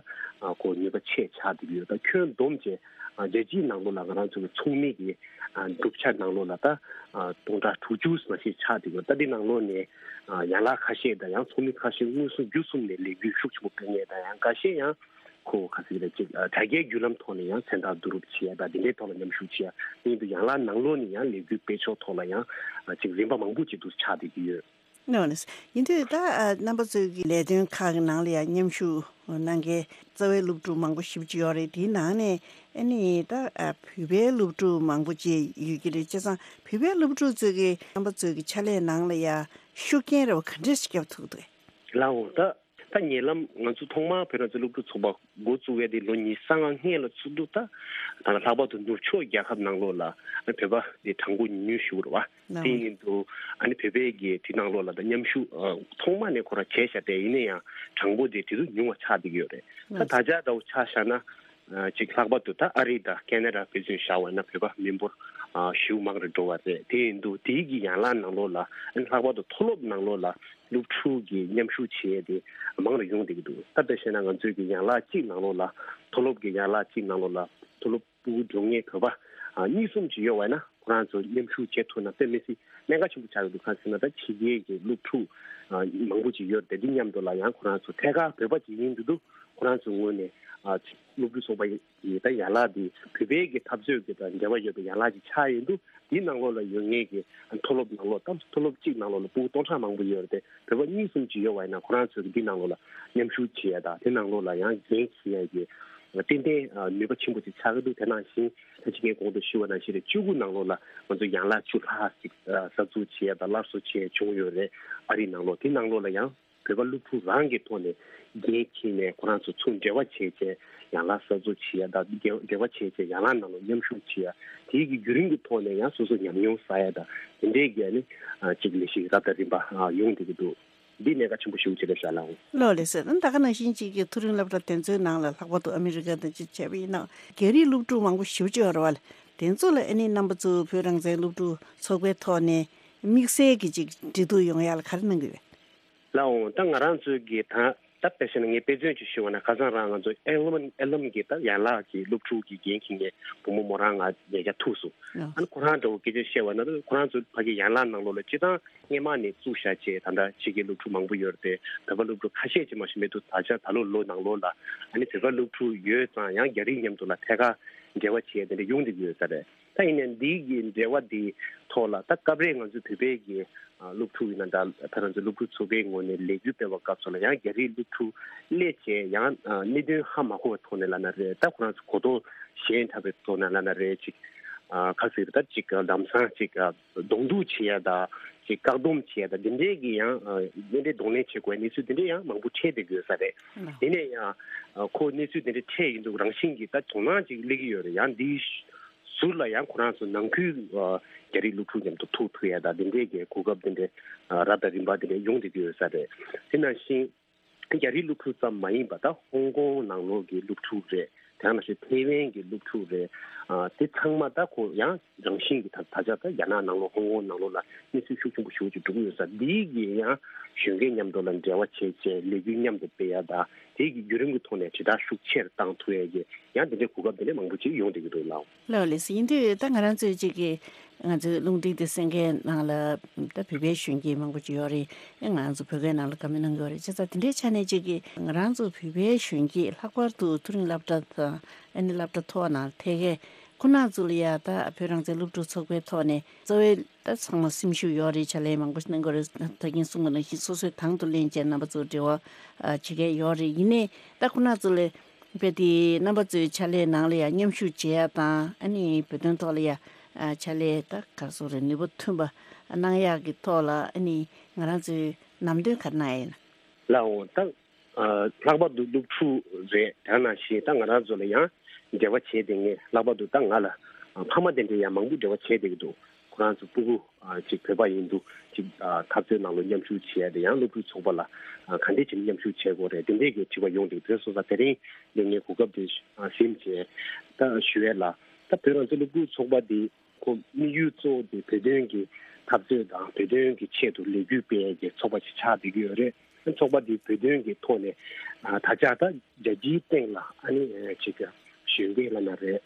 ཨ་ཁོ་ནུས་པ་ཆེ་ཆགས་བསྡད་ཀྱི་ཡོད། ད་ཁྱོན་བསྡོམས་བྱས་ཨ་རྒྱལ་སྤྱིའི་ནང་ལོགས་ལ་ང་རང་ཚོ་གི་ཚོགས་མི་གི་ཨ་གྲུབ་ཆ་ནང་ལོགས་ལ་ད་ཨ་སྟོང་ཕྲག་དྲུག་ཅུ་ཙམ་ཞིག་ཆགས་བསྡད་ཀྱི་ཡོད། ད་འདི་ནང་ལོགས་ནས་ཨ་ཡན་ལག་ཁ་ཤས་དང་ཡང་ཚོགས་མི་ཁ་ཤས་མངོན་སུམ་བརྒྱུད་གསུམ་ནས་ལས་འགུལ་ཤུགས་ཆེན་པོ་སྤེལ་མཁན་དང་ཡང་འགའ་ཤས་ཡང་ཁོ་ག་ཟེར་གྱི་རེད། ཅིག་ཨ་དྲ་རྒྱའི་བརྒྱུད་ལམ་ཐོག་ནས་ཡང་མཚན་རྟགས་བསྡུ་རུབ་བྱེད་ཡ་དང་དེ་འདྲའི་ཐོག་ལ་མཉམ་ཞུགས་བྱེད་ཡ། དེ་ཡིན་དུས་ཡན་ལག་ནང་ལོགས་ནས་ཡང་ལས་འགུལ་སྤེལ་ཕྱོགས་ཐོག་ལ་ཡང་ཨ་ཅིག་རིམ་པ་མང་པོ་ཅིག་འདུག་ཆགས་བསྡད་ཀྱི་ཡོད། ནོ་ནི། ཡིན་དུས་ད་ཨ་རྣམ་པ་ཚོའི་གི་ལས་དོན་ཁག་གི་ནང་ལ་ཡང་མཉམ་ཞུགས་གནང་མཁན་རྩ་བའི་སློབ་ཕྲུག་མང་པོ་ཞེ་པོ་ཅིག་ཡོད་རེད། དེའི་ནང་ནས་ཨ་ནི་ད་ཨ་བོད་པའི་སློབ་ཕྲུག་མང་པོ་ཅིག་ཡོད་ཀྱི་རེད། བྱས་ཙང་བོད་པའི་སློབ་ཕྲུག་ཚོའི་གི་རྣམ་པ་ཚོའི་གི་ཕྱག་ལས་ནང་ལ་ཡང་ཤུགས་རྐྱེན་རེ་བ་ག་འདྲས་ཤིག་བརྒྱབ་ཐུབ་འདུག་ལགས་འོང་། ད་ད་ཉེ་ལམ་ང་ཚོ་ཐོག་མར་བོད་རང་བཙན་སློབ་ཕྲུག་ཚོགས་པ་འགོ་བཙུགས་པའི་དེ་ལོ་ཉི་ཤུ་རྩ་ལྔ་སྔོན་ལ་ཚུགས་དུས་ད་ད་ལྷག་པར་དུ་ནུབ་ཕྱོགས་རྒྱལ་ཁབ་ནང་ལོགས་ལ་བོད་པ་དེ་གྲངས་འབོར་ཉུང་ཉུང་ཞིག་རེད་བ། དེ་ཡིན་དུས་ཨ་ནི་བོད་པའི་གི་དེ་ནང་ལོགས་ལ་ད་མཉམ་ཞུགས་ཨ་ཐོག་མ་ནས་ཁོ་རང་བྱས་བཞག་པས། ཡིན་ན་ཡང་གྲངས་འབོར་དེ་དེ་ཚོ་ཉུང་བ་ཆགས་བསྡད་ཀྱི་ཡོད་རེད། ད་ད་ཆ་འདྲ་བོ་ཆ་བཞག་ན། ཨ་ཅིག་ལྷག་པར་དུ་ད་ཨ་རི་དང་ཁེ་ན་ཌ་དཔེ་མཚོན་བཞག་པ་ན་བོད་པ་མི་འབོར་ཨ་ཞེ་པོ་མང་རུ་འགྲོ་བ་རེད། དེ་ཡིན་དུས་དེའི་གི་ཡན་ལག་ནང་ལོགས་ལ་ཨ་ནི་ལྷག་པར་དུ་མཐོ་སློབ་ནང་ལོགས་ལ་སློབ་ཕྲུག་གི་མཉམ་ཞུགས་བྱེད་ཡས་དེ་མང་རུ་ཡོང་བསྡད་ཀྱི་འདུག་ད་དཔེ་བཤད་ན་ང་ཚོའི་གི་ཡན་ལག་གཅིག་ནང་ལོགས་ལ་མཐོ་སློབ་ཀྱི་ཡན་ལག་གཅིག་ནང་ལོགས་ལ་མཐོ་སློབ་ཕྲུ་གུ་འགྲོ་མཁན་བོད་པ་ཨ་གཉིས་གསུམ་ཅིག་ཡོད་པ་ན་ཁོ་རང་ཚོ་མཉམ་ཞུགས་བྱེད་ཐུབ་ན་དཔེ་མི་སྲིད་གནད་འགག་ཆེན་པོ་ཆགས་ཀྱི་འདུག་གང་ཟེར་ན་ད་ཕྱི་རྒྱལ་གྱི་སློབ་ཕྲུག་ཨ་མང་པོ་ཅིག་ཡོད་རེད། དེ་མཉམ་དུ་ལ་ཡང་ཁོ་རང་ཚོ་ཐད་ཀར་བོད་པ་ཅིག་ཡིན་དུས་དུས་ཁོ་རང་ཚོའི་ངོས་ནས་ཨ་སློབ་ཕྲུག་ཚོགས་པ་ཡི་ད་ཡན་ལག་འདི་བོད་པའི་གི་འཐབ་རྩོད་ཀྱི་དང་འབྲེལ་བ་ཡོད་པའི་ཡན་ལག་ཅིག་ཆགས་ཡོང་དུས་དེའི་ནང་ལོགས་ལ་ཡོད་མཁན་གྱི་མཐོ་སློབ་ནང་ལོགས་ད་མཐོ་སློབ་གཅིག་ནང་ལོགས་ལ་ཕྲུ་གུ་སྟོང་ཕྲག་མང་པོ་ཡོད་རེད་དེ། བོད་པ་གཉིས་གསུམ་ཅིག་ཡོད་པ་ཡིན་ན་ཁོ་རང་ཚོས་འདི་ནང་ལོགས་ལ་མཉམ་ཞུགས་བྱེད་ཡ་དང་དེ་ནང་ལོགས་ལ་ཡང་འགན་འཁྱེར་ཡ་གི་ཏན་ཏན་ནུས་པ་ཆེན་པོ་ཅིག་ཆགས་ཀྱི་འདུག་དེ་ནང་བཞིན་ད་ཅི་གའི་གོང་དུ་ཞུས་པ་ནང་བཞིན་རེད། བཅུ་དགུ་ནང་ལོགས་ལ་ང་ཚོ་ཡན་ལག་བཅུ་ལྷག་ཅིག་གསར་འཛུགས་བྱེད་ཡ་དང་སླར་གསོ་བྱེད་ཡ་བྱུང་ཡོད་རེད། ཨ་རི་ནང་ལོགས་དེ་ནང་ལོགས་ལ་ཡང་བོད་པ་སློབ་ཕྲུག་རང་གི་ཐོག་ནས་འགན་འཁྱེར་ནས་ཁོ་རང་ཚོ་ཚུར་འབྲེལ་བ་བྱས་བྱས་ཡན་ལག་གསར་འཛུགས་བྱེད་ཡ་དང་འབྲེལ་བ་བྱས་བྱས་ཡན་ལག་ནང་ལ་མཉམ་ཞུགས་བྱེད་ཡ། དེའི་གི་བརྒྱུད་རིམ་གྱི་ཐོག་ནས་ཡང་སོ་སོ་ཉམས་མྱོང་བསགས་ཡ་དང་དེ་འདྲའི་གི་ཨ་ནི་ཅིག་ལས་གཞི་རབ་དང་རིམ་པ་ཡོང་བསྡད་ཀྱི་འདུག་འདི་གནད་འགག་ཆེན་པོ་ཞིག་ཅིག་རེད་ཤག་ལགས། ལགས་ལགས་སོ། ད་ག་ནང་བཞིན་ཅིག་གི་མཐོ་རིམ་སློབ་གྲྭ་དེ་ཚོའི་ནང་ལ་ལྷག་པར་དུ་ཨ་མི་རི་ཀ་དང་ཅིག་བྱས་པ་ཡིན་ན་རྒྱ་རིགས་སློབ་ཕྲུག་མང་པོ་ཞེ་པོ་ཅིག་ཡོད་རེད་བ། དེ་ཚོ་ལ་ཨ་ནི་རྣམ་པ་ཚོ་བོད་རང་བཙན་སློབ་ཕྲུག་ཚོགས་པའི་ཐོག་ནས་དམིགས་བསལ་གྱི་ཅིག་འབྲེལ་གཏུག་ཡོང་ཡ་ལ་ག་རེ་གནང་གི་ཡོད། ལགས་འོང་། ད་ང་རང་ཚོའི་གི་ད་ད་དཔེ་བཤད་ན་ངས་དཔེ་མཚོན་ཅིག་ཞུས་པ་ན་ཁ་སང་རང་ང་ཚོ་ཨེ་ལམ་ཨེ་ལམ་གི་ད་ཡན་ལག་གི་སློབ་ཕྲུག་གི་འགན་འཁྱེར་མཁན་བུ་མོ་མོ་རང་ང་ཉེ་ཆར་ཐུག་སོང་། ཨ་ནི་ཁོ་རང་འདྲ་བོ་སྐད་ཆ་བཤད་པ་ན་ཁོ་རང་ཚོ་ཕ་གི་ཡན་ལག་ནང་ལོགས་ལ་སྤྱིར་བཏང་སྔས་མ་ནས་བཙུགས་བཞག་བྱས་ད་ལྟ་ཕྱི་རྒྱལ་སློབ་ཕྲུག་མང་པོ་ཡོད་རེད་དེ། བོད་པ་སློབ་ཕྲུག་ཁ་ཤས་ཅིག་མ་གཏོགས་མེད་འདུག་ད་ཆ་ད་ལོ་ལོ་ནང་ལོགས་ལ་ཨ་ནི་བོད་པ་སློབ་ཕྲུག་ཡོད་ཙང་ཡང་རྒྱ་རིགས་མཉམ་དུ་ལ་ཐད་ཀར་འབྲེལ་བ་བྱེད་ཡ་དེ་འདྲ་ཡོང་བསྡད་ཀྱི་ཡོད་ས་རེད། ད་ཡིན་ནའི་འདི་གི་འབྲེལ་བ་འདི་ཐོག་ལ་ད་སྐབས་རེ་ང་ཚོ་བོད་པའི་གི་ཨ་སློབ་ཕྲུག་ཡིན་ན་འདྲ། ད་ང་ཚོ་སློབ་ཕྲུག་ཚོགས་པའི་ངོས་ནས་ལས་འགུལ་སྤེལ་བའི་སྐབས་སུ་ལ་ཡང་རྒྱ་རིགས་སློབ་ཕྲུག་སླེབས་བྱས་ཡང་ཨ་གནད་དོན་ཧ་མ་གོ་བའི་ཐོག་ནས་ལབ་ན་རེད། ད་ཁོ་རང་ཚོ་གོ་རྟོགས་ཞན་དྲགས་པའི་ཐོག་ནས་ལབ་ན་རེད། ཅིག་ཨ་ག་ཟེར་ད་ཅིག་ལམ་སང་ཅིག་ཨ་གདོང་གཏུག་བྱེད་ཡ་དང་ཅིག་བཀག་སྡོམ་བྱེད་ཡ་དང་འདི་འདྲའི་གི་ཡང་ཨ་དེ་འདྲའི་གདོང་ལེན་བྱེད་དགོས་གནས་ཚུལ་དེ་འདྲའི་ཡང་མང་པོ་འཕྲད་བསྡད་ཀྱི་ཡོད་ས་རེད། དེ་ནས་ཡང་ཨ་ཁོ་གནས་ཚུལ་དེ་འདྲ་འཕྲད་ཡིན་འདུག་རང་བཞིན་གྱི་ད་དོ་སྣང་ཅིག་སླེབས་ཀྱི་ཡོད་རེད། ཡང་འདི་ཟུར་ལ་ཡང་ཁོ་རང་ཚོ་ནང་ཁུལ་ཨ་རྒྱ་རིགས་སློབ་ཕྲུག་མཉམ་དུ་ཐུག་ཐུབ་ཡ་དང་དེ་འདྲའི་གི་གོ་སྐབས་དེ་འདྲའི་ཨ་རབ་དང་རིམ་པ་དེ་འདྲའི་ཡོང་བསྡད་ཀྱི་ཡོད་ས་རེད། དེ་ནང་བཞིན་རྒྱ་རིགས་སློབ་ཕྲུག་ཙམ་མ་ཡིན་པ་ད་ཧོང་ཀོང་ནང་ལོགས་ཀྱི་སློབ་ཕྲུག་རེད། དེ་ནང་བཞིན་ཐེ་ཝན་གྱི་སློབ་ཕྲུག་རེད། ཨ་དེ་ཚང་མ་ད་ཁོ་ཡང་རང་བཞིན་གྱི་ད་ད་ཆ་ད་རྒྱ་ནག་ནང་ལོགས་ཧོང་ཀོང་ནང་ལོགས་ལ་གནས་ཚུལ་ཤུགས་ཆེན་པོ་ཞེ་པོ་ཅིག་འགྲོ་གི་ཡོད་ས། འདིའི་གི་ཡང་གཞོན་སྐྱེས་མཉམ་དུ་ལ་འབྲེལ་བ་བྱས་བྱས་ལས་འགུལ་མཉམ་དུ་སྤེལ་ཡ་དང་དེའི་གི་བརྒྱུད་རིམ་གྱི་ཐོག་ནས་དྲིལ་བསྒྲགས་ཤུགས་ཆེར་བཏང་ཐུབ་ཡ་གི་ཡང་དེ་འདྲའི་གོ་སྐབས་དེ་འདྲ་མང་པོ་ཅིག་ཡོང་བསྡད་ཀྱི་འདུག་ལགས། ལགས་ལགས་སོ། ཡིན་དུས་ད་ང་རང་ཚོའི་ཅིག་གི་ང་ཚོའི་རླུང་འཕྲིན་དེ་གསན་མཁན་ནང་ལ་ད་བོད་པའི་གཞོན་སྐྱེས་མང་པོ་ཅིག་ཡོད་རེད། ཨེ་ང་ཚོ་བོད་སྐད་ནང་ལ་བཀའ་མོལ་གནང་གི་ཡོད་རེད། བྱས་ཙང་དེ་འདྲའི་ཆ་ནས་ཅིག་གི་ང་རང་ཚོ་བོད་པའི་གཞོན་སྐྱེས་ལྷག་པར་དུ་མཐོ་རིམ་སློབ་གྲྭ་དང་ཨ་ནི་སློབ་གྲྭ་མཐོ་བ་ནང་ཐད་ཀའི་ཁོ་ན་ཚོ་ལ་ཡ་ད་བོད་རང་བཙན་སློབ་ཕྲུག་ཚོགས་པའི་ཐོག་ནས་གཙོ་བོའི་ད་ཚང་མ་སེམས་ཤུགས་ཡོད་རེད། ཕྱག་ལས་མང་པོ་གནང་གི་རེད། ད་གིན་གསུངས་པ་ནང་བཞིན་སོ་སོའི་དང་དུ་ལེན་བྱས་རྣམ་པ་ཚོ་འབྲེལ་བ་བྱེད་མཁན་ཡོད་རེད། ཡིན་ནའི་ད་ཁོ་ན་ཚོ་ལ་དཔེ་དེ་རྣམ་པ་ཚོའི་ཕྱག་ལས་ནང་ལ་ཡང་མཉམ་ཞུགས་བྱེད་ཡ་དང་ཨ་ནི་བོད་དོན་ཐོག་ལ་ཡ་ཕྱག་ལས་ད་ག་སོ་རེད་ནུས་པ་ཐོན་པ་གནང་ཡག་གི་ཐོག་ལ་ཨ་ནི་ང་རང་ཚོའི་ལམ་སྟོན་ག་རེ་གནང་ཡ་ཡིན། ལགས་འོང་། ད་ལྷག་པར་དུ་སློབ་ཕྲུག་རེད། དེ་ནང་བཞིན་ད་ང་རང་ཚོ་ལ་ཡང་འབྲེལ་བ་བྱས་བསྡད་མཁན་ལྷག་པར་དུ་ད་ང་ལ་ཕ་མ་དེ་འདྲའི་ཡང་མང་པོ་འབྲེལ་བ་བྱས་བསྡད་ཀྱི་འདུག་ཁོ་རང་ཚོ་སྤུ་གུ་ཨ་ཅིག་བོད་པ་ཡིན་དུས་ཅིག་ཨ་འཐབ་རྩོད་ནང་ལ་མཉམ་ཞུགས་བྱས་ཏེ་ཡང་སློབ་ཕྲུག་ཚོགས་པ་ལ་ཨ་ག་འདྲས་བྱས་ནས་མཉམ་ཞུགས་བྱེད་དགོས་རེད། དེ་འདྲས་ཀྱི་དྲི་བ་ཡོང་དུས་བོད་སོང་ཙང་དེ་རིང་འདི་ངས་གོ་སྐབས་དེ་ཨ་ཟིན་བྱས་ད་ཞུ་ཡས་ལ། ད་བོད་རང་བཙན་སློབ་ཕྲུག་ཚོགས་པ་འདི་ཁོ་དམིགས་ཡུལ་གཙོ་བོ་དེ་བོད་དོན་གྱི་འཐབ་རྩོད་དང་བོད་དོན་གྱི་ཆེད་དུ་ལས་འགུལ་སྤེལ་ཡས་ཀྱི་ཚོགས་པ་ཞིག་ཆགས་བསྡད་ཀྱི་ཡོད་རེད། ཚོགས་པ་འདི་བོད་དོན་གྱི་ཐོག་ནས་ཨ་ད་ཆ་ད་རྒྱལ་སྤྱིའི་སྟེང་ལ་ཨ་ནི་ཅིག་གཞོན་སྐྱེས་ལབ་ན་རེད།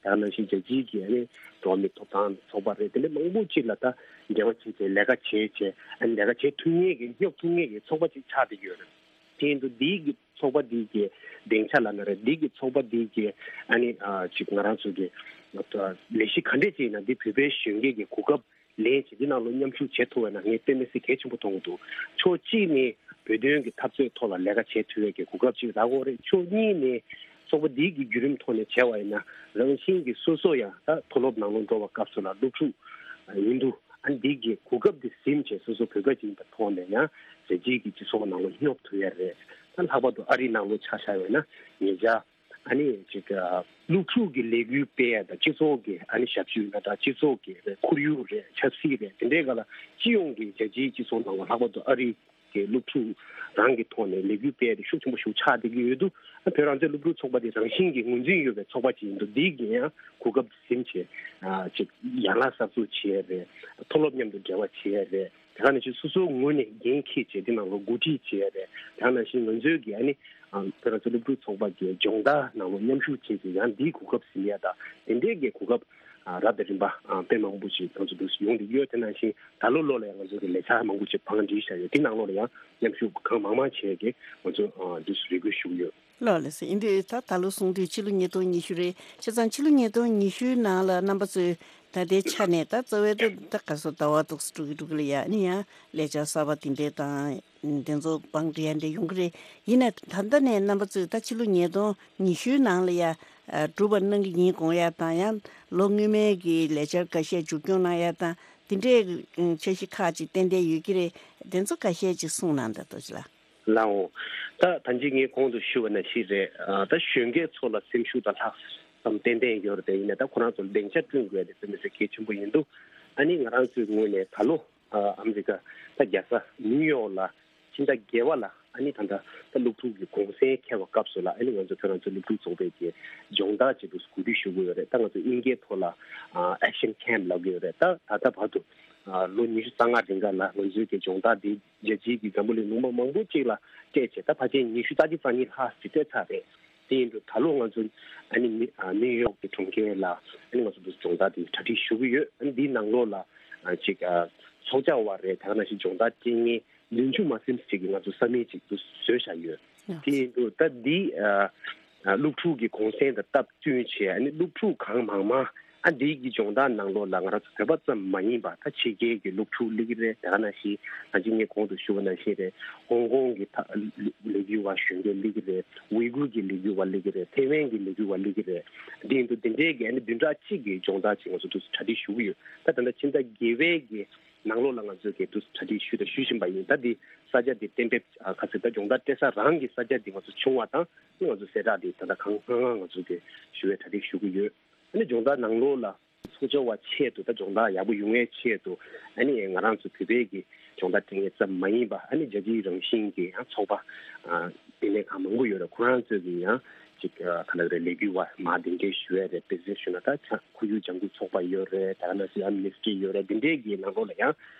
ད་ནང་བཞིན་རྒྱལ་སྤྱིའི་གི་ཨ་ནི་འགྲོ་བ་མིའི་ཐོབ་ཐང་ཚོགས་པ་རེད། དེ་འདྲ་མང་པོ་ཅིག་ལ་ད་འབྲེལ་བ་བྱས་བྱས་ལས་ཀ་བྱས་བྱས་ཨ་ནི་ལས་ཀ་བྱེད་ཐུབ་མཁན་གྱི་སྙོབ་ཐུབ་མཁན་གྱི་ཚོགས་པ་ཅིག་ཆགས་བསྡད་ཀྱི་ཡོད་རེད། དེ་ཡིན་དུས་འདིའི་གི་ཚོགས་པ་འདིའི་གི་སྡིངས་ཆ་ལབ་ན་རེད། འདིའི་གི་ཚོགས་པ་འདིའི་གི་ཨ་ནི་ཨ་ཅིག་ང་རང་ཚོ་གི་ལས་གཞི་ག་འདྲས་ཅིག་ཡིན་ན་འདི་བོད་པའི་གཞོན་སྐྱེས་ཀྱི་གོ་སྐབས་ལེན་བྱེད་འདི་ནང་ལ་མཉམ་ཞུགས་བྱེད་ཐུབ་པ་ན་ངས་དཔེ་མི་སྲིད་གལ་ཆེན་པོ་མཐོང་གི་འདུག་ཕྱོགས་གཅིག་ནས་བོད་དོན་གྱི་འཐབ་རྩོད་ཐོག་ལ་ལས་ཀ་བྱེད་ཐུབ་ཡས་ཀྱི་གོ་སྐབས་ཅིག་རག་གི་རེད། ཕྱོགས་གཉིས་ནས་ཚོགས་པ་འདིའི་གི་བརྒྱུད་རིམ་ཐོག་ནས་བྱས་པ་ཡིན་ན་རང་བཞིན་གྱིས་སོ་སོ་ཡང་ད་མཐོ་སློབ་ནང་ལ་འགྲོ་བའི་སྐབས་སུ་ལ་སློབ་ཕྲུག་ཡིན་དུས་ཨ་འདི་གི་གོ་སྐབས་འདི་ཟིན་བྱས་སོ་སོ་བོད་པ་ཅིག་ཡིན་པའི་ཐོག་ནས་ཡང་རྒྱལ་སྤྱིའི་གི་སྤྱི་ཚོགས་ནང་ལ་སྙོབ་ཐུབ་ཡས་རེད། ད་ལྷག་པར་དུ་ཨ་རིའི་ནང་ལ་ཆ་བཞག་ཡོད་ན་ཉེ་ཆར་ཨ་ནི་ཅིག་ཨ་སློབ་ཕྲུག་གི་ལས་འགུལ་སྤེལ་ཡ་དང་སྤྱི་ཚོགས་ཀྱི་ཨ་ནི་ཞབས་ཞུ་ཡིན་ན་འདྲ། སྤྱི་ཚོགས་ཀྱི་རེད། ཁོར་ཡུག་རེད། ཆབ་སྲིད་རེད། དེ་འདྲའི་སྒང་ལ་སྤྱི་ཡོངས་ཀྱི་རྒྱལ་སྤྱིའི་སྤྱི་ཚོགས་ནང་ལ་ལྷག་པར་དུ་ཨ་རི་གི་སློབ་ཕྲུག་རང་གི་ཐོག་ནས་ལས་འགུལ་སྤེལ་ཡ་དེ་ཤུགས་ཆེན་པོ་ཞིག་ཆགས་བསྡད་ཀྱི་ཡོད་དུས་ཨ་བོད་རང་བཙན་སློབ་ཕྲུག་ཚོགས་པ་དེ་རང་བཞིན་གྱི་ངོས་འཛིན་ཡོད་པའི་ཚོགས་པ་ཅིག་ཡིན་དུས་འདི་གི་ཡང་གོ་སྐབས་ཟིན་བྱས་ཨ་ཅིག་ཡན་ལག་གསར་འཛུགས་བྱེད་ཡ་རེད། མཐོ་སློབ་མཉམ་དུ་འབྲེལ་བ་བྱེད་ཡ་རེད། དེ་ག་ནང་བཞིན་སོ་སོའི་ངོས་ནས་འགན་འཁྱེར་བྱས་དེ་ནང་ལ་འགོ་ཁྲིད་བྱེད་ཡ་རེད། དེ་ག་ནང་བཞིན་ང་ཚོའི་གི་ཨ་ནི་ཨ་བོད་རང་བཙན་སློབ་ཕྲུག་ཚོགས་པ་གི་སྦྱོང་བརྡར་ནང་ལ་མཉམ་ཞུགས་བྱེད་ཅིག་ཡང་འདིའི་གོ་སྐབས་ཟིན་ཡ་དང་དེ་འདྲའི་གི་གོ་སྐབས་ཨ་རབ་དང་རིམ་པ་ཨ་དཔེ་མང་པོ་ཞིག་ང་ཚོ་འདུག་ཡོང་གི་ཡོད། དེ་ནང་བཞིན་ད་ལོ་ལོ་ལ་ཡང་ང་ཚོ་གི་ལས་འཆར་མང་པོ་ཞིག་བང་སྒྲིག་བྱ་ཡོད། དེ་ནང་ལོགས་ལ་ཡང་མཉམ་ཞུགས་གང་མང་མང་བྱས་ཀྱི་ང་ཚོ་ཨ་འདུག་རེ་སྐུལ་ཞུ་གི་ཡོད། ལགས་ལགས་སོ། ཡིན་དུས་ད་ད་ལོ་སོང་དུས་ཕྱི་ལོ་ཉིས་སྟོང་ཉི་ཤུ་རེད། བྱས་ཙང་ཕྱི་ལོ་ཉིས་སྟོང་ཉི་ཤུའི་ནང་ལ་རྣམ་པ་ཚོས་ད་ལྟའི་ཆ་ནས་ད་རྩ་བའི་ད་ད་ག་སོ་ཟླ་བ་ཏོག་ཙམ་འགྲོ་གི་འགྲོ་གི་ལ་ཡ་ཨ་ནི་ཡང་ལས་འཆར་གསར་པ་དེ་འདྲས་དང་དེ་ཚོ་བང་སྒྲིག་ཡ་འདྲས་ཡོང་གི་རེད། ཡིན་ན་ད་ལྟ་ནས་རྣམ་པ་ཚོས་ད་ཕྱི་ལོ་ཉིས་སྟོང་ཉི་ཤུའི་ནང་ལ་ཡ་ཨ་སྒྲུབ་པ་གནང་གི་ཡིན་དགོངས་ཡ་དང་ཡང་ལོ་སྔོན་མའི་གི་ལས་འཆར་འགའ་ཤས་མཇུག་སྐྱོང་གནང་ཡ་དང་དེ་འདྲས་འཆར་གཞི་ཁག་ཅིག་ཏན་ཏན་ཡོད་ཀྱི་རེད། དེ་ཚོ་འགའ་ཤས་ཅིག་གསུངས་གནང་དང་ཏོ་ཅི་ལགས། ལའོ། ད་ད་ཅི་ངས་གོང་དུ་ཞུ་བ་ནང་བཞིན་རེད། ཨ་ད་གཞོན་སྐྱེས་ཚོ་ལ་སེམས་ཤུགས་དང་ལྷག་བསམ་ཏན་ཏན་ཡོད་རེད་དེ། ཡིན་ན་ད་ཁོ་རང་ཚོ་ལ་སྡིངས་ཆ་བསྐྲུན་དགོས་ཡ་དེ་དཔེ་མི་སྲིད་གལ་ཆེན་པོ་ཡིན་འདུག་ཨ་ནི་ང་རང་ཚོའི་ངོས་ནས་ད་ལོ་ཨ་ཨ་མི་རི་ཀ་ད་རྒྱལ་ས་ནིའུ་ཡོག་ལ་ཕྱི་ཟླ་བརྒྱད་པ་ལ་ཨ་ནི་ད་ལྟ་ད་སློབ་ཕྲུག་གི་གུང་སེང་འཁེལ་བའི་སྐབས་སུ་ལ་ཨ་ནི་ང་ཚོ་བོད་རང་བཙན་སློབ་ཕྲུག་ཚོགས་པའི་གི་སྦྱོང་བརྡར་བྱེད་དུ་གོ་སྒྲིག་ཞུ་གི་ཡོད་རེད། ད་ང་ཚོ་དབྱིན་སྐད་ཐོག་ལ་ཨ་action camp་ལབ་གི་ཡོད་རེད། ད་ད་ལྟ་བར་དུ་ཨ་ལོ་ཉི་ཤུ་རྩ་ལྔ་རིང་ག་ལ་ང་ཚོའི་གི་སྦྱོང་བརྡར་འདི་རྒྱལ་སྤྱིའི་གི་འཛམ་བུ་གླིང་ལུང་པ་མང་པོ་ཅིག་ལ་སྤྲད་བྱས་ད་ཕལ་ཆེར་ཉི་ཤུ་རྩ་གཅིག་རྩ་གཉིས་ལྷག་ཅིག་སྤྲད་ཚར་རེད། དེ་ཡིན་དུས་ད་ལོ་ང་ཚོ་ཨ་ནི་ནི་ཨ་ནིའུ་ཡོག་གི་གྲོང་ཁྱེར་ལ་ཨ་ནི་ང་ཚོ་འདི་སྦྱོང་བརྡར་འདི་གྲ་སྒྲིག་ཞུ་གི་ཡོད། ཨ་ནི་འདིའི་ནང་ལོགས་ལ་ཨ་ཅིག་ཨ་ཚོགས་བཅར་བ་རེད། དེ་ག་ནང་བཞིན་སྦྱོང་བརྡར་སྤྲད་མཁན་བདུན་ཅུ་མ་ཟིན་ཅིག་གི་ང་ཚོ་ས་མིག་ཅིག་ཏུ་བཟོས་བཞག་ཡོད། དེ་ཡིན་དུས་ད་འདི་ཨ་ཨ་སློབ་ཕྲུག་གི་གུང་སེང་དང་སྟབས་བསྟུན་བྱས་ཨ་ནི་སློབ་ཕྲུག་གང་མང་མང་ཨ་འདི་གི་སྦྱོང་བརྡར་ནང་ལོགས་ལ་ང་རང་ཚོ་བོད་པ་ཙམ་མ་ཡིན་པ་ད་ཕྱི་རྒྱལ་གྱི་སློབ་ཕྲུག་སླེབས་ཀྱི་རེད། དེ་ག་ནང་བཞིན་ད་ཅི་ངས་གོང་དུ་ཞུ་བ་ནང་བཞིན་རེད། ཧོང་ཀོང་གི་ད་ལས་འགུལ་བ་གཞོན་སྐྱེས་སླེབས་ཀྱི་རེད། ཝི་གུར་གྱི་ལས་འགུལ་བ་སླེབས་ཀྱི་རེད། ཐེ་ཝན་གྱི་ལས་འགུལ་བ་སླེབས་ཀྱི་རེད། འདི་ཡིན་དུས་འདི་འདྲའི་གི་ཨ་ནི་བདུན་ཕྲག་གཅིག་གི་སྦྱོང་བརྡར་ཅིག་ང་ཚོ་དུས་སུ་གྲ་སྒྲིག་ཞུ་གི་ཡོད། ད་ད་ལྟ་ཕྱི་ཟླ་བརྒྱད་པའི་གི་ནང་ལོགས་ལ་ང་ཚོས་གི་དུས་སུ་གྲ་སྒྲིག་ཞུས་དང་ཞུ་བཞིན་པ་ཡིན། ད་འདི་ས་ཆ་འདི་གཏན་འབེབས་ཨ་ག་ཚོད་ད་སྦྱོང་བརྡར་སྤྲད་ས་རང་གི་ས་ཆ་འདི་ང་ཚོ་བྱུང་བ་དང་ཨ་ནི་ང་ཚོ་གསལ་བསྒྲགས་འདི་ད་ལྟ་གང་སྔ་སྔ་ང་ཚོ་གི་ཞུ་བའི་གྲ་སྒྲིག་ཞུ་གི་ཡོད། ཨ་ནི་སྦྱོང་བརྡར་ནང་ལོགས་ལ་ཚོགས་བཅར་བ་ཆེད་དུ་ད་སྦྱོང་བརྡར་ཡག་པོ་ཡོང་བའི་ཆེད་དུ་ཨ་ནི་ང་རང་ཚོ་བོད་པའི་གི་སྦྱོང་བརྡར་སྤྲད་མཁན་ཙམ་མ་ཡིན་པ་ཨ་ནི་རྒྱལ་སྤྱིའི་རང་བཞིན་གྱི་ཡང་ཚོགས་པ་ཨ་དེ་ནས་གང་མང་པོ་ཡོད་རེད། ཁོ་རང་ཚོས་གི་ཡང་ཅིག་ཨ་ག་ལབ་རེད། ལས་འགུལ་བ་མ་དེ་འདྲའི་ཞུ་ཡ་རེད། དཔེ་མཚོན་ཞུ་ན་ད་ཆ་ཁོར་ཡུག་ལྗང་ཁུ་ཚོགས་པ་ཡོད་རེད། ད་ག་ནང་བཞིན་ཨ་མི་ནི་སི་ཊི་རི་ཡོད་རེད། དེ་འདྲའི་གི་ནང་ལོགས་ལ་ཡང་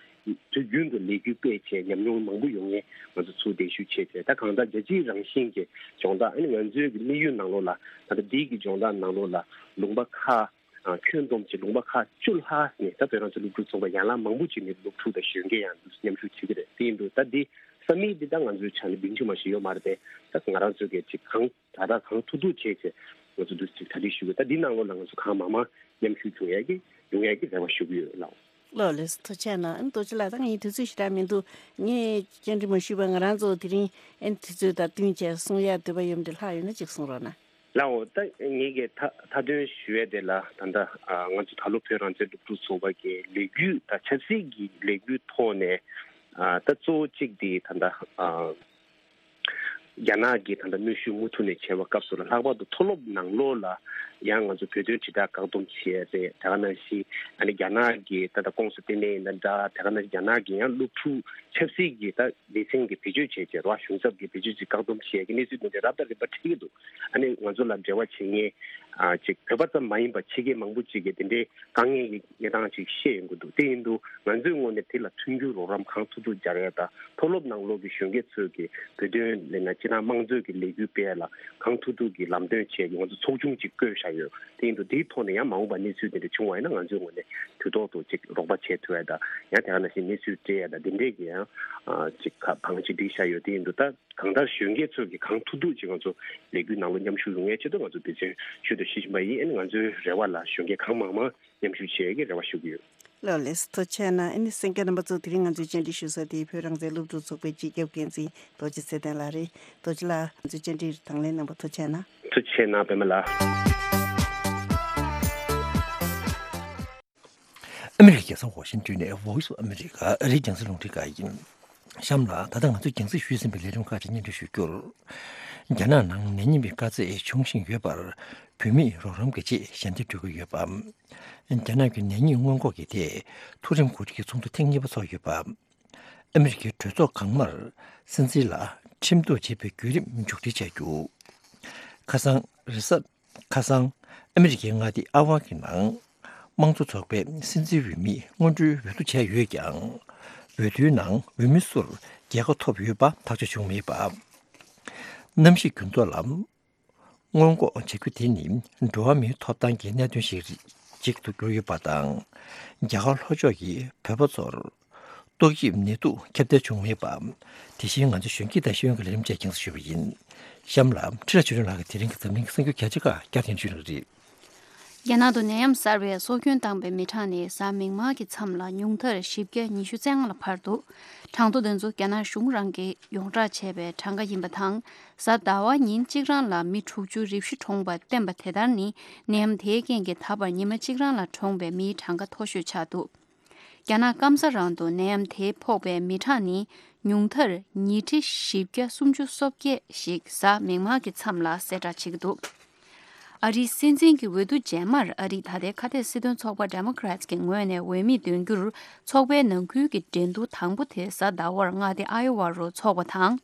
དུས་རྒྱུན་དུ་ལས་འགུལ་སྤེལ་བྱས་ཉམས་མྱོང་མང་པོ་ཡོང་མཁན་ང་ཚོ་ཚུར་གདན་ཞུ་བྱས་བྱས་ད་གང་ལྟར་རྒྱལ་སྤྱིའི་རང་བཞིན་གྱི་སྦྱོང་བརྡར་ཨ་ནི་ང་ཚོའི་གི་དམིགས་ཡུལ་ནང་ལོགས་ལ་ད་ལྟ་འདི་གི་སྦྱོང་བརྡར་ནང་ལོགས་ལ་ལུང་པ་ཁག་ཨ་ཁྱོན་བསྡོམས་ཀྱི་ལུང་པ་ཁག་བཅུ་ལྷག་ནས་ད་བོད་རང་བཙན་སློབ་ཕྲུག་ཚོགས་པ་ཡན་ལག་མང་པོ་ཅིག་ནས་སློབ་ཕྲུག་དང་གཞོན་སྐྱེས་ཡང་འདུ་མཉམ་ཞུགས་བྱེད་ཀྱི་རེད། དེ་ཡིན་དུས་ད་འདི་ས་མིག་འདི་ད་ང་ཚོའི་ཆ་ནས་བདུན་ཅུ་མ་ཞིག་ཡོད་མ་རེད་པས། ད་ང་རང་ཚོའི་གི་ཅིག་གང་དྲག་དྲག་གང་ཐུབ་ཐུབ་བྱས་བྱས་ང་ཚོ་འདུ་ཅིག་གྲ་སྒྲིག་ཞུ་གི། ད་འདི་ནང་ལོགས་ལ་ང་ཚོ་གང་མང་མང་མཉམ་ཞུགས་བྱུང་ཡས་ཀྱི་ཡོང་ཡས་ཀྱི་རེ་བ་ཞུ་གི་ཡོད་ལགས། ལགས་ལགས་སོ། ཐུགས་རྗེ་གནང་། ཨ་ནི་རྡོ་རྗེ་ལགས་ད་ངའི་དུས་ཚོད་ཞེ་དྲག་མི་འདུག་ངས་བཅར་འདྲི་མ་ཞུས་པ་ང་རང་ཚོ་དེ་རིང་ཨ་ནི་དུས་ཚོད་དང་བསྟུན་བྱས་གསུང་ཡས་འདོད་པ་ཡོད་མི་འདྲ་ལྷག་ཡོད་ན་ཅིག་གསུང་རོགས་གནང་། ལའོ། ད་ངེད་ཀྱི་མཐའ་མཐའ་དོན་ཞུ་ཡས་དེ་ལ་ད་ལྟ་ཨ་ང་ཚོ་ད་ལོ་བོད་རང་བཙན་སློབ་ཕྲུག་ཚོགས་པ་གི་ལས་འགུལ་དང་ཆབ་སྲིད་ཀྱི་ལས་འགུལ་ཐོག་ནས་ཨ་ད་གཙོ་བོ་གཅིག་དེ་ད་ལྟ་ཨ་ རྒྱ་ནག་གིས་ད་ལྟ་གནོན་ཤུགས་མུ་མཐུད་ནས་བྱས་པའི་སྐབས་སུ་ལ། ལྷག་པར་དུ་མཐོ་སློབ་ནང་ལོགས་ལ་ཡང་ང་ཚོ་བོད་དོན་དྲིལ་བསྒྲགས་བཀག་སྡོམ་བྱས་རེད། དེ་ག་ནང་བཞིན་ཨ་ནི་རྒྱ་ནག་གིས་ད་ལྟ་ཀོང་སུ་ལྟེ་གནས་ཡིན་ན་འདྲ། དེ་ག་ནང་བཞིན་རྒྱ་ནག་གིས་ཡང་སློབ་ཕྲུག་ཆབ་སྲིད་ཀྱི་ད་སྡེ་ཚན་གྱི་བེད་སྤྱོད་བྱས་བྱས་རོགས་གཞུང་ཚབ་ཀྱི་བེད་སྤྱོད་ཅིག་བཀག་སྡོམ་བྱས་ཀྱི་གནས་ཚུལ་དེ་འདྲ་རབ་དང་རིམ་པ་འཕྲད་ཀྱི་འདུག་ཨ་ནི་ང་ཚོ་ལ་འབྲེལ་བ་བྱེད་མཁན་ཨ་ཅིག་བོད་པ་ཙམ་མ་ཡིན་པ་ཕྱི་རྒྱལ་མང་པོ་ཅིག་གིས་དེ་འདྲའི་དཀའ་ངལ་གྱི་གནས་སྟངས་ཅིག་ཤེས་ཡོང་གི་འདུག་དེ་ཡིན་དུས་ང་ཚོའི་ངོས་ནས་དེ་ལ་མཐུན་འགྱུར་རོགས་རམ་གང་ཐུབ་ཐུབ་སྦྱར་ཡ་དང་། མཐོ་སློབ་ནང་ལོགས་ཀྱི་གཞོན་སྐྱེས་ཚོས་ཀྱི་བོད་དོན་ལས་ན་སྤྱི་བཏང་དམངས་གཙོའི་གི་ལས་འགུལ་སྤེལ་ཡ་ལ་གང་ཐུབ་ཐུབ་ཀྱི་ལམ་སྟོན་བྱས་ཀྱི་ང་ཚོ་ཚོགས་ཆུང་ཅིག་བསྐོས་བཞག་ཡོད། དེ་ཡིན་དུས་དེའི་ཐོག་ནས་ཡང་མ་འོངས་པ་གནས་ཚུལ་དེ་འདྲ་བྱུང་བ་ཡིན་ན་ང་ཚོའི་ངོས་ནས་དུས་ཐོག་ཏུ་ཅིག་རོགས་པ་བྱེད་ཐུབ་ཡ་དང་། ཡང་དེ་ག་ནང་བཞིན་གནས་ཚུལ་སྤྲད་ཡ་དང་དེ་འདྲས་ཀྱི་ཡང་ཨ་ཅིག་ག་བང་ཅིག་སྒྲིག་བཞག་ཡོད། དེ་ཡིན་དུས་ད་གང་ལྟར་གཞོན་སྐྱེས་ཚོས་ཀྱི་གང་ཐུབ་ཐུབ་ཅིག་ང་ཚོ་ལས་འགུལ་ནང་ལ་མཉམ་ཞུགས་ཡོང་ཡའི་ཆེད་དུ་ང་ཚོ་འབད་བརྩོན་ཤུལ་དུ་ཞུ་བཞིན་པ་ཡིན། ཨ་ནི་ང་ཚོའི་རེ་བ་ལ་གཞོན་སྐྱེས་གང་མང་མང་མཉམ་ཞུགས་བྱེད་ཡས་ཀྱི་རེ་བ་ཞུ་གི་ཡོད། ལགས་ལགས་སོ། ཐུགས་རྗེ་གནང་། ཨ་ནི་གསན་མཁན་རྣམ་པ་ཚོ། དེ་རིང་ང་ཚོའི་བཅར་འདྲི་ཞུ་ས་དེ་བོད་རང་བཙན་སློབ་ཕྲུག་ཚོགས་པའི་སྤྱི་ཁྱབ་འགན་འཛིན་རྡོ་རྗེ་ཚེ་བརྟན་ལགས་རེད། རྡོ་རྗེ་ལགས། ང་ཚོའི་བཅར་འདྲིར་དང་ལེན་གནང་བར་ཐུགས་རྗེ་གནང་། ཐུགས་རྗེ་གནང་པད་མ་ལགས། ཨ་མི་རི་ཀའི་རྒྱལ་ས་ཝ་ཤིང་ཏོན་ནས་Voice of America ཨ་རིའི་རྒྱང་སྲིང་རླུང་འཕྲིན་ཁང་ཡིན། གཤམ་ལ་ད་ལྟ་ང་ཚོས་རྒྱང་སྲིང་ཞུས་ཟིན་པའི་ལས་རིམ་ཁག་ཅིག་སྙན་སྒྲོན་ཞུ་རྒྱུར། རྒྱ་ནག་ནང་ནད་རྙིང་པའི་དཀའ་ཚེགས་འབྱུང་བཞིན་ཡོད་པར་བོད་མིས་རོགས་རམ་གྱི་ཆེད་ཞལ་འདེབས་སྤྲོད་ཀྱི་ཡོད་པ། རྒྱ་ནག་གི་ནད་རྙིང་སྔོན་འགོག་གི་ཐད་མཐོ་རིམ་འགོ་ཁྲིད་ཀྱི་ཚོགས་འདུ་ཐེངས་གཉིས་པ་འཚོགས་ཡོད་པ། ཨ་མི་རི་ཀའི་གྲོས་ཚོགས་གང་མར་སྲིད་འཛིན་ལ་ཁྲིམས་གཏུག་བྱེད་པའི་བརྒྱུད་རིམ་མཇུག་སྒྲིལ་བྱ་རྒྱུ། ཁ་སང་རེས་གཟའ། ཁ་སང་ཨ་མི་རི་ཀའི་མངའ་སྡེ་ཨ་ཝ་གི་ནང་དམངས་གཙོ་ཚོགས་པའི་སྲིད་འཛིན་འོས་མིའི་སྔོན་འགྲོའི་འོས་བསྡུ་བྱས་ཡོད་ཀྱང་། འོས་བསྡུའི་ནང་འོས་མི་སུར་རྒྱལ་ཁ་ཐོབ་ཡོད་པ་ཐག་གཅོད་བྱུང་མེད་པ། གནམ་གཤིས་འགྱུར་ལྡོག་ལ་སྔོན་འགོག་བྱ་རྒྱུ་དེ་ནི་འགྲོ་བ་མིའི་ཐོབ་ཐང་གི་གནད་དོན་ཞིག་ཅིག་ཏུ་གྱུར་ཡོད་པ་དང་། རྒྱ་གར་ལྷོ་ཕྱོགས་ཀྱི་བོད་པ་ཚོར་ཏོག་དབྱིབས་ནད་དུག་ཁྱབ་གདལ་བྱུང་མེད་པ། དེ་བཞིན་ང་ཚོ་གཞོན་སྐྱེས་དང་ཤེས་ཡོན་གྱི་ལས་རིམ་བཅས་རྒྱང་སྲིང་ཞུས་པ་ཡིན། གཤམ་ལ་ཁྲི་ར་ཆོས་སྒྲོན་ལགས་ཀྱིས་དེ་རིང་གི་འཛམ་གླིང་གི་གསར་འགྱུར་རྒྱ་ཆེ་ཁག་བསྐྱར་ཟློས་ཞུ་གནང་གི་རེད། རྒྱ་ནག་ཏུ་ནད་ཡམས་གསར་བས་སྲོག་སྐྱོན་བཏང་པའི་མི་གྲངས་ནི་གཟའ་མིག་དམར་གྱི་མཚམས་ལ་ཉུང་མཐར་བཞི་བརྒྱ་ཉི་ཤུ་རྩ་ལྔ་ལ་འཕར་འདུག་གྲངས་ཐོ་དེ་ཚོ་རྒྱ་ནག་གཞུང་རང་གིས་ཡོངས་བསྒྲགས་བྱས་པའི་གྲངས་ཀ་ཡིན་པ་དང་། གཟའ་ཟླ་བ་ཉིན་གཅིག་རང་ལ་མི་དྲུག་ཅུ་རེ་བཞི་གྲོངས་པ་བསྟན་པ་དེ་ལྟར་ནི་ནད་ཡམས་དེའི་རྐྱེན་གྱིས་ད་བར་ཉི་མ་གཅིག་རང་ལ་གྲོངས་པའི་མིའི་གྲངས་ཀ་མཐོ་ཤོས་ཆགས་འདུག་རྒྱ་ནག་སྐམ་ས་རང་དུ་ནད་ཡམས་དེ་ཕོག་པའི་མི་གྲངས་ནི་ཉུང་མཐར་ཉིས་ཁྲི་བཞི་བརྒྱ་སུམ་ཅུ་སོ་བརྒྱད་ཞིག་གཟའ་མིག་དམར་གྱི་མཚམས་ལ་གསལ་བསྒྲགས་བྱེད་ཀྱི་འདུག་ཨ་རིའི་སྲིད་འཛིན་གྱི་འོས་བསྡུ་རྗེས་མར་ཨ་རིའི་ད་ལྟའི་ཁ་གཏད་སྲིད་དོན་ཚོགས་པ་Democrats གྱི་ངོས་ནས་འོས་མི་འདོན་རྒྱུར་ཚོགས་པའི་ནང་ཁུལ་གྱི་འགྲན་བསྡུར་དང་པོ་དེ་གཟའ་ཟླ་བར་མངའ་སྡེ་ཨའི་ཝ་རུ་འཚོགས་པ་དང་།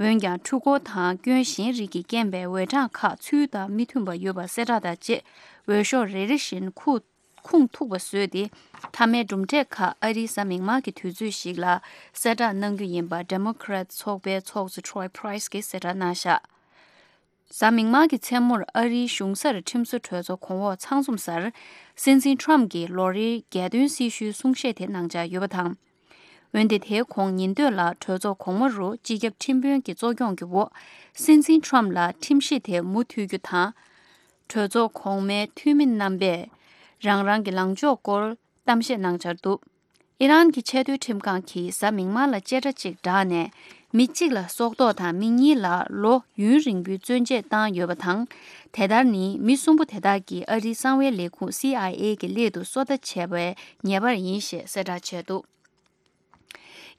འོན་ཀྱང་འཕྲུལ་འཁོར་དང་སྐྱོན་གཞན་རིགས་ཀྱིས་རྐྱེན་པས་འོས་གྲངས་ཁག་ཚུལ་དང་མི་མཐུན་པ་ཡོད་པ་གསལ་བསྒྲགས་དང་བཅས་འོས་ཤོག་རེ་རེ་བཞིན་ཁུངས་ཁུངས་ཐུག་པ་བཟོས་ཏེ། མཐའ་མའི་གྲུབ་འབྲས་ཁག་ཨ་རིའི་གཟའ་མིག་དམར་གྱི་དུས་ཚོད་ཞིག་ལ་གསལ་བསྒྲགས་གནང་རྒྱུ་ཡིན་པ་Democrat ཚོགས་པའི་ཚོགས་གཙོ་Troy Price གྱིས་གསལ་བསྒྲགས་གནང་བཞག་གཟའ་མིག་དམར་གྱི་མཚན་མོར་ཨ་རིའི་གཞུང་སར་ཁྲིམས་བཟོ་གྲོས་ཚོགས་གོང་འོག་ཚང་འཛོམས་སར། སྲིད་འཛིན་Trump གྱིས་ལོ་རེའི་རྒྱལ་དོན་སྲི་ཞུའི་གསུང་བཤད་དེ་གནང་འཆར་ཡོད་པ་དང་། འོན་ཏེ་དེའི་གོང་ཉིན་སྟོད་ལ་གྲོས་ཚོགས་གོང་མ་རུ་སྤྱི་ཁྱབ་ཁྲིམས་དཔོན་གྱི་གཙོ་སྐྱོང་གི་འོག་སྲིད་འཛིན་Trump ལ་ཁྲིམས་གཞི་དེ་མུ་མཐུད་རྒྱུ་དང་། གྲོས་ཚོགས་གོང་མའི་འཐུས་མི་རྣམ་པས་རང་རང་གི་ལངས་ཕྱོགས་སྐོར་གཏམ་བཤད་གནང་འཆར་འདུག་ཨི་རན་གྱི་ཆེས་མཐོའི་ཁྲིམས་ཁང་གིས་གཟའ་མིག་དམར་ལ་བཅད་ཁྲ་གཅིག་བསྒྲགས་ནས། མི་གཅིག་ལ་སྲོག་ཐོག་དང་མི་གཉིས་ལ་ལོ་ཡུན་རིང་པོའི་བཙོན་འཇལ་བཏང་ཡོད་པ་དང་། དེ་ལྟར་ནི་མི་གསུམ་པོ་དེ་དག་གིས་ཨ་རིའི་གསང་བའི་ལས་ཁུངས་སི་ཨའི་ཨེ་གི་སླད་དུ་སོ་ལྟ་བྱས་པའི་ཉེས་པར་ཡིན་ཞེས་གསལ་བསྒྲགས་བྱས་འདུག་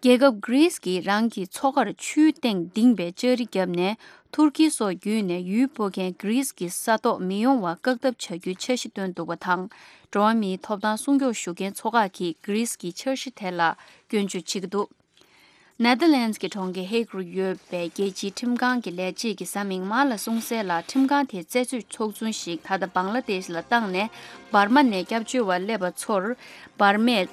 རྒྱལ་ཁབ་Greece གིས་རང་གི་མཚོ་ཁར་ཆུའི་སྟེང་ལྡིང་བའི་ལྕགས་རི་བརྒྱབ་ནས་ཐུར་ཀི་སོགས་བརྒྱུད་ནས་ཡུལ་སྤོ་མཁན་Greece གི་ས་ཐོག་མི་ཡོང་བ་བཀག་ཐབས་བྱ་རྒྱུའི་འཆར་གཞི་བཏོན་འདུག་པ་དང་། འགྲོ་བ་མིའི་ཐོབ་ཐང་སྲུང་སྐྱོབ་ཞུ་མཁན་ཚོ་ཁག་གིས་Greece གི་འཆར་གཞི་དེ་ལ་སྐྱོན་བརྗོད་བྱེད་ཀྱི་འདུག Netherlands གི་གྲོང་ཁྱེར་Hague རུ་ཡོད་པའི་རྒྱལ་སྤྱིའི་ཁྲིམས་ཁང་གི་ལས་བྱེད་ཀྱིས་གཟའ་མིག་དམར་ལ་གསུངས་གསལ་ལ། ཁྲིམས་ཁང་དེས་རྩད་གཅོད་ཚོགས་ཆུང་ཞིག་ད་ལྟ་བང་ལ་དེཤ་ལ་བཏང་ནས། འབར་མ་ནས་སྐྱབས་བཅོལ་བར་སླེབས་པ་ཚོར་འབར་མས་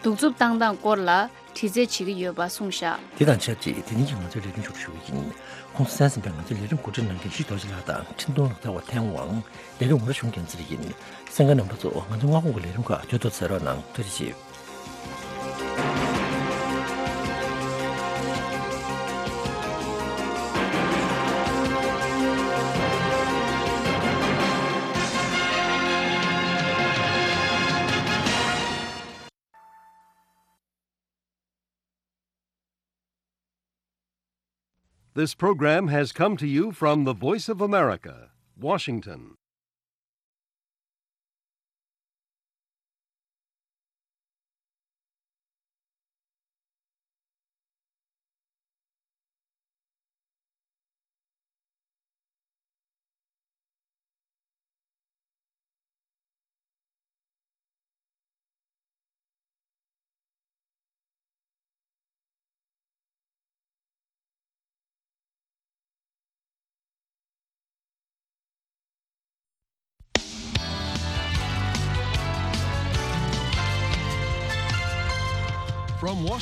གདུག་རྩུབ་བཏང་སྟངས་སྐོར་ལ་དྲི་རྩད་བྱེད་ཀྱི་ཡོད་པ་གསུངས་བཞག་དེ་དང་ཆབས་ཅིག་དེ་རིང་གི་ང་ཚོའི་ལས་རིམ་མཇུག་སྒྲིལ་ཞུ་གི་ཡིན། ཁོང་ཚོ་གསན་གཟིགས་པའི་ང་ཚོའི་ལས་རིམ་གོ་སྒྲིག་གནང་མཁན་ཞི་རྡོ་རྗེ་ལགས་དང་འཕྲིན་གཏོང་ལག་རྩལ་བ་ཐན་དབང་། ལས་རིམ་ངོ་ར་གཞུང་རྒྱལ་མཚན་ཡིན། གསན་མཁན་རྣམ་པ་ཚོ་ང་ཚོའི་སྔ་དགོང་གི་ལས་རིམ་ཁག་དུས་ཐོག་གསན་རོགས་གནང་། ཐུགས་རྗེ་ཆེ། This program has come to you from the Voice of America, Washington.